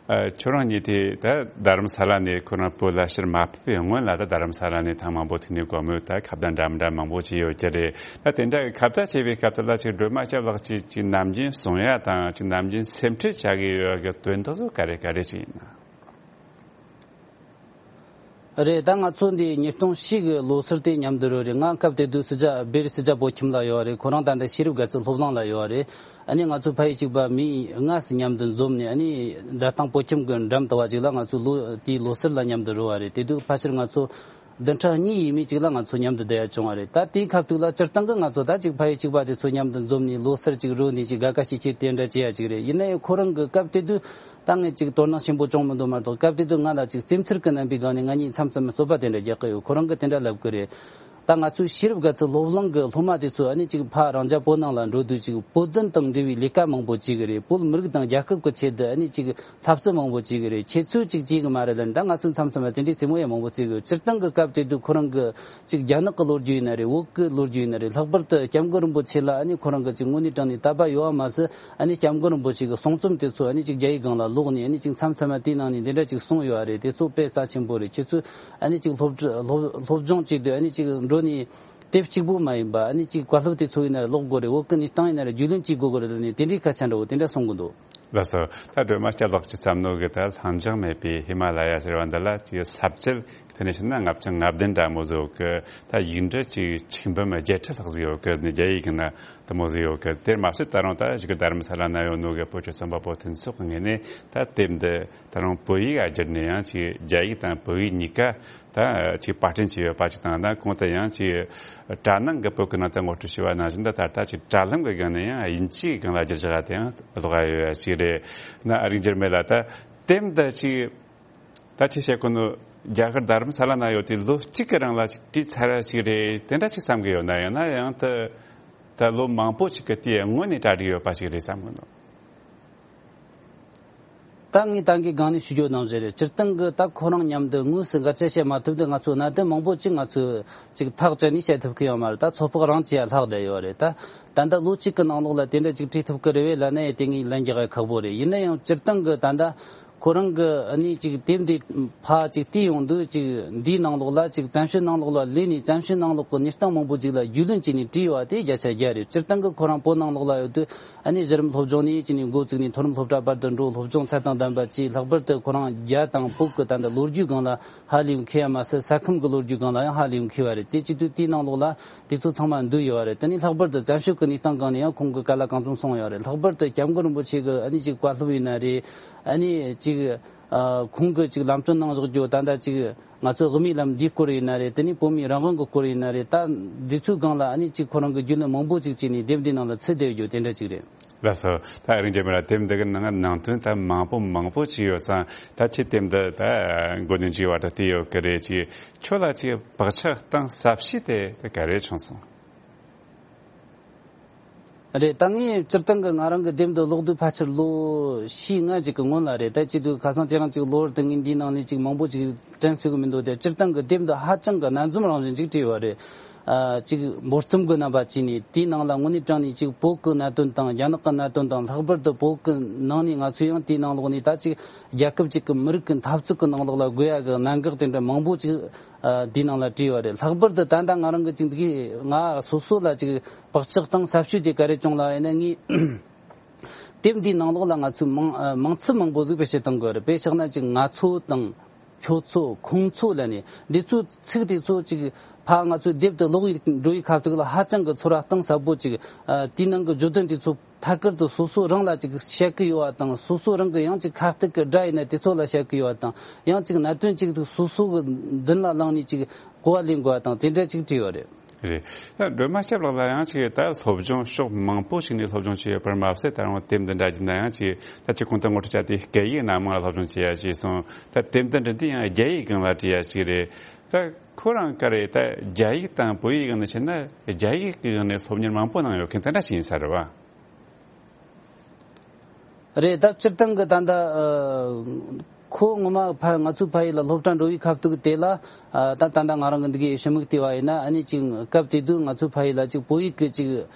ཨ་ཁྱོད་རང་གཉིས་དེ་ད་རྡ་རམ་ས་ལ་ནས་ཁོ་རང་བོད་ལ་ཕྱིར་མ་ཕེབས་པའི་སྔོན་ལ་ད་རྡ་རམ་ས་ལ་ནས་ཐེངས་མང་པོ་ཐུག་ནས་དགོང་མོ་ད་ཁ་བརྡ་འདྲ་མི་འདྲ་མང་པོ་བྱས་ཡོད་ཀྱི་རེད། ད་དེ་འདྲ་གི་ཁ་བརྡ་བྱས་པའི་སྐབས་དེ་ལ་ཅིག་སྒྲོལ་མ་སྐྱབས་ལགས་ཀྱིས་ཅིག་ནམ་རྒྱུན་གསུང་ཡ་དང་ཅིག་ནམ་རྒྱུན་སེམས་ཁྲལ་བྱ་གི་ཡོད་གི་དོན་དག་ཚོ་ག་རེ་ག་རེ་ཅིག་ཡིན་ན། རེད། ད་ང་ཚོ་འདི་ཉིས་སྟོང་བཞི་གི་ལོ་སར་དེ་མཉམ་དུ་རོལ་རེད། ང་སྐབས་དེ་དུས་སི་ཇ་བེ་རི་སི་ཇ་བོད་ཁྱིམ་ལ་ཡོད་རེད། ཁོ་རང་ད་ལྟ་ཤེས་རབ་དགའ་ཚལ་སློབ་གླིང་ལ་ཡོད་རེད། ཨ་ནི་ང་ཚོ་ཕ་ཡུལ་གཅིག་པ་མི་ལྔ་ཙམ་མཉམ་དུ་འཛོམས་ནས་ཨ་ནི་རྡ་སྟེང་བོད་ཁྱིམ་གི་འགྲམ་དུ་བ་ཅིག་ལ་ང་ཚོ་ལོ་དེའི་ལོ་སར་ལ་མཉམ་དུ་རོལ་བ་རེད། དེ་དུས་ཕལ་ཆེར་ང་ཚོ་བདུན་ཕྲག་གཉིས་ཡས་མས་ཅིག་ལ་ང་ཚོ་མཉམ་དུ་བསྡད་ཡ་བྱུང་བ་རེད། ད་དེའི་སྐབས་དུས་ལ་སྤྱིར་བཏང་གི་ང་ཚོ་ད་ཅིག་ཕ་ཡུལ་གཅིག་པ་དེ་ཚོ་མཉམ་དུ་འཛོམས་ནས་ལོ་སར་ཅིག་རོལ་ནས་ཅིག་དགའ་དགའ་སྐྱིད་སྐྱིད་དེ་འདྲ་བྱེད་ཡ་ཅིག་རེད། ཡིན་ན་ཡང་ཁོ་རང་གི་སྐབས་དེ་དུས་ད་ངས་ཅིག་དོ་སྣང་ཆེན་པོ་བྱུང་མི་འདུག་མ་གཏོགས། སྐབས་དེ་དུས་ང་ལ་ཅིག་སེམས་ཚོར་གྱི་རྣམ་པའི་སྒང་ནས་ང་གཉིས་མཚམས་མཚམས་རྩོད་པ་དེ་འདྲ་རྒྱག་གི་ཡོད། ཁོ་རང་གིས་དེ་འདྲ་ལབ་གི་རེད། ད་ང་ཚོའི་ཤེས་རབ་དགའ་ཚལ་སློབ་གླིང་གི་སློབ་མ་དེ་ཚོ་ཨ་ནི་ཅིག་ཕ་རང་རྒྱལ་བོད་ནང་ལ་འགྲོ་དུས་ཅིག་བོད་དོན་དང་འབྲེལ་བའི་ལས་ཀ་མང་པོ་བྱེད་གི་རེད། བོད་མི་རིགས་དང་རྒྱལ་ཁབ་ཀྱི་ཆེད་དུ་ཨ་ནི་ཅིག་འཐབ་རྩོད་མང་པོ་བྱེད་གི་རེད། ཁྱེད་ཚོས་ཅིག་བྱེད་གི་མ་རེད་ལབ་ནས། ད་ང་ཚོས་མཚམས་མཚམས་ལ་དེ་འདྲའི་རྩེད་མོ་ཡང་མང་པོ་རྩེ་གི་ཡོད། སྤྱིར་བཏང་གི་སྐབས་དེ་དུས་ཁོ་རང་གི་ཅིག་རྒྱ་ནག་གི་ལོ་རྒྱུས་ཡིན་ན་རེད། བོད་ཀྱི་ལོ་རྒྱུས་ཡིན་ན་རེད། ལྷག་པར་དུ་སྐྱབས་མགོན་རིན་པོ་ཆེ་ལ་ཨ་ནི་ཁོ་རང་གི་ཅིག་དངོས་གནས་དྲང་གནས་དད་པ་ཡོད་པ་མ་ཟད། ཨ་ནི་སྐྱབས་མགོན་རིན་པོ་ཆེ་གི་གསུང་རྩོམ་དེ་ཚོ་ཨ་ནི་ཅིག་རྒྱ་ཡིག་སྒང་ལ་ཀློག་ནས་ཨ་ནི་ཅིག་མཚམས་མཚམས་ལ་དེའི་ནང་ནས་འདི་འདྲ་ཅིག་གསུངས་ཡོད་པ་རེད། དེ་ཚོ་དཔེ་རྩ་ཆེན་པོ་རེད། ཁྱེད་ཚོས་ཨ་ནི་ཅིག་སློབ་ཁྲིད་སློབ་སློབ་སྦྱོང་བྱས་དུས་ཨ་ནི་ཅིག་འགྲོ་ནས་དེབ་གཅིག་པོ་མ་ཡིན་པ་ཨ་ནི་ཅིག་བཀའ་སློབ་དེ་ཚོ་ཡིན་ན་རེད། ཀློག་དགོས་རེད། བོད་ཀྱི་གནས་སྟངས་ཡིན་ན་རེད། རྒྱུས་ལོན་བྱེད་དགོས་གི་རེད་ལབ་ནས་དེ་འདྲའི་སྐད་ཆ་འདྲ་བོ་དེ་འདྲ་གསུང་གི་འདུག་ལགས་སོ། ད་སྒྲོལ་མ་སྐྱབས་ལགས་ཀྱི་བསམ་མནོ་གི་ད་ལྷིང་འཇགས་མེད་པའི་ཧི་མ་ལ་ཡ་ཟེར་བ་འདི་ལ་ཅིག་ས་བཅད་དེ་ནས་བཤད་ན་ལྔ་བཅུ་ང་བདུན་འདྲ་མོ་ཟིག་ཡོད་གི། ད་ཡིག་འབྲུ་ཅིག་ཆིག་འབུམ་བརྒྱད་ཁྲི་ལྷག་ཟིག་ཡོད་གི་ནི་རྒྱ་ཡིག་གི་ན་དེ་མོ་ཟིག་ཡོད་གི། དེར་མ་ཟད་ད་རུང་ད་གཞུག་གི་རྡ་རམ་ས་ལ་ན་ཡོད་ནོ་གི་བོད་ཀྱི་རྩོམ་པ་པོ་མཐུན་ཚོགས་ཀྱི་ངོས་ནས་ད་དེབ་འདི་ད་རུང་བོད་ཡིག་ཨ་བསྒྱུར་ནས་ཡང་ཅིག་རྒྱ་ཡིག་དང་བོད་ཡིག་གཉིས་ཀ་ད་ཅིག་པར་སྐྲུན་བྱས་ཡོད་པ་ཅིག་དང་། ད་གོང་དུ་ཡང་ཅིག་དྲ་ནང་གི་བོད་ཀྱི་ནང་དུ་ངོ་སྤྲོད་བྱས་པ་ནང་བཞིན་ད་ད་ལྟ་ཅིག་དྲ་ལམ་གྱི་སྒང་ནས་ཡང་དབྱིན་ཇིའི་སྒང་ལ་བསྒྱུར་བཞག་དེ་ཡང་ཀློག་ཡ་ཡོད་ཡ་ཅིག་རེད། ན་ཨ་རིག་འགྱུར་མེད་ལ་ད་དེབ་འདི་ཅིག་ད་ཅིག་བཤད་གོ་ནོ་རྒྱ་གར་རྡ་རམ་ས་ལ་ན་ཡོད་དུས་ལོ་གཅིག་གི་རིང་ལ་ཅིག་བྲིས་ཚར་ཡ་ཅིག་རེད། དེ་འདྲ་ཅིག་བསམ་གི་ཡོད་ན། ཡང་ན་ཡང་ད་ད་ལོ་མང་པོ་ཅིག་གི་དེའི་སྔོན་ནས་གྲ་སྒྲིག་ཡོད་པ་ཅིག་རེད་བསམ་གི་ནོ། ད་ངས་ད་གིན་སྒང་ནས་ཞུ་རྒྱུ་ནང་བཞིན་རེད། སྤྱིར་བཏང་གི་ད་ཁོ་རང་མཉམ་དུ་དངོས་སུ་འགལ་རྐྱེན་བཤད་མ་ཐུབ་དུས་ང་ཚོ་གནད་དོན་མང་པོ་ཅིག་ང་ཚོས་ཅིག་ཐག་བཅད་ནས་བཤད་ཐུབ་ཀྱི་ཡོད་མ་རེད། ད་ཚོད་དཔག་རང་བྱེད་ཡ་ལྷག་བསྡད་ཡོད་རེད། ད་ད་ལྟ་ལོ་གཅིག་གི་ནང་ལོགས་ལ་དེ་འདྲ་ཅིག་བྲིས་ཐུབ་ཀྱི་རེད་བས་ལབ་ན་ཡང་དེ་ངས་ལན་རྒྱག་ཡ་ཁག་པོ་རེད། ཡིན་ན་ཡང་སྤྱིར་བཏང་གི་ད་ལྟ་ ཁོ་རང་གི་ཨ་ནི་ཅིག་དེབ་འདི་ཕ་ཅིག་བལྟས་ཡོང་དུས་ཅིག་འདིའི་ནང་ལོགས་ལ་ཅིག་བཙན་བྱོལ་ནང་ལོགས་ལ་ལས་ནས་བཙན་བྱོལ་ནང་ལོགས་ཀྱི་གནས་སྟངས་མང་པོ་ཅིག་ལ་རྒྱུས་ལོན་བྱས་ནས་བྲིས་ཡོད་པ་དེ་བརྒྱ་ཆ་བརྒྱ་རེད། སྤྱིར་བཏང་གི་ཁོ་རང་བོད་ནང་ལོགས་ལ་ཡོད་དུས་ཨ་ནི་གཞི་རིམ་སློབ་སྦྱོང་ནས་བྱས་ནས་འགོ་བཙུགས་ནས་མཐོ་རིམ་སློབ་གྲྭ་བར་དུ་འགྲོ། སློབ་སྦྱོང་ཚད་དང་ལྡན་པ་བྱས། ལྷག་པར་དུ་ཁོ་རང་རྒྱ་དང་བོད་ཀྱི་ད་ལྟ་ལོ་རྒྱུས་སྒང་ལ་ཧ་ལས་མཁས་ཡ་མ་ཟད། ས་ཁམས་ཀྱི་ལོ་རྒྱུས་སྒང་ལ་ཡང་ཧ་ལས་མཁས་པ་རེད། དེ་བྱེད་དུས་དེའི་ནང་ལོགས་ལ་དེ་ཚོ་ཚང་མ་འདུས་ཡོད་རེད། དེ་ནས་ལྷག་པར་དུ་བཙན་བྱོལ་གྱི་གནས་སྟངས་སྒང་ནས་ཡང་ཁོང་གིས་ག་ལ་གང་འཚམ་གསུངས་ཡོད་རེད། ལྷག་པར་དུ་སྐྱབས་མགོན་རིན་པོ་ཆེ་གི་ཨ་ནི་ཅིག་བཀའ་སློབ་ཡིན་ན་རེད། ཨ་ནི་ཅིག་ཨ་ཁོང་གིས་ཅིག་ལམ་སྟོན་གནང་བཞག་རྒྱུ་ད་ལྟ་ཅིག་ང་ཚོ་དབུ་མའི་ལམ་འདིའི་སྐོར་ཡིན་ན་རེད། དེ་ནས་བོད་མིའི་རང་དབང་གི་སྐོར་ཡིན་ན་རེད། ད་འདི་ཚོའི་སྒང་ལ་ཨ་ནི་ཅིག་ཁོ་རང་གིས་རྒྱུས་ལོན་མང་པོ་ཅིག་བྱས་ནས་དེབ་འདིའི་ནང་ལ་ཚུད་བསྡད་ཡོད་རྒྱུ་དེ་འདྲ་ཅིག་རེད། ལགས་སོ། ད་ཨ་རིག་འཇམ་དཔལ་ལགས། དེབ་འདི་གི་ནང་ནང་དོན་ད་མང་པོ་མང་པོ་ཅིག་ཡོད་ཙང་། ད་ཁྱེད་དེབ་འདི་ད་འགོ་ནས་མཇུག་བར་དུ་བལྟས་ཡོད་ཀྱི་རེད། ཅིག་ཁྱོད་ལ་ཅིག་བག་ཆགས་དང་ཟབ་ཞུ་དེ་ད་ག་རེ་བྱུང་སོང་། རེད། ད་ངས་སྤྱིར་བཏང་གི་ང་རང་གི་དེབ་འདི་ཀློག་དུས་ཕལ་ཆེར་ལོ་བཞི་ལྔ་ཅིག་གི་སྔོན་ལ་རེད། ད་བྱེད་དུས་ཁ་སང་དེ་རིང་ཅིག་ལོ་བར་དུ་ངས་འདིའི་ནང་ནས་ཅིག་མང་པོ་ཅིག་དྲན་གསོས་གི་མི་འདུག་དེ་སྤྱིར་བཏང་གི་དེབ་འདི་ཧ་ཅང་གི་སྣ་འཛོམས་རང་བཞིན་ཅིག་བྲིས་ཡོད་རེད། ཨ་ཅིག་འབོར་གསུམ་གྱི་རྣམ་པ་བྱས་ནས་དེའི་ནང་ལ་དངོས་གནས་དྲང་གནས་ཅིག་བོད་ཀྱི་གནད་དོན་དང་རྒྱ་ནག་གི་གནད་དོན་དང་། ལྷག་པར་དུ་བོད་ཀྱི་ནང་ནས་ང་ཚོས་ཡང་དེའི་ནང་ལོགས་ནས་ད་ཅིག་རྒྱལ་ཁབ་ཅིག་གི་མི་རིགས་ཀྱི་འཐབ་རྩོད་ཀྱི་ནང་ལོགས་ལ་དགོས་ཡ་གི་གནད་འགག་དེ་འདྲ་མང་པོ་ཅིག་ཨ་དེའི་ནང་ལ་བྲིས་ཡོད་རེད། ལྷག་པར་དུ་ད་ལྟ་ང་རང་གི་ཅིག་འདི་གི་ང་སོ་སོ་ལ་ཅིག་བག་ཆགས་དང་ཟབ་ཞུ་དེ་ག་རེ་བྱུང་ལབ་ཡིན་ན། ངས་དེབ་འདིའི་ནང་ལོགས་ལ་ང་ཚོས་མིང་ཨ་མིང་ཚིག་མང་པོ་ཟིག་བེད་སྤྱོད་གཏོང་དགོས་རེད། དཔེ་བཞག་ན་ཅིག་ང་ཚོ་དང་། ཁྱོད་ཚོ། ཁོང་ཚོ་ལབ་ནས་འདི་ཚོའི་ཚིག་དེ་ཚོ་ཅིག་ཕ་ང་ཚོའི་དེབ་དེ་ཀློག་ཡིག་འགྲོ་ཡི་ཁ་ཐུག་ལ་ཧ་ཅང་གི་ཚོར་བ་གཏིང་ཟབ་པོ་ཅིག་ཨ་དེའི་ནང་གི་བརྗོད་དོན་དེ་ཚོ་ཐད་ཀར་དུ་སོ་སོ་རང་ལ་ཅིག་བཤད་གི་ཡོད་པ་དང་། སོ་སོ་རང་གི་ཡང་ཅིག་ཁ་གཏད་ཀྱི་སྒྲ་ཡིན་ན་དེ་ཚོ་ལ་བཤད་གི་ཡོད་པ་དང་། ཡང་ཅིག་གནད་དོན་ཅིག་ཏུ་སོ་སོ་གི་མདུན་ལ་བླངས་ནས་ཅིག་གོ་བ་ལེན་དགོས་པ་དང་དེ་འདྲ་ཅིག་བྲིས་ཡོད་རེད། རེད། ད་སྒྲོལ་མ་སྐྱབས་ལགས་ལ་ཡང་ཅིག་ད་སློབ་སྦྱོང་ཕྱོགས་མང་པོ་ཞིག་ནས་སློབ་སྦྱོང་བྱས་ཡོད་པར་མ་ཟད། ད་རུང་དེབ་འདི་འདྲ་བགྱིས་ན་ཡང་ཅིག་ད་ཅིག་གོང་དུ་ངོ་སྤྲོད་བྱ་དེ་སྐད་ཡིག་སྣ་མང་ལ་སློབ་སྦྱོང་བྱས་ཡ་ཅིག་སོང་། ད་དེབ་འདི་འདྲ་འདི་ཡང་རྒྱ་ཡིག་སྒང་ལ་བྲིས་ཡ་ཅིག་རེད། ད་ཁོ་རང་ག་རེ་ད་རྒྱ་ཡིག་དང་བོད་ཡིག་སྒང་ནས་བྱས་ན་རྒྱ་ཡིག་གི་སྒང་ནས་སློབ་གཉེར་མང་པོ་གནང་ཡོད་མཁན་དེ་འདྲ་ཞིག་ཡིན་ས་རེད་བ། རེད། ད་སྤྱིར་བཏང་གི་ད་ལྟ་ཨ་ཁོ་ངོ་མ་ཕ་ང་ཚོའི་ཕ་ཡུལ་ལ་སློབ་གྲྭ་འགྲོ་བའི་ཁ་ཐུག་དེ་ལ་ཨ་ད་ད་ལྟ་ང་རང་གི་འདི་གའི་ཞི་མིག་བལྟས་པ་ཡིན་ན། ཨ་ནི་ཅིག་སྐབས་དེ་དུས་ང་ཚོའི་ཕ་ཡུལ་ལ་ཅིག་བོད་ཡིག་གི་ཅིག་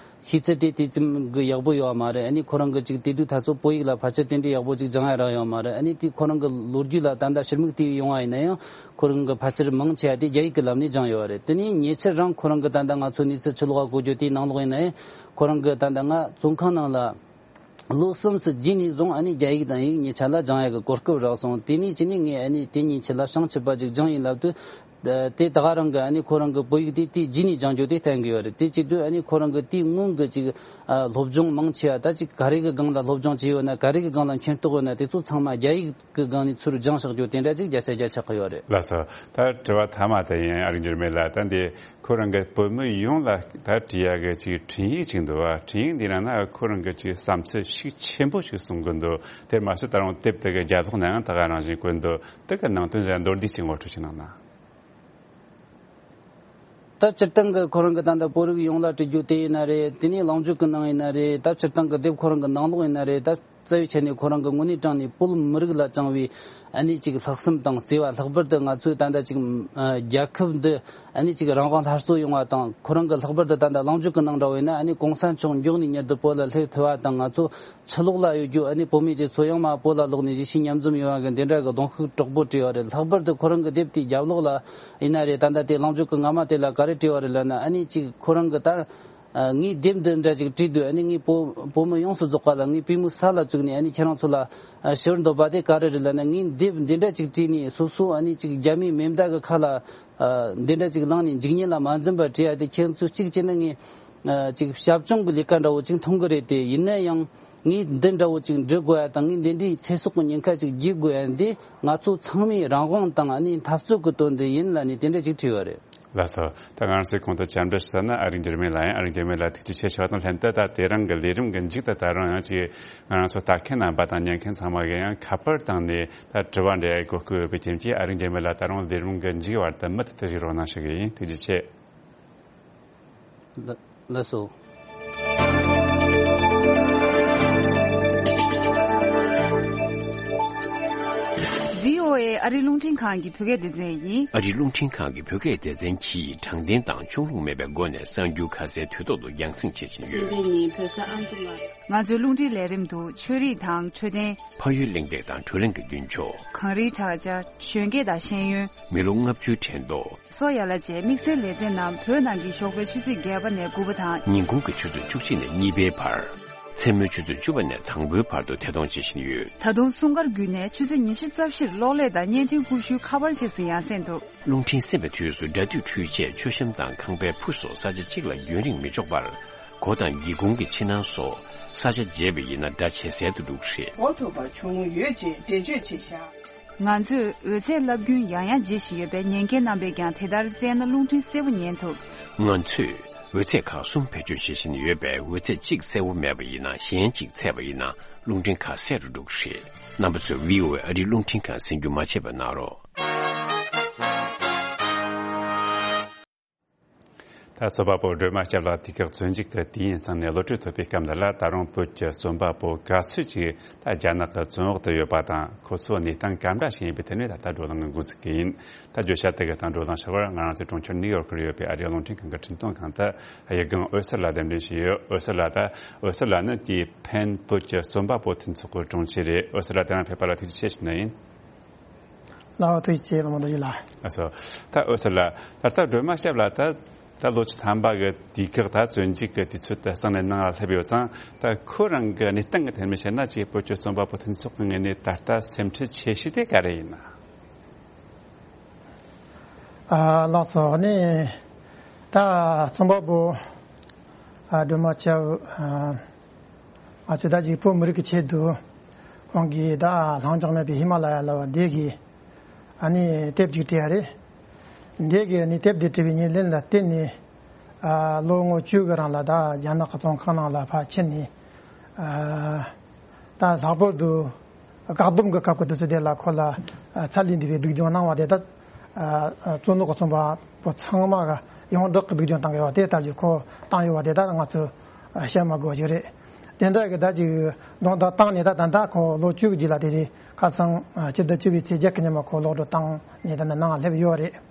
ཤེས་ཚད་དེ་དེ་ཙམ་གི་ཡག་པོ་ཡོད་པ་མ་རེད། ཨ་ནི་ཁོ་རང་གི་ཅིག་དེ་དུས་ད་ཚོ་བོད་ཡིག་ལ་ཕལ་ཆེར་དེ་འདྲའི་ཡག་པོ་ཅིག་སྦྱང་ཡ་རག་ཡོད་པ་མ་རེད། ཨ་ནི་དེ་ཁོ་རང་གི་ལོ་རྒྱུས་ལ་ད་ལྟ་ཞི་མིག་བལྟས་ཡོང་བ་ཡིན་ན་ཡང་། ཁོ་རང་གི་ཕལ་ཆེར་མང་ཆེ་བ་དེ་རྒྱ་ཡིག་གི་ལམ་ནས་སྦྱངས་ཡོད་པ་རེད། དེ་ནས་ཉེ་ཆར་རང་ཁོ་རང་གི་ད་ལྟ་ང་ཚོ་གནས་ཚུལ་ཕྱི་ལོགས་ལ་གོ་རྒྱུ་དེའི་ནང་ལོགས་ཡིན་ན་ཡང་། ཁོ་རང་གི་ད་ལྟ་ང་བཙོན་ཁང་ནང་ལ་ལོ་གསུམ་ཙམ་རྗེས་ནས་བཟུང་ཨ་ནི་རྒྱ་ཡིག་དང་ཡིག་གཉིས་ཆ་ལ་སྦྱང་ཡག་གི་གོ་སྐབས་རག་སོང་། དེ་ནས་ཅི་ནས་ངས་ཨ་ནི་དེ་གཉིས་ཆ་ལ་བྱང་ཆུབ་པ་ཅིག་སྦྱངས་ཡིན་ལབ་དུས། དེ་ད་ག་རང་གི་ཨ་ནི་ཁོ་རང་གི་བོད་ཡིག་དེ་དེའི་རྗེས་ནས་སྦྱང་རྒྱུ་དེ་བསྟན་གི་ཡོད་རེད། དེ་བྱེད་དུས་ཨ་ནི་ཁོ་རང་གི་དེའི་སྔོན་གི་ཅིག་ཨ་སློབ་སྦྱོང་མང་ཆེ་བ་ད་ཅིག་ག་རེ་གི་སྒང་ལ་སློབ་སྦྱོང་བྱས་ཡོད་ན། ག་རེ་གི་སྒང་ལ་མཁྱེན་རྟོགས་ཡོད་ན། དེ་ཚོ་ཚང་མ་རྒྱ་ཡིག་གི་སྒང་ནས་ཚུར་སྦྱངས་བཞག་རྒྱུ་དེ་འདྲ་ཅིག་བརྒྱ་ཆ་བརྒྱ་ཆགས་ཀྱི་ཡོད་རེད། ལགས་སོ། ད་དྲི་བ་མཐའ་མ་དེ་ཡིན། ཨ་རིག་འགྱུར་མེད་ལགས། ད་འདི་ཁོ་རང་གི་བོད་མི་ཡོངས་ལ་ད་བྲིས་ཡག་གི་ཅིག་འཕྲིན་ཡིག་ཅིག་འདུག་བ། འཕྲིན་ཡིག་འདི་ནང་ན་ཁོ་རང་གི་ཅིག་བསམ་ཚུལ་ཤུགས་ཆེན་པོ་ཞིག་གསུང་གི་འདུག་དེར་མ་ཟད་ད་རུང་དེབ་དེ་གི་རྒྱབ་ལོགས་ན་ཡང་ད་ག་རང་བཞིན་བཀོད་འདུག་དེ་གི་ནང་དོན་ཟེར་མདོར་བསྡུས་ཅིག་ངོ་སྤྲོད་ཅིག་གནང་ན། ད་སྤྱིར་བཏང་གི་ཁོ་རང་གི་ད་ལྟ་བོད་རིགས་ཡོངས་ལ་བྲིས་རྒྱུ་དེ་ཡིན་ན་རེད། དེ་ནས་གླེང་བརྗོད་ཀྱི་ནང་ཡིན་ན་རེད། ད་སྤྱིར་བཏང་གི་དེབ་ཁོ་རང་གི་ནང་ལོགས་ཡིན་ན་རེད། ད་རྩ་བའི་ཆ་ནས་ཁོ་རང་གི་དངོས་གནས་དྲང་ནས་བོད་མི་རིགས་ལ་བཅངས་པའི་ཨ་ནི་ཅིག་ལྷག་བསམ་དང་བརྩེ་བ། ལྷག་པར་དུ་ང་ཚོའི་ད་ལྟ་ཅིག་ཨ་རྒྱལ་ཁབ་འདི་ཨ་ནི་ཅིག་རང་དབང་སླར་གསོ་ཡོང་བ་དང་། ཁོ་རང་གི་ལྷག་པར་དུ་ད་ལྟ་གླེང་བརྗོད་ཀྱི་ནང་འདྲ་བོ་ཡིན་ན། ཨ་ནི་གོང་ས་མཆོག་མགྱོགས་ནས་མྱུར་དུ་བོད་ལ་སླེབས་ཐུབ་པ་དང་། ང་ཚོ་ཕྱི་ལོགས་ལ་ཡོད་རྒྱུ་ཨ་ནི་བོད་མི་དེ་ཚོ་ཡང་མ་བོད་ལ་ལོག་ནས་གཞིས་བྱེས་མཉམ་འཛོམས་ཡོང་བ་གི་འདི་འདྲ་གི་གདོང་ཤུགས་དྲག་པོ་བྲིས་པ་རེད། ལྷག་པར་དུ་ཁོ་རང་གི་དེབ་དེའི་རྒྱབ་ལོགས་ལ་ཡིན་ན་རེད། ད་ལྟ་དེ་གླེང་བརྗོད་ཀྱི་སྔ་མ་དེ་ལ་ག་རེ་བྲིས་པ་རེད་ལབ་ན། ཨ་ནི་ཅིག་ཁོ་རང་གི་ད་ཨ་ངས་དེབ་འདི་འདྲ་ཅིག་བྲིས་དུས། ཨ་ནི་ངས་བོད་བོད་མི་ཡོངས་སུ་རྫོགས་པ་ལ་ངས་པུས་མོ་ས་ལ་བཙུགས་ནས་ཨ་ནི་ཁྱེད་རང་ཚོ་ལ་ཨ་ཞུ་བར་འདོད་པ་དེ་ག་རེ་རེད་ལབ་ན། ངས་དེབ་འདི་འདྲ་ཅིག་བྲིས་ནས་སོ་སོ་ཨ་ནི་ཅིག་རྒྱ་མིའི་མེ་མདའ་གི་ཁ་ལ་ཨ་འདི་འདྲ་ཅིག་ལངས་ནས་འཇིགས་ཉེན་ལ་མ་འཛེམས་པར་བྲིས་ཡ་དེ། ཁྱེད་ཚོས་གཅིག་བྱས་ན་ངས་ཨ་ཅིག་ཞབས་སྐྱོང་གི་ལས་ཀ་འདྲ་བོ་ཅིག་མཐོང་གི་རེད་དེ། ཡིན་ན་ཡང་ངས་འདི་འདྲ་བོ་ཅིག་འབྲི་དགོས་ཡ་དང་། ངས་འདི་འདྲའི་ཚེ་སྲོག་གི་ཉེན་ཁ་ཅིག་བརྗེད་དགོས་ཡ་འདི་ང་ཚོ་ཚང་མའི་རང་དབང་དང་ཨ་ནི་འཐབ་རྩོད་ཀྱི་དོན་དུ་ཡིན་ལབ་ནས་དེ་འདྲ་ཅིག་བྲིས་པ་རེད། ལགས་སོ། ད་ང་རང་ཚོས་གོང་དུ་བཅར་འདྲི་ཞུས་ན། ཨ་རིག་འགྱུར་མེད་ལགས་ཡིན། ཨ་རིག་འགྱུར་མེད་ལགས་ཐུགས་རྗེ་ཆེ་ཞུ་བ་དང་ལྷན་དུ། ད་དེ་རིང་གི་ལས་རིམ་གྱི་མཇུག་ཏུ་ད་རུང་ཡང་ཅིག་ང་རང་ཚོ་ལྟ་མཁན་རྣམ་པ་དང་ཉན་མཁན་ཚང་མ་གིས་ཡང་ཁ་པར་བཏང་ནས་ད་དྲི་བ་འདྲི་གོ་སྐབས་ཡོད་པའི་རྐྱེན་གྱིས། ཨ་རིག་འགྱུར་མེད་ལགས་ད་རུང་ལས་རིམ་གྱི་མཇུག་བར་དུ་མུ་མཐུད་དུ་བཞུགས་རོགས་གནང་ཞུ་གི་ཡིན། ཐུགས་རྗེ་ཆེ། ལ་ལགས་སོ། བྷི་ཨོ་ཨེ། ཨ་རིའི་རླུང་འཕྲིན་ཁང་གི་བོད་སྐད་སྡེ་ཚན་ཡིན། ཨ་རིའི་རླུང་འཕྲིན་ཁང་གི་བོད་སྐད་སྡེ་ཚན་གྱིས་དྲང་བདེན་དང་ཕྱོགས་ལྷུང་མེད་པའི་སྒོ་ནས་གསར་འགྱུར་ཁ་གསལ་དུས་ཐོག་ཏུ་རྒྱང་སྲིང་བྱེད་བཞིན་ཡོད། སྲིད་འཛིན་ནི་བོད་ས་ཨ་མདོ་མ། ང་ཚོའི་རླུང་འཕྲིན་ལས་རིམ་དུ་ཆོས་རིག་དང་འཕྲོད་བསྟེན། ཕ་ཡུལ་གླེང་སྟེགས་དང་བགྲོ་གླེང་གི་མདུན་ཕྱོགས། གངས་རིའི་བྲག་ཅ། གཞོན་སྐྱེས་དང་ཤེས་ཡོན། མི་ལོ་ལྔ་བཅུའི་དྲན་ཐོ། སོགས་ཡན་ལག་བཅས་དམིགས་བསལ་ལེ་ཚན་རྣམས་བོད་ནང་གི་ཞོགས་པའི་ཆུ་ཚོད་བརྒྱད་པ་ནས་དགུ་པ་དང་། ཉིན་གུང་གི་ཆུ་ཚོད་བཅུ་གཅིག་ནས་གཉིས་པའི་བར། མཚན་མོའི་ཆུ་ཚོད་བཅུ་པ་ནས་དང་པོའི་བར་དུ་ཐད་གཏོང་བྱེད་བཞིན་ཡོད། ད་དུང་སྲུང་སྐར་བརྒྱུད་ནས་ཆུ་ཚོད་ཉི་ཤུ་རྩ་བཞིར་གློག་ཀླད་དང་བརྙན་འཕྲིན་ཀུ་ཤུའི་ཁ་པར་རྗེས་སུ་ཡང་སེ་འདུག་རླུང་འཕྲིན་གསན་པའི་དུས་སུ་སྒྲ་སྡུད་འཕྲུལ་ཆས། མཆོད་བཤམས་དང་ཁང་པའི་ཕུ་སོགས་ས་ཆ་གཅིག་ལ་རྒྱུན་རིང་མི་འཇོག་པར། སྒོ་དང་སྒེའུ་ཁུང་གི་ཕྱི་ནང་སོགས་ས་ཆ་བརྗེས་པ་ཡིན་ན་སྒྲ་ཇེ་གསལ་དུ་འགྲོ་གི་རེད། གོ་ཐུབ་པ་བྱུང་ཡོད་ཅེས་འགྲེལ་བརྗོད་བྱས་བཞག་ང་ཚོས་འོད་ཚད་རླབས་རྒྱུན་ཡང་ཡང་བརྗེ་བཞིན་ཡོད་པས། ཉན་མཁན་རྣམ་པས་ཀྱང་དེ་ལྟར་བཙལ་ན་རླུང་འཕྲིན་གསལ་པོ་ཉན་ཐུབ། ང་ཚོས་འོད་ཚད་ཁག་གསུམ་བེད་སྤྱོད་བྱེད་བཞིན་ཡོད་པས། འོད་ཚད་གཅིག་གསལ་པོ་མེད་པ་ཡིན་ན། གཞན་གཅིག་ཚད་པ་ཡིན་ན་རླུང་འཕྲིན་ཁ་གསལ་རུ་འགྲོ་གི་རེད། རྣམ་པ་ཚོས་བྷི་ཨོ་ཨེ་ཨ་རིའི་རླུང་འཕྲིན་ཁང་གསན་རྒྱུ་མ་བརྗེད་པ་གནང་རོགས། ད་རྩོམ་པ་པོ་སྒྲོལ་མ་སྐྱབས་ལགས་དུས་བཀག་བཙོན་འཇུག་གི་དུས་ཡུན་ཚང་ནས་གློད་གྲོལ་ཐོབ་པའི་སྐབས་འདི་ལ། ད་རུང་བོད་ཀྱི་རྩོམ་པ་པོ་ག་ཚོད་ཅིག་ད་རྒྱ་ནག་གི་བཙོན་འོག་ཏུ་ཡོད་པ་དང་། ཁོ་ཚོའི་གནས་སྟངས་ག་འདྲ་ཞིག་ཡིན་པའི་ཐད་ནས་ད་ལྟ་བགྲོ་གླེང་འགོ་འཛུགས་ཀྱི་ཡིན། ད་བརྗོད་བྱ་དེ་གི་སྟེང་བགྲོ་གླེང་བྱ་བར་ང་རང་ཚོའི་གྲོང་ཁྱེར་ནིའུ་ཡོག་ལ་ཡོད་པའི་ཨ་རིའི་རླུང་འཕྲིན་ཁང་གི་འཕྲིན་གཏོང་ཁང་དུ་དབྱི་རྒན་འོད་ཟེར་ལགས་གདན་འདྲེན་བྱས་ཡོད། འོད་ཟེར་ལགས། ད་འོད་ཟེར་ལགས་ནི་དེའི་ཕན་བོད་ཀྱི་རྩོམ་པ་པོ་མཐུན་ཚོགས་ཀྱི་དྲུང་ཆེ་རེད། འོད་ཟེར་ལགས་དེ་རིང་ཕེབས་པ་ལ་ཐུགས་རྗེ་ཆེ་ཞུ་ནི་ཡིན། ལགས་འོ། ཐུགས་རྗེ་ཆེ་བ་མང་དུ་ཞིག་ལ། ཨ་སོ། ད་འོད་ཟེར་ལགས། ད་ལྟ་སྒྲོལ་མ་སྐྱབས་ལགས་ད་ད་ལོ་བཅུ་ཐམ་པ་གི་དུས་བཀག་ད་བཙོན་འཇུག་གི་དུས་ཚོད་དེ་གསང་ནས་ནང་ལ་སླེབས་ཡོད་ཙང་། ད་ཁོ་རང་གི་གནས་སྟངས་ཀྱི་ཐད་ནས་བཤད་ན་ཅིག་བོད་ཀྱི་རྩོམ་པ་པོ་མཐུན་ཚོགས་ཀྱི་ངོས་ནས་ད་ལྟ་སེམས་ཁྲལ་ཆེ་ཤོས་དེ་ག་རེ་ཡིན་ན། ཨ་ལགས་སོ། ནི་ད་རྩོམ་པ་པོ་ཨ་སྒྲོལ་མ་སྐྱབས་ཨ་ང་ཚོས་ད་ཅིག་བོད་མི་རིགས་ཀྱི་ཆེད་དུ་ཁོང་གིས་ད་ལྷིང་འཇགས་མེད་པའི་ཧི་མ་ལ་ཡ་ལ་བ་འདི་གི་ཨ་ནི་དེབ་ཅིག་བྲིས་ཡ་རེད། འདི་གི་ཨ་ནི་དེབ་འདི་བྲིས་པའི་ཉིན་ལན་ལ་བརྟེན་ནས་ཨ་ལོ་ངོ་བཅུ་གི་རིང་ལ་ད་རྒྱ་ནག་གི་བཙོན་ཁང་ནང་ལ་ཕར་ཕྱིན་ནས་ཨ་ད་ལྷག་པར་དུ་བཀག་སྡོམ་གྱི་སྐབས་ཀྱི་དུས་ཚོད་དེ་ལ་ཁོ་ལ་ཚ་ལས་འདས་པའི་སྡུག་སྦྱོང་གནང་བ་དེ་དག་བཙོན་འོག་གི་རྩོམ་པ་པོ་ཚང་མ་གི་ཡོངས་གྲགས་ཀྱི་སྡུག་སྦྱོང་བཏང་གི་ཡོད་པ་དེ་ལྟར་གྱི་ཁོ་བཏང་ཡོད་པ་དེ་དག་ང་ཚོས་བཤད་མ་དགོས་པ་ཞིག་རེད། དེ་འདྲ་གི་ད་ཅིག་རྡུང་རྡེག་བཏང་ནས་ད་ད་ལྟ་ཁོ་ལོ་བཅུ་གི་རྗེས་ལ་དེ་རེད། ཁ་སང་ཕྱི་ཟླ་བཅུ་པའི་ཚེས་བརྒྱད་ཀྱི་ཉིན་མ་ཁོ་གློད་གྲོལ་བཏང་ནས་ད་ནང་སླེབས་ཡོད་རེད།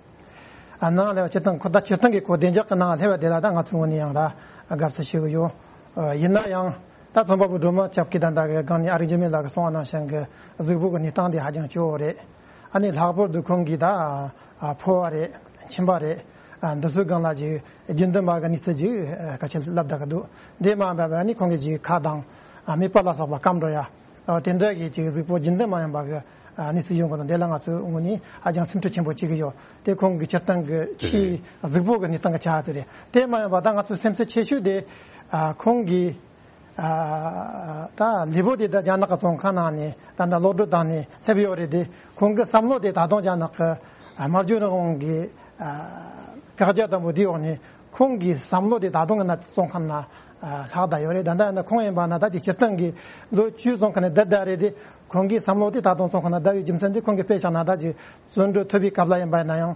ཨ་ནང་ལས་སྤྱིར་བཏང་ཁོ་ད་སྤྱིར་བཏང་གི་ཁོ་བདེ་འཇགས་ཀྱི་ནང་སླེབས་པ་དེ་ལ་ད་ང་ཚོའི་ངོས་ནས་ཡང་ད་དགའ་བསུ་ཞུ་གི་ཡོད། ཡིན་ན་ཡང་ད་རྩོམ་པ་པོ་སྒྲོལ་མ་སྐྱབས་ཀྱིས་ད་ལྟ་གི་སྒང་ནས་ཨ་རིག་འཇིགས་མེད་ལགས་ཀྱིས་གསུངས་པ་ནང་བཞིན་གྱི་གཟུགས་པོ་གི་གནས་སྟངས་དེ་ཧ་ཅང་སྐྱོ་བོ་རེད། ཨ་ནི་ལྷག་པར་དུ་ཁོང་གིས་ད་ཕོ་བ་རེད། མཆིན་པ་རེད། འདི་ཚོའི་སྒང་ལ་ཅིག་རྒྱུན་ལྡན་མ་གི་གནས་ཚུལ་ཅིག་ཁ་ཆེ་ལབ་བསྡད་ཀྱི་འདུག་འདི་མ་ཡིན་པ་ཨ་ནི་ཁོང་གི་ཅིག་ཁ་དང་མིད་པ་ལ་སོགས་པ་སྐམ་འགྲོ་ཡ། ཨ་དེ་འདྲ་གི་ཅིག་གཟུགས་པོ་རྒྱུན་ལྡན་མ་ཡིན་པ་གི་ཨ་གནས་ཚུལ་ཡོང་གི་འདུག་འདི་ལ་ང་ཚོའི་ངོས་ནས་ཧ་ཅང་སེམས་ཁྲལ་ཆེན་པོ་བྱེད་ཀྱི་ཡོད། དེ་ཁོང་གི་སྤྱིར་བཏང་གི་ཕྱིའི་གཟུགས་པོ་གི་གནས་སྟངས་ཀྱི་ཆ་དེ་རེད། དེ་མ་ཡིན་པ་ད་ང་ཚོའི་སེམས་ཚེགས་ཆེ་ཤོས་དེ་ཨ་ཁོང་གིས་ཨ་ད་ལུས་པོ་དེ་ད་རྒྱ་ནག་གི་བཙོན་ཁང་ནང་ནས་ད་ལྟ་གློད་གྲོལ་བཏང་ནས་སླེབས་ཡོད་རེད་དེ། ཁོང་གི་བསམ་བློ་དེ་ད་དུང་རྒྱ་ནག་གི་ཨ་སྨྲ་བརྗོད་རང་དབང་གི་ཨ་བཀག་རྒྱ་དང་པོ་དེའི་འོག་ནས་ཁོང་གི་བསམ་བློ་དེ་ད་དུང་ཡིན་ན་བཙོན་ཁང་ནང་ཨ་ལྷག་བསྡད་ཡོད་རེད། ད་ལྟ་ཡིན་ན་ཁོང་ཡིན་པ་ན་ད་ཅིག་སྤྱིར་བཏང་གི་ལོ་བཅུ་བཙོན་ཁང་ནས་བསྡད་བསྡད་རེད་དེ། ཁོང་གི་བསམ་བློ་དེ་ད་དུང་བཙོན་ཁང་ནང་བསྡད་པའི་རྒྱུ་མཚན་དེ་ཁོང་གི་དཔེ་བཞག་ན་ད་ཅིག་བཙོན་གྲོལ་ཐོབ་པའི་སྐབས་ལ་ཡིན་པ་ཡིན་ན་ཡང་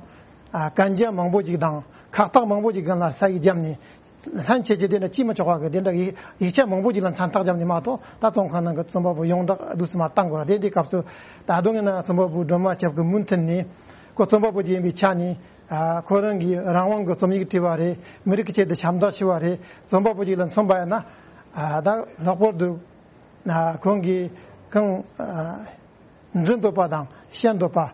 ཨ་གན་རྒྱ་མང་པོ་ཅིག་དང་ཁག་ཐེག་མང་པོ་ཅིག་སྒང་ལ་ས་ཡིག་བརྒྱབ་ནས་ལྷན་ཆད་ཀྱི་དེ་འདྲ་ཅིས་མི་ཆོག་པ་གི་དེ་འདྲ་ཡིག་ཡིག་ཆ་མང་པོ་ཅིག་ལ་མཚན་རྟགས་བརྒྱབ་ནས་མ་གཏོགས། ད་བཙོན་ཁང་ནང་གི་རྩོམ་པ་པོ་ཡོངས་གྲགས་བསྡུས་སུ་མ་བཏང་དགོས་ར། དེ་འདི་སྐབས་སུ་ད་དུང་ཡིན་ན་རྩོམ་པ་པོ་སྒྲོལ་མ་སྐྱབས་ཀྱི་མུ་མཐུད་ནས་ཁོ་རྩོམ་པ་པོ་ཅིག་ཡིན་པའི་ཆ་ནས་ཨ་ཁོ་རང་གིས་རང་དབང་གི་རྩོམ་ཡིག་བྲིས་པ་རེད། མི་རིགས་ཀྱི་ཆེད་དུ་ཞབས་འདེགས་ཞུ་བ་རེད། རྩོམ་པ་པོ་ཅིག་ལ་མཚོན་པ་ཡིན་ན་ཨ་ད་ལྷག་པར་དུ་ཨ་ཁོང་གིས་གང་ཨ་འབྲི་འདོད་པ་དང་བཤད་འདོད་པ།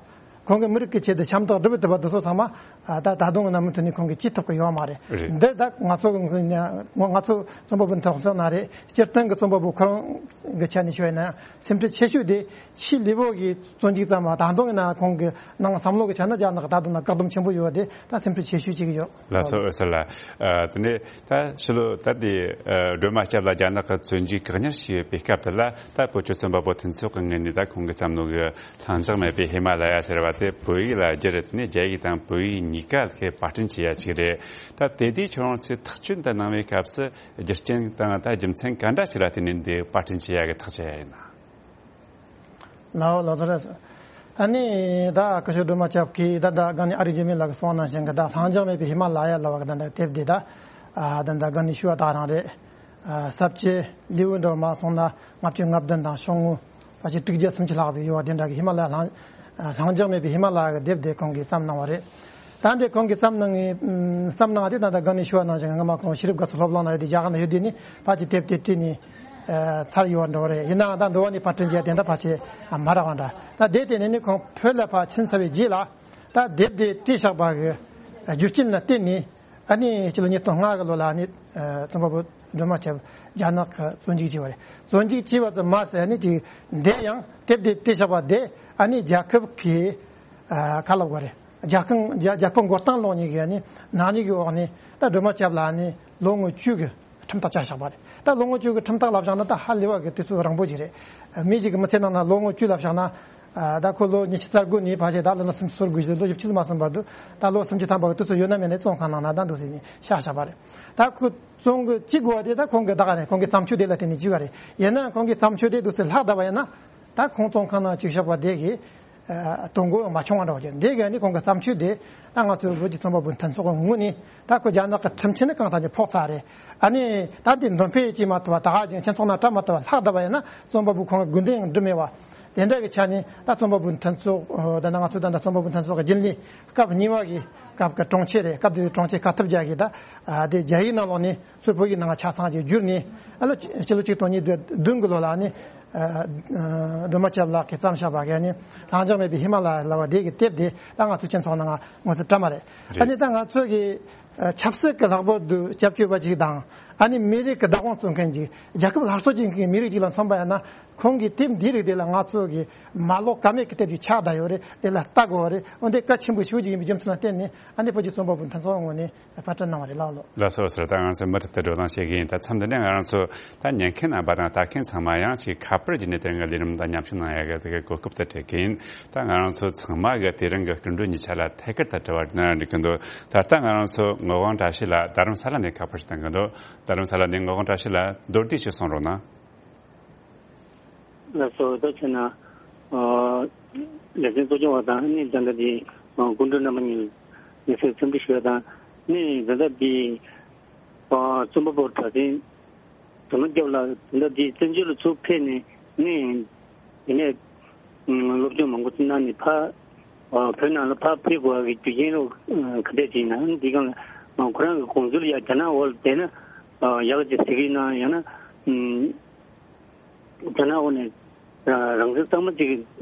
ཁོང་གིས་མི་རིགས་ཀྱི་ཆེད་དུ་ཞབས་འདེགས་སྒྲུབ་ཐུབ་པ་དེ་ཚོ་ཚང་མ་ཨ་ད་ད་དུང་ཡིན་ན་མུ་མཐུད་ནས་ཁོང་གིས་བྱེད་ཐུབ་ཀྱི་ཡོད་མ་རེད། རེད། འདི་ད་ང་ཚོ་ང་ཚོ་རྩོམ་པ་པོ་མཐུན་ཚོགས་ནང་རེད། སྤྱིར་བཏང་གི་རྩོམ་པ་པོ་ཁོ་རང་གི་ཆ་ནས་ཞུ་བ་ཡིན་ན་སེམས་ཁྲལ་ཆེ་ཤོས་དེ་ཕྱི་ལུས་པོ་གི་བཙོན་འཇུག་ཙམ་མ། ད་དུང་ཡིན་ན་ཁོང་གི་ནང་བསམ་བློ་གི་ཆ་ནས་རྒྱ་ནག་ད་དུང་ན་བཀག་སྡོམ་ཆེན་པོ་ཡོད་པ་དེ་ད་སེམས་ཁྲལ་ཆེ་ཤོས་གཅིག་ཡོད། ལགས་སོ། འོད་ཟེར་ལགས། ཨ་དེ་ནས་ད་ཕྱི་ལོ་ད་དེ་ཨ་སྒྲོལ་མ་སྐྱབས་ལ་རྒྱ་ནག་གི་བཙོན་འཇུག་བཀག་ཉར་བྱས་ཡོད་པའི་སྐབས་དེ་ལ་ད་བོད་ཀྱི་རྩོམ་པ་པོ་མཐུན་ཚོགས་ཀྱི་ངོས་ནས་ད་ཁོང་གི་བསམ་བློ་གི་ལྷིང་འཇགས་མེད་པའི་ཧི་མ་ལ་ཡ་ཟེར་བ་དེ་བོད་ཡིག་ལ་བསྒྱུར་ནས་རྒྱ་ཡིག་དང་བོད་ཡིག་གཉིས་ཀ་གི་པར་སྐྲུན་བྱས་ཡ་ཅིག་རེད། ད་དེ་དུས་ཁྱོད་རང་ཚོས་ཐག་གཅོད་འདི་གནང་བའི་སྐབས་སུ་རྒྱུ་རྐྱེན་དང་ད་རྒྱུ་མཚན་ག་འདྲ་ཞིག་ལ་བརྟེན་ནས་འདི་པར་སྐྲུན་བྱེད་ཡ་གི་ཐག་བཅད་ཡ་ཡིན་ན། ལའོ་ལོ་ཚོ་རེད། ཨ་ནི་ད་སྐུ་ཞབས་སྒྲོལ་མ་སྐྱབས་ཀྱིས་ད་ད་ག་ནི་ཨ་རིག་འཇིགས་མེད་ལགས་ཀྱིས་གསུངས་ནང་བཞིན་གྱི་ད་ལྷིང་འཇགས་མེད་པའི་ཧི་མ་ལ་ཡ་ལ་བ་གི་ད་ད་དེབ་དེ་ད་ཨ་ད་ད་ག་ནི་ཞུ་བ་ད་རང་རེད། ཨ་ས་བཅད་ལེའུ་འདྲ་མ་སོང་ན་ལྔ་བཅུ་ང་བདུན་དང་ཤོག་ངོས་པ་ཅིག་དྲུག་བརྒྱ་སུམ་ཅུ་ལྷག་ཟིག་ཡོད་པ་དེ་འདྲ་གི་ཧི་མ་ལ་ཡ་ལྷིང་ ལྷིང་འཇགས་མེད་པའི་ཧི་མ་ལ་ཡ་གི་དེབ་དེ་ཁོང་གིས་བརྩམས་གནང་བ་རེད། ད་འདི་ཁོང་གིས་བརྩམས་གནང་བརྩམས་གནང་དེ་ད་ལྟ་སྒང་ནས་ཞུ་བ་ནང་བཞིན་སྔ་མ་ཁོང་ཤེས་རིག་དགའ་ཚོར་སློབ་གླིང་ལ་ཡོད་དུས་རྒྱ་གར་ལ་ཡོད་དུས་ནི་ཕལ་ཆེར་དེབ་དེ་བྲིས་ནས་ཚར་ཡོད་པ་འདྲ་བ་རེད། ཡིན་ནའང་ད་འདི་བ་ནས་ཕར་བྲིས་རྒྱུ་དེ་འདྲ་ཕལ་ཆེར་མ་རག་པ་འདྲ། ད་དེ་དེ་ནས་ནི་ཁོང་བོད་ལ་ཕར་ཕྱིན་ཚར་བའི་རྗེས་ལ་ད་དེབ་དེ་བྲིས་བཞག་པ་གི་རྒྱུ་རྐྱེན་ལ་བརྟེན་ནས། ཨ་ནི་ཕྱི་ལོ་ཉིས་སྟོང་ལྔ་གི་ལོ་ལ་ཨ་ནི་རྩོམ་པ་པོ་སྒྲོལ་མ་སྐྱབས་རྒྱ་ནག་གི་བཙོན་འཇུག་བྱས་པ་རེད། བཙོན་འཇུག་བྱས་པ་ཙམ་མ་ཟད་ཨ་ནི་ཅིག་འདི་ཡང་དེབ་དེ་བྲིས་བཞག་པ་དེ་ཨ་ནི་རྒྱལ་ཁབ་ཀྱི་ཁ་ལབ་དགོས་རེད། རྒྱལ་ཁང་རྒྱལ་རྒྱལ་པོ་མགོ་རྟིང་སློག་མཁན་གྱི་ཨ་ནི་ནག་ཉེས་ཀྱི་འོག་ནས་ད་སྒྲོལ་མ་སྐྱབས་ལ་ཨ་ནི་ལོ་ངོ་བཅུ་གི་ཁྲིམས་ཐག་བཅད་བཞག་པ་རེད། ད་ལོ་ངོ་བཅུ་གི་ཁྲིམས་ཐག་ལབ་བཞག་ན་ད་ཧ་ལས་པ་གི་དུས་ཚོད་རིང་པོ་ཅིག་རེད། མི་ཞིག་གི་མི་ཚེ་ནང་ན་ལོ་ངོ་བཅུ་ལབ་བཞག་ན། ད་ཁོ་ལོ་ཉི་ཤུ་རྩ་དགུ་ནས་ཕལ་ཆེར་ད་ལོ་ན་སུམ་ཅུ་སོ་དགུ་ཞིག་ལོ་བཞི་བཅུ་མ་ཟིན་པར་དུ་ད་ལོ་སུམ་ཅུ་ཐམ་པ་གི་དུས་ཚོད་ཡོད་ན་མེད་ན་བཙོན་ཁང་ནང་ན་ད་འདུག་ཟེར་ནས་བཞག་བཞག་པ་རེད། ད་ཁོ་བཙོན་གྱི་གཅིག་དགོས་པ་དེ་ད་ཁོང་གི་ད་ག་རེད། ཁོང་གི་བརྩམས་ཆོས་དེ་ལ་བརྟེན་ནས་བཅུག་ག་རེད། ཡིན་ན་ཁོང་གི་བརྩམས་ཆོས་དེ་འདུག་ཟེར་ལྷག་བསྡད་པ་ཡིན་ན་ད་ཁོང་བཙོན་ཁང་ནང་བཅུག་བཞག་པ་དེ་གི་དོན་གོ་མ་བྱུང་བ་འདྲ་བ་ཅིག་འདི་གི་ནི་ཁོང་གི་བརྩམས་ཆོས་དེ་ད་ང་ཚོའི་བོད་ཀྱི་རྩོམ་པ་པོ་མཐུན་ཚོགས་ཀྱི་ངོས་ནས་ད་ཁོ་རྒྱ་ནག་གི་ཁྲིམས་ཆད་ནི་གང་ལྟར་ཀྱང་ཕོག་ཚར་རེད། ཨ་ནི་ད་འདི་འདོན་སྤེལ་བྱས་མ་ཐུབ་པ་ད་ག་ཅིག་ཁྱེད་ཚོ་ནང་སྤྲད་མ་ཐུབ་པ་ལྷག་བསྡད་པ་ཡིན་ན་རྩོམ་པ་པོ་ཁོང་གི་དགོས་འདུན་ཡང་འགྲུབ་མེད་པ། དེ་འདྲ་གི་ཆ་ནས་ད་རྩོམ་པ་པོ་མཐུན་ཚོགས་ད་ནང་ང་ཚོ་ད་ལྟ་རྩོམ་པ་པོ་མཐུན་ཚོགས་ཀྱི་རྒྱུན་ལས་སྐབས་གཉིས་པ་གི་སྐབས་ཀྱི་དྲུང་ཆེ་རེད། སྐབས་དེ་དྲུང་ཆེ་ག་ཐུབ་རྒྱག་གི་ད་དེ་རྒྱ་ཡིག་ནང་ལོགས་ནས་ཚུར་བོད་ཡིག་ནང་ཆ་ཚང་ཅིག་བསྒྱུར་ནས་ཨ་ལོ་ཕྱི་ལོ་ཆིག་སྟོང་ཉིས་བརྒྱ་བདུན་གི་ལོ་ལ་ནི་སྒྲོལ་མ་སྐྱབས་ལགས་ཀྱིས་བརྩམས་བཞག་པ་གི་ནི་ལྷིང་འཇགས་མེད་པའི་ཧི་མ་ལ་ཡ་ལབ་པ་དེ་གི་དེབ་དེ་ད་ང་ཚོ་སྤྱི་ཚོགས་ནང་ང་ངོ་ཚ་དྲ་མ་རེད། ཨ་ནི་ད་ང་ཚོ་གི་ཆབ་སྲིད་ཀྱི་ལྷག་པར་དུ་སྐྱབས་བཅོལ་བ་ཅིག་དང་ཨ་ནི་མི་རིགས་ཀྱི་བདག་དབང་རྩོད་མཁན་ཅིག་རྒྱལ་ཁབ་སླར་གསོ་བྱེད་མཁན་མི་རིགས་ཅིག་ལ་མཚོན་པ་ཡིན་ན་ཁོང་གི་དེབ་འདི་རིགས་དེ་ལ་ང་ཚོ་གི་མ་ཀློག་ཀ་མེད་ཀྱི་དེབ་ཅིག་ཆགས་བསྡད་ཡོད་རེད། དེ་ལ་ལྟ་དགོས་རེད། འོན་ཏེ་གལ་ཆེན་པོ་ཞེ་པོ་ཅིག་ཡིན་པའི་རྒྱུ་མཚན་ལ་བརྟེན་ནས་ཨ་ནི་བོད་ཀྱི་རྩོམ་པ་པོ་མཐུན་ཚོགས་ངོས་ནས་པར་སྐྲུན་གནང་བ་རེད། ལགས་ལགས། ལགས་སོ་ལགས་སོ། ད་ང་ཚོས་མུ་མཐུད་དུ་བགྲོ་གླེང་བྱེད་ཀྱི་ཡིན། ད་མཚམས་འདི་ནས་ང་རང་ཚོ་ད་ཉན་མཁན་རྣམ་པ་དང་ལྟ་མཁན་ཚང་མ་ཡང་ཅིག་ཁ་པར་བརྒྱུད་ནས་དེ་རིང་གི་ལས་རིམ་དང་མཉམ་ཞུགས་གནང་ཡག་གི་དེ་གི་གོ་སྐབས་དེ་སྤྲད་ཀྱི་ཡིན། ད་ང་རང་ཚོ་ཚང་མ་གི་དེ་རིང་གི་སྐུ་མགྲོན་གཉིས་ཆ་ལ་ཐད་ཀར་དུ་དྲི་བ་དྲིས་ན་འགྲིག་གི་འདུག་ད་ལྟ་ང་རང་ཚོ་ངག་དབང་བཀྲ་ཤིས་ལགས་རྡ་རམ་ས་ལ་ནས་ཁ་པར་ཞིག་བཏང་གི་འདུག་རྡ་རམ་ས་ལ་ནས་ངག་དབང་བཀྲ་ཤིས་ལགས་མདོར་བསྡུས་ཤིག་གསུང་རོགས་གནང་། ལགས་སོ། ད་བྱས་ན། ཨ། ལེ་ཚན་གཙོ་སྐྱོང་བ་དང་ནི་ད་ལྟ་དེ་སྐུ་མགྲོན་རྣམ་པ་གཉིས་ལ་ངེས་སེ་འཚམས་འདྲི་ཞུ་བ་དང་ནི་ད་ལྟ་དེ་ཨ་རྩོམ་པ་པོ་གྲགས་ཅན་སྒྲོལ་མ་སྐྱབས་ལགས་ད་ལྟ་དེ་བཙན་བྱོལ་ལ་ཚུར་ཕེབས་ནས་ནི་དེ་ནས་སློབ་སྦྱོང་མང་པོ་གནང་ནས་ཕར་ཨ་བོད་ནང་ལ་ཕར་ཕེབས་དགོས་པ་གི་རྒྱུ་རྐྱེན་རོགས་ག་འདྲས་ཅིག་ཡིན་ན་འདི་སྒང་ལ་ཁོ་རང་གི་དགོངས་ཚུལ་ཡ་རྒྱ་ནག་འོག་ལ་བསྡད་ན་ཡག་ཅིག་ཟེར་གི་ཡིན་ན་ཡང་ན། རྒྱ་ནག་འོག་ནས་རང་བཙན་གཙང་མ་ཅིག་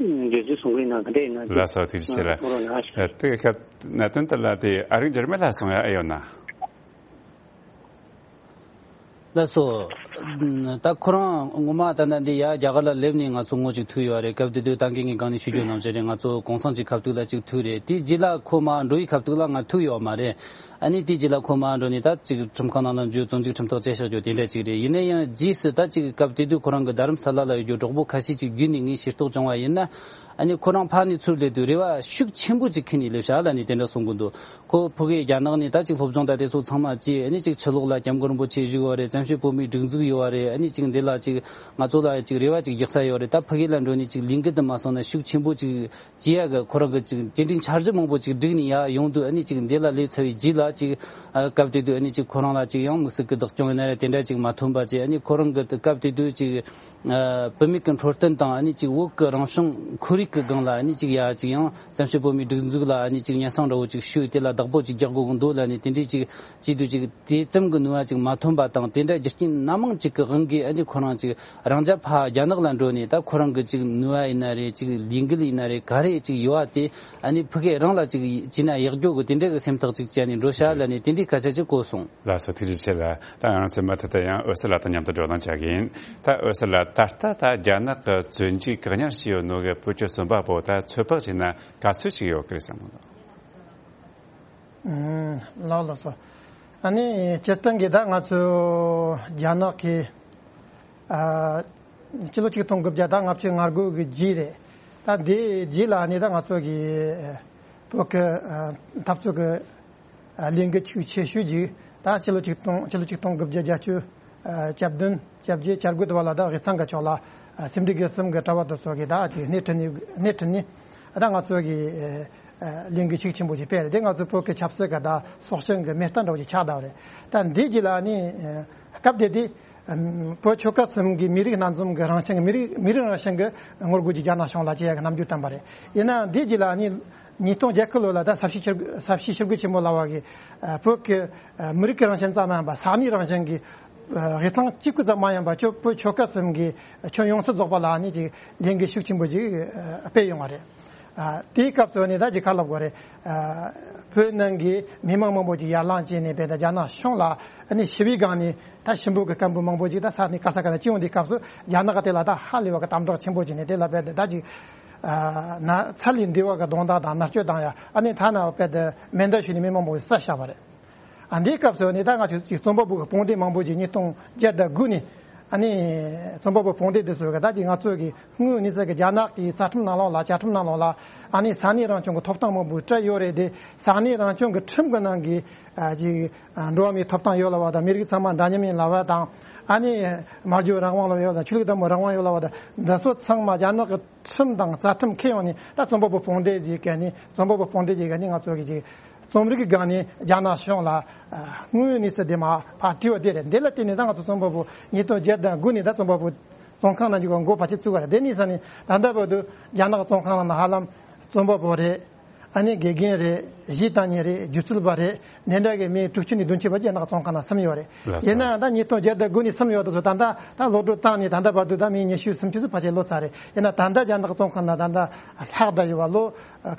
འདོད་ཚུལ་གསུང་གི་ཡིན་ན་ག་འདྲ་ཡིན་ན། ལགས་སོ། ཐུགས་རྗེ་ཆེ་ལགས། གསུང་རོགས་གནང་། དེ་གི་སྐབས་གནད་དོན་དེ་ལ་དེ་ཨ་རིག་འཇར་མན་ལགས་གསུང་ཡ་ཨེ་ཡོད་ན། ལགས་སོ། ད་ཁོ་རང་ངོ་མ་ད་ལྟ་འདི་ཡ་རྒྱ་གར་ལ་སླེབས་ནས་ང་ཚོ་ངོ་ཅིག་ཐུག་ཡོད་རེད། སྐབས་དེ་དུས་ད་གིན་ངས་གང་ནས་ཞུ་རྒྱུ་ནང་བཞིན་རེད། ང་ཚོ་གུང་སེང་གི་ཁ་ཐུག་ལ་ཅིག་ཐུག་རེད། དེའི་རྗེས་ལ་ཁོ་མར་འགྲོ་ཡི་ཁ་ཐུག་ལ་ང་ཐུག་ཡོད་མ་རེད། ཨ་ནི་དེའི་རྗེས་ལ་ཁོ་མར་འགྲོ་ནས་ད་ཅིག་ཁྲིམས་ཁང་ནང་ལ་འཛུལ་བཙོན་འཇུག་ཁྲིམས་ཐག་བཅད་བཞག་རྒྱུ་དེ་འདྲ་ཅིག་རེད། ཡིན་ན་ཡང་རྗེས་སུ་ད་ཅིག་སྐབས་དེ་དུས་ཁོ་རང་གི་རྡ་རམ་ས་ལ་ལ་ཡོད་རྒྱུ་གྲོགས་པོ་ཁ་ཤས་ཅིག་བརྒྱུད་ནས་ངས་ཤེས་རྟོགས་བྱུང་བ་ཡིན་ན། ཨ་ནི་ཁོ་རང་ཕར་ནས་ཚུར་སླེབས་དུས་རེ་བ་ཤུགས་ཆེན་པོ་ཅིག་འཁྱེར་ནས་སླེབས་ཤག་ལབ་ནས་དེ་འདྲ་གསུང་གི་འདུག་ཁོ་ཕ་གིར་རྒྱ་ནག་ནས་ད་ཅིག་སློབ་སྦྱོང་ད་དེ་ཚོ་ཚང་མ་བྱས། ཨ་ནི་ཅིག་ཕྱི་ལོགས་ལ་སྐྱབས་མགོན་རིན་པོ་ཆེ་བཞུགས་ཡོད་རེད། བཙན་བྱོལ་བོད་མིའི་སྒྲིག་འཛུགས་ཡོད་རེད། ཨ་ནི་ཅིག་འདི་ལ་ཅིག་ང་ཚོ་ལ་ཅིག་རེ་བ་ཅིག་རྒྱག་ས་ཡོད་རེད། ད་ཕ་གི་ལ་འགྲོ་ནས་ཅིག་ལས་འགུལ་དུ་མ་སོང་ན་ཤུགས་ཆེན་པོ་ཅིག་བྱེད་ཡ་གི་ཁོ་རང་གི་ཅིག་སྐྱེལ་འདྲེན་འཆར་གཞི་མང་པོ་ཅིག་བསྒྲིགས་ནས་ཡར་ཡོང་དུས། ཨ་ནི་ཅིག་འདི་ལ་སླེབས་ཚར་བའི་རྗེས་ལ་ཅིག་ཨ་སྐབས་དེ་དུས་ཨ་ནི་ཅིག་ཁོ་རང་ལ་ཅིག་ཡང་དམིགས་བསལ་གྱི་བདག་སྐྱོང་ཡིན་ན་རེད། དེ་འདྲ་ཅིག་མ་ཐོན་པ་བྱས། ཨ་ནི་ཁོ་རང་གི་སྐབས་དེ་དུས་ཅིག་ཨ་བུད་མེད་ཀྱི་འཕྲོད་བསྟེན་དང་། ཨ་ནི་ཅིག་བོད་ཀྱི་རང་བྱུང་ཁོར་ཡུག་གི་སྒང་ལ། ཨ་ནི་ཅིག་ཡ་ཅིག་ཡང་བཙན་བྱོལ་བོད་མིའི་སྒྲིག་འཛུགས་ལ་ཨ་ནི་ཅིག་སྙན་སེང་འདྲ་བོ་ཅིག་ཞུས། དེ་ལ་བདག་པོ་ཅིག་རྒྱག་དགོས་ཀྱི་འདུག་ལབ་ནས་དེ་འདྲས་ཅིག་བྱས་དུས་ཅིག་དེ་ཙམ་གྱི་ནུས་པ་ཅིག་མ་ཐོན་པ་དང་། དེ་འདྲ་རྒྱུ་རྐྱེན་སྣ་མང་ཅིག་གི་དབང་གིས་ཨ་ནི་ཁོ་རང་ཅིག་རང་རྒྱལ་ཕར་རྒྱ་ནག་ལ་འགྲོ་ནས་ད་ཁོ་རང་གི་ཅིག་ནུས་པ་ཡིན་ན་རེད། ཅིག་ལས་འགུལ་ཡིན་ན་རེད། ག་རེ་ཅིག་ཡོད་པ་དེ་ཨ་ནི་ཕ་གི་རང་ལ་ཅིག་བྱས་ན་ཡག་རྒྱུ་གི་དེ་འདྲ་གི་སེམས་ཐག་ཅིག་བཅད་ནས་འགྲོ་ཤག་ལབ་ནས་དེ་འདྲའི་སྐད་ཆ་ཅིག་གོ་སོང་། ལགས་སོ། ཐུགས་རྗེ་ཆེ་ལགས། ད་ང་རང་ཚོས་མུ་མཐུད་དུ་ཡང་འོད་ཟེར་ལགས་དང་མཉམ་དུ་བགྲོ་གླེང་བྱ་གི་ཡིན། ད་འོད་ཟེར་ལགས། ད་ལྟ་ད་རྒྱ་ནག་གི་བཙོན་འཇུག་བཀག་ཉར་བྱས་ཡོད་ནོ་གི་བོད་ཀྱི་རྩོམ་པ་པོ་ད་ཚོད་དཔག་བྱས་ན་ག་ཚོད་ཅིག་ཡོད་ཀི་རེད་བསམ་གི་འདུག་ཨུམ། ལགས་ལགས་སོ། ཨ་ནི་སྤྱིར་བཏང་གི་ད་ང་ཚོ་རྒྱ་ནག་གི་ཨ་ཕྱི་ལོ་ཆིག་སྟོང་དགུ་བརྒྱ་དང་ལྔ་བཅུ་ང་དགུ་གི་རྗེས་རེད། ད་འདི་རྗེས་ལ་ཨ་ནི་ད་ང་ཚོ་གི་བོད་ཀྱི་ཨ་འཐབ་རྩོད་ཀྱི་ཨ་ལས་འགུལ་ཆེ་ཤོས་ཅིག་ད་ཕྱི་ལོ་ཆིག་སྟོང་ཕྱི་ལོ་ཆིག་སྟོང་དགུ་བརྒྱ་བརྒྱད་ཅུ་ཨ་གྱ་བདུན་གྱ་བརྒྱད་གྱ་དགུ་དུ་བ་ལ་ད་དབུས་གཙང་གི་ཕྱོགས་ལ་ཨ་སེམས་སྒྲིག་གི་གསུམ་གི་གྲྭ་པ་དེ་ཚོ་གིས་ད་ཅིག་སྣེ་ཁྲིད་ནས་སྣེ་ཁྲིད་ནས་ཨ་ད་ང་ཚོ་གི་ཨ་ལས་འགུལ་ཤུགས་ཆེན་པོ་ཞིག་སྤེལ་རེད། དེ་ང་ཚོ་བོད་ཀྱི་ཆབ་སྲིད་ཀྱི་ད་སྲོག་ཤིང་གི་རྨས་རྟགས་འདྲ་བོ་ཞིག་ཆགས་བསྡད་པ་རེད། ད་འདི་རྗེས་ལ་ཨ་ནི་ཨ་སྐབས་དེ་དུས་ བོད་ཆོལ་ཁ་གསུམ་གྱི་མི་རིགས་སྣ་འཛོམས་ཀྱི་རང་བཞིན་གྱི་མི་རིགས་མི་རིགས་རང་བཞིན་གྱི་ངོ་རྒོལ་གྱི་རྒྱ་ནག་གཞུང་ལ་བྱེད་ཡག་གི་རྣམ་འགྱུར་བསྟན་པ་རེད། ཡིན་ནའང་འདིའི་རྗེས་ལ་ནི་ཉིས་སྟོང་བརྒྱད་ཁུ་ལོ་ལ་ད་ས་བྱི་ཞི་ས་བྱི་ཞི་རྒོལ་ཆེན་མོ་ལབ་པ་གི་བོད་ཀྱི་མི་རིགས་ཀྱི་རང་བཞིན་ཙམ་མ་ཡིན་པ་ས་གནས་རང་བཞིན་གྱི་དབུས་གཙང་གཅིག་པུ་ཙམ་མ་ཡིན་པ་ཆོ་བོད་ཆོལ་ཁ་གསུམ་གྱི་ཁྱོན་ཡོངས་སུ་རྫོགས་པ་ལ་ནི་ཅིག་ལས་འགུལ་ཤུགས་ཆེན་པོ་ཅིག་སྤེལ་ཡོང་བ་རེད། ཨ། དེའི་སྐབས་སུ་ནི་ད་ཅིག་ག་ལབ་དགོས་རེད། ཨ། བོད་ནང་གི་མི་མང་མང་པོ་ཅིག་ཡར་ལངས་བྱས་ནས་བོད་དང་རྒྱ་ནག་གཞུང་ལ་ཨ་ནི་ཞི་བའི་སྒང་ནས་ད་ཞུམ་པོ་གི་སྐད་འབོད་མང་པོ་ཅིག་ད་ས་གནས་ག་ས་ག་ནས་ཅི་ཡོང་དུས་སྐབས་སུ་རྒྱ་ནག་གི་དེ་ལ་ད་ཧ་ལས་པ་གི་དམ་དྲག་ཆེན་པོ་བྱས་ནས་དེ་ལ་བོད་དེ་ད་ཅིག་ཨ། ན་ཚ་ལས་འདས་པ་གི་གདོང་བརྡ་དང་མནར་གཅོད་དང་ཡ་ཨ་ནི་ཐ་ན་བོད་དེ་མེ་མདའ་གཞུས་ནས་མི་མང་པོ་ཞིག་བསད་བཞག་པ་རེད། ཨ། འདིའི་སྐབས་སུ་ནི་ད་ང་ཚོ་ཅིག་རྩོམ་པ་པོ་གི་དཔུང་སྡེ་མང་པོ་ཅིག་ཉིས་སྟོང་བརྒྱད་དང་དགུ་ནས་ཨ་ནི་རྩོམ་པ་པོ་དཔུང་སྡེ་འདི་ཚོ་གི་ད་ཅིག་ང་ཚོ་གི་དངོས་གནས་ཚད་ཀྱི་རྒྱ་ནག་གི་རྩ་ཁྲིམས་ནང་ལོགས་ལ་བཅའ་ཁྲིམས་ནང་ལོགས་ལ་ཨ་ནི་ས་གནས་རང་སྐྱོང་གི་ཐོབ་ཐང་མང་པོ་སྤྲད་ཡོད་རེད་དེ། ས་གནས་རང་སྐྱོང་གི་ཁྲིམས་ཀྱི་ནང་གི་ཨ་ཅིག་ཨ་འགྲོ་བ་མིའི་ཐོབ་ཐང་ཡོད་ལབ་པ་དང་མི་རིགས་ཚང་མ་འདྲ་མཉམ་ཡིན་ལབ་པ་དང་ཨ་ནི་སྨྲ་བརྗོད་རང་དབང་ལབ་ཡོད་དང་ཆོས་ལུགས་དང་པོ་རང་དབང་ཡོད་ལབ་པ་དང་འདི་ཚོ་ཚང་མ་རྒྱ་ནག་གི་ཁྲིམས་དང་རྩ་ཁྲིམས་འཁྱེར་ཡོང་ནས་ད་རྩོམ་པ་པོ་དཔུང་སྡེ་ཅིག་གི་ནི་རྩོམ་པ་པོ་དཔུང་སྡེ་ཅིག་གི་ནི་ང་ཚོ་གི་ཅིག་རྩོམ་རིག་གི་སྒང་ནས་རྒྱ་ནག་གཞུང་ལ་ཨ་དངོས་གནས་སུ་དེ་མ་ཕར་དྲི་བ་དེ་རེད། འདི་ལ་བརྟེན་ནས་ད་ང་ཚོ་རྩོམ་པ་པོ་ཉིས་སྟོང་བརྒྱད་དང་དགུ་ནས་ད་རྩོམ་པ་པོ་བཙོན་ཁང་ནང་འཇུག་པ་འགོ་ཕལ་ཆེར་བཙུགས་པ་རེད། དེ་ནས་ས་ནས་ད་ལྟ་བར་དུ་རྒྱ་ནག་བཙོན་ཁང་ནང་ཧ་ལམ་རྩོམ་པ་པོ་རེད། ཨ་ནི་དགེ་རྒན་རེད། གཞས་བཏང་མཁན་རེད། སྒྱུ་རྩལ་པ་རེད། འདི་འདྲ་གི་མི་དྲུག་ཅུ་ནས་བདུན་ཅུ་བར་གྱི་རྒྱ་ནག་བཙོན་ཁང་ནང་ཟིན་ཡོད་རེད། ལགས་སོ། ཡིན་ནའང་ད་ཉིས་སྟོང་བརྒྱད་དང་དགུ་ནས་ཟིན་ཡོད་དུ་སོ་ད་ལྟ་ད་གློད་བཀྲོལ་བཏང་ནས་ད་ལྟ་བར་དུ་ད་མི་ཉི་ཤུ་སུམ་ཅུ་ཙམ་ཕལ་ཆེར་ལོ་ཚར་རེད། ཡིན་ན་ད་ལྟ་རྒྱ་ནག་བཙོན་ཁང་ནང་ད་ལྟ་ལྷག་བསྡད་ཡོད་པ་ལོ་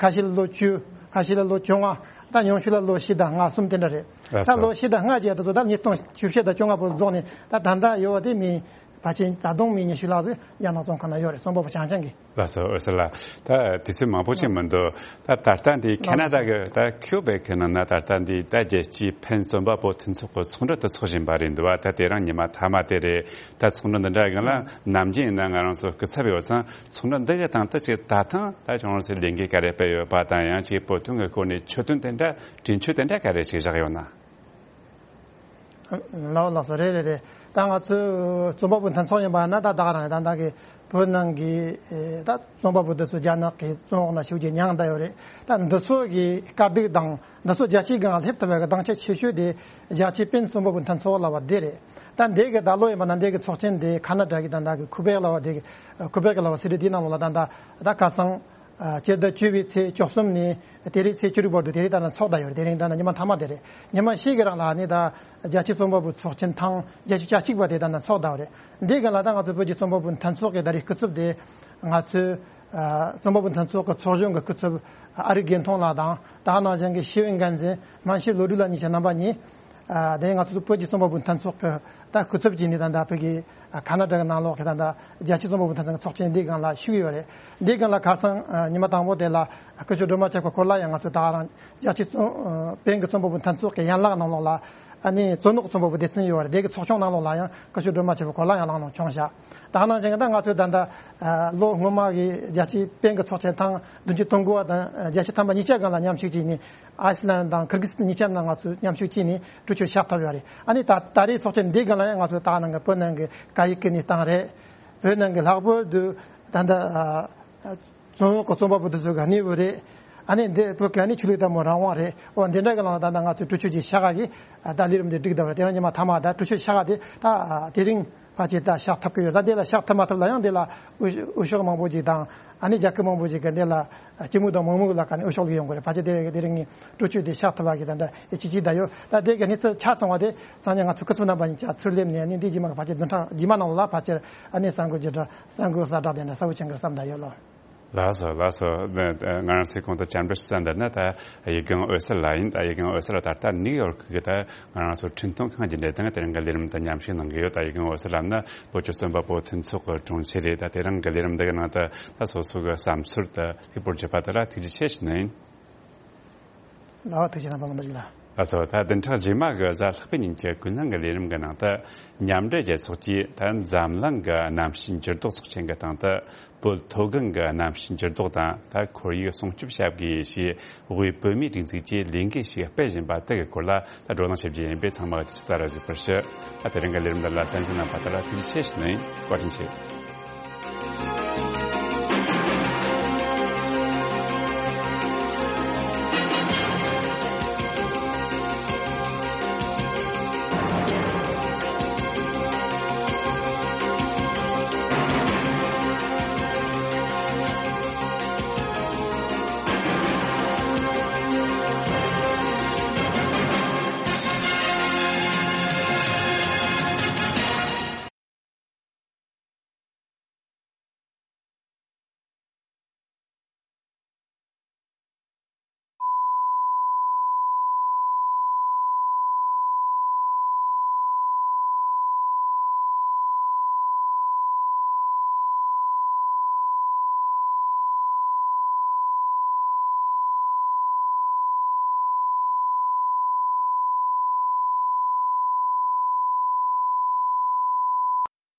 ཁ་ཤས་ལ་ལོ་བཅུ། ཁ་ཤས་ལ་ལོ་བཅོ་ལྔ། ད་ཉུང་ཤོས་ལ་ལོ་བཞི་དང་ལྔ་གསུམ་དེ་འདྲ་རེད། ལགས་ད་སོ། ལོ་བཞི་དང་ལྔ་བཅས་ད་ཚོ་ད་ཉིས་སྟོང་བཅུ་བཞི་དང་བཅོ་ལྔ་བར་རྫོགས་ནས་ད་ད་ལྟ་ཡོད་པ་དེ་མི་ཕལ་ཆེར་ད་དུང་མི་ཉི་ཤུ་ལྷག་ཙམ་རྒྱ་ནག་བཙོན་ཁང་ན་ཡོད་རེད། རྩོམ་པ་པོ་རྐྱང་རྐྱང་གི། ལགས་སོ། འོད་ཟེར་ལགས། ད་དུས་ཚོད་མང་པོ་ཅིག་མི་འདུག་ད་ད་ལྟ་འདི་ཁེ་ན་ཌ་གི་ད་ཁིའུ་བེག་གི་ནང་ན་ད་ལྟ་འདི་ད་རྒྱལ་སྤྱིའི་ཕན་རྩོམ་པ་པོ་མཐུན་ཚོགས་ཀྱི་ཚོགས་འདུ་དུ་ཚོགས་བཞིན་པ་རེད་འདུག་བ། ད་དེ་རིང་ཉི་མ་མཐའ་མ་དེ་རེད། ད་ཚོགས་འདུ་འདི་འདྲ་གི་ལ་ནམ་རྒྱུན་ཡིན་ན་ང་རང་ཚོ་སྐུ་ཚབ་ཡོད་ཙང་ཚོགས་འདུ་འདི་གི་སྟེང་དུ་ཅིག་ད་ཐེངས་ད་ཁྱོད་རང་ཚོས་ལས་འགུལ་ག་རེ་སྤེལ་ཡོད་པ་དང་ཡང་ཅིག་བོད་དོན་གི་སྐོར་ནས་ཆོད་དོན་དེ་འདྲ་དྲན་ཆོས་དེ་འདྲ་ག་རེ་ཅིག་བཞག་ཡོད་ན། ལགས་ལགས་སོ། རེད་རེད་རེད། ད་ང་ཚོའི་རྩོམ་པ་པོ་མཐུན་ཚོགས་ཡིན་པ་ན་ད་ད་ག་རང་རེད། ད་ད་གི་བོད་ནང་གི་ད་རྩོམ་པ་པོ་འདི་ཚོ་རྒྱ་ནག་གི་བཙོན་འོག་ན་ཤུགས་ཀྱིས་མྱངས་བསྡད་ཡོད་རེད། ད་འདི་ཚོ་གི་དཀའ་སྡུག་དང་འདི་ཚོ་རྒྱལ་སྤྱིའི་སྒང་སླེབས་ཐུབ་པའི་གི་སྡང་ཆ་ཆེ་ཤོས་དེ་རྒྱལ་སྤྱིའི་ཕན་རྩོམ་པ་པོ་མཐུན་ཚོགས་ལབ་པ་འདི་རེད། ད་འདི་གི་ད་ལོ་ཡིན་པ་ན་འདི་གི་ཚོགས་ཆེན་དེ་ཁ་ན་ཌ་གི་ད་ད་གི་ཁུ་བེག་ལབ་པ་འདི་གི་ཁུ་བེག་ལབ་པ་སི་ཊི་འདི་ནང་ལོགས་ལ་ད་ད་ད་ཁ་སང་། ཨ། སྤྱི་ཟླ་བཅུ་པའི་ཚེས་བཅུ་གསུམ་ནས་དེ་རིང་ཚེས་བཅུ་དྲུག་བར་དུ་དེ་རིང་ད་ནང་ཚོགས་བསྡད་ཡོད་རེད། དེ་རིང་ད་ནང་ཉི་མ་མཐའ་མ་དེ་རེད། ཉི་མ་ཕྱེད་ཀྱི་རིང་ལ་ནི་ད་རྒྱལ་སྤྱིའི་རྩོམ་པ་པོ་ཚོགས་ཆེན་ཐེངས་བརྒྱད་ཅུ་གྱ་གཅིག་པ་དེ་ད་ནང་ཚོགས་བསྡད་ཡོད་རེད། འདི་ག་ལ་ད་ང་ཚོ་བོད་ཀྱི་རྩོམ་པ་པོ་མཐུན་ཚོགས་ཀྱི་ད་རེས་སྐུ་ཚབ་དེ་ང་ཚོའི་ཨ། རྩོམ་པ་པོ་མཐུན་ཚོགས་ཀྱི་ཚོགས་གཞོན་གྱི་སྐུ་ཚབ་ཨ་རིག་དགེ་མཐོང་ལགས་དང་ད་ག་ནང་བཞིན་གྱི་ཤེས་ཡོན་འགན་འཛིན་སྨན་ཤེས་བློ་གྲོས་ལགས་གཉིས་ཆ་རྣམ་པ་གཉིས། ཨ། དེ་ང་ཚོ་བོད་ཀྱི་རྩོམ་པ་པོ་མཐུན་ཚོགས་ཀྱི་ད་སྐུ་ཚབ་བྱས་ནས་ད་ལྟ་བོད་ཀྱི་ཨ། ཁ་ན་ཌ་གི་ནང་ལོགས་ཀྱི་ད་ལྟ་རྒྱལ་སྤྱིའི་རྩོམ་པ་པོ་མཐུན་ཚོགས་ཀྱི་ཚོགས་ཆེན་འདིའི་སྒང་ལ་ཞུགས་ཡོད་རེད། འདིའི་སྒང་ལ་ཁ་སང་ཨ། ཉི་མ་དང་པོ་དེ་ལ་སྐུ་ཞབས་སྒྲོལ་མ་ཆོས་སྐུ་སྐོར་ལ་ཡང་ང་ཚོ་ད་ག་རང་རྒྱལ་སྤྱིའི་རྩོམ་ཨ། ཕན་གྱི་རྩོམ་པ་པོ་མཐུན་ཚོགས་ཀྱི་ཡན་ལག་ནང་ལོགས་ལ་ཨ་ནི་རྩོམ་ནོར་གྱི་རྩོམ་པ་པོ་སྡེ་ཚན་ཡོད་རེད། དེ་གི་ཚོགས་ཆུང་ནང་ལོགས་ལ་ཡང་སྐུ་ཞབས་སྒྲོལ་མ་ཆོས་སྐུ་སྐོར་ལ་ཡང་ལངས་གནང་བྱུང་ཤག་ད་ག་ནང་བཞིན་གྱི་ད་ང་ཚོས་ད་ལྟ་ཨ། ལོ་སྔོན་མ་གི་རྒྱལ་སྤྱིའི་ཕན་གྱི་ཚོགས་ཆེན་ཐེངས་བདུན་ཅུ་དོན་དགུ་པ་དང་རྒྱལ་སྤྱི་ཐེངས་མ་ཉིས་བརྒྱ་སྒང་ལ་མཉམ་ཞུགས་བྱས་ནས། ཨའི་སི་ལན་དང་ཁིར་གིས་སི་ཐན་གཉིས་ཆ་ནང་ང་ཚོས་མཉམ་ཞུགས་བྱས་ནས་གྲོས་ཆོད་བཞག་ཐུབ་ཡོད་རེད། ཨ་ནི་ད་ད་རེས་ཚོགས་ཆེན་འདིའི་སྒང་ལ་ཡང་ང་ཚོས་ད་ག་ནང་གི་བོད་ནང་གི་སྐད་ཡིག་གི་གནས་སྟངས་རེད། བོད་ནང་གི་ལྷག་པར་དུ་ད་ལྟ་ཨ། རྩོམ་འོག་གི་རྩོམ་པ་པོ་དེ་ཚོ་གི་གནས་བབ་རེད། ཨ་ནི་འདི་བོད་ཀྱི་ཨ་ནི་ཆོས་ལུགས་དང་པོ་རང་དབང་རེད། འོ་འདི་འདྲ་གི་ནང་ལ་ད་ལྟ་ང་ཚོས་གྲོས་ཆོད་ཅིག་བཞག་ག་གི་ད་ལས་རིམ་འདི་སྒྲིག་བསྡད་པ་རེད། དེ་རིང་ཉི་མ་མཐའ་མ་ད་གྲོས་ཆོད་བཞག་ག་དེ་ད་དེ་རིང་ཕལ་ཆེར་ད་བཞག་ཐུབ་ཀྱི་ཡོད། ད་འདི་ལ་བཞག་ཐུབ་མ་ཐུབ་ལ་ཡང་འདི་ལ་འོས་འོས་ཤོག་མང་པོ་ཅིག་དང་ཨ་ནི་རྒྱལ་ཁབ་མང་པོ་ཅིག་གི་འདི་ལ་སྐྱིད་སྡུག་དང་མི་སྡུག་ལ་ཁ་ནས་འོས་ཤོག་ལ་ཡོང་དགོས་རེད། ཕལ་ཆེར་དེ་དེ་རིང་ངས་གྲོས་ཆོད་དེ་བཞག་ཐུབ་པ་གི་ད་ལྟ་ཨེ་ཅི་ཅི་ད་ཡོད། ད་དེ་གི་གནས་ཚུལ་ཆ་ཚང་བ་དེ་སང་ཉིན་ང་ཚོ་སྐུ་ཚབ་རྣམ་པ་གཉིས་ཆ་ཚུར་སླེབས་ནས་ཨ་ནི་འདི་རྗེས་མ་གི་ཕལ་ཆེར་འདི་རྗེས་མ་ནང་ལ་ཕལ་ཆེར་ཨ་ནི་གསར་འགོད་བརྒྱུད་སྒྲ་གསར་འགོད་གསལ་བསྒྲགས་དེ་འདྲ་གསལ་པོ་བྱེད་འགྲོ་བསམ་ད་ཡོད་ལོ། ལགས་སོ་ལགས་སོ། ང་རང་ཚོའི་གོང་དུ་བཅར་འདྲི་ཞུ་ས་འདི་ནི་ད་ཡིག་རྒན་འོད་ཟེར་ལགས་ཡིན། ད་ཡིག་རྒན་འོད་ཟེར་ལགས་ད་ལྟ་ནིའུ་ཡོག་གི་ད་ང་རང་ཚོ་འཕྲིན་གཏོང་ཁང་གི་འབྲེལ་སྟེང་དེ་རིང་གི་ལས་རིམ་དུ་མཉམ་ཞུགས་གནང་གི་ཡོད། ད་ཡིག་རྒན་འོད་ཟེར་ལགས་ནི་བོད་ཀྱི་རྩོམ་པ་པོ་མཐུན་ཚོགས་ཀྱི་དྲུང་ཆེ་རེད། ད་དེ་རིང་གི་ལས་རིམ་འདི་གི་ནང་དུ་ད་སོ་སོ་གི་བསམ་ཚུལ་དུ་ཕེབས་པར་བྱེད་པ་དེ་ལ་ཐུགས་རྗེ་ཆེ་ཞུ་ནི་ཡིན། ལགས་ཐུགས་རྗེ་གནང་། བཀའ་དྲིན་ཆེ་ལགས། ལགས་སོ། ད་བདུན་ཕྲག་རྗེས་མ་གི་གཟའ་ལྷག་པའི་ཉིན་གྱི་ཀུན་གླེང་གི་ལས་རིམ་གྱི་ནང་དུ་མཉམ་འབྲེལ་རྒྱལ་ཚོགས་ཀྱིས་ད་འཛམ་གླིང་གི་གནམ་གཤིས་འགྱུར་ལྡོག་ཚོགས་ཆེན་གྱི་སྟེང་དུ་བོད་མཐོ་སྒང་གི་གནམ་གཤིས་འགྱུར་ལྡོག་དང་ད་ཁོར་ཡུག་སྲུང་སྐྱོབ་བྱ་དགོས་ཞེས་དབུས་བོད་མིའི་སྒྲིག་འཛུགས་ཀྱིས་ལས་འགུལ་ཞིག་སྤེལ་བཞིན་པ་དེ་གི་སྐོར་ལ་ད་བགྲོ་གླེང་བྱེད་རྒྱུ་ཡིན་པས་ཚང་མ་གི་ཐུགས་ཚོད་ལྟར་གཟིགས་པར་ཞུ། ད་དེ་རིང་གི་ལས་རིམ་འདི་ལ་གསན་གཟིགས་གནང་བ་དག་ལ་ཐུགས་རྗེ་ཆེ་ཞུ་ནི་ཡིན། བཀའ་དྲིན་ཆེ།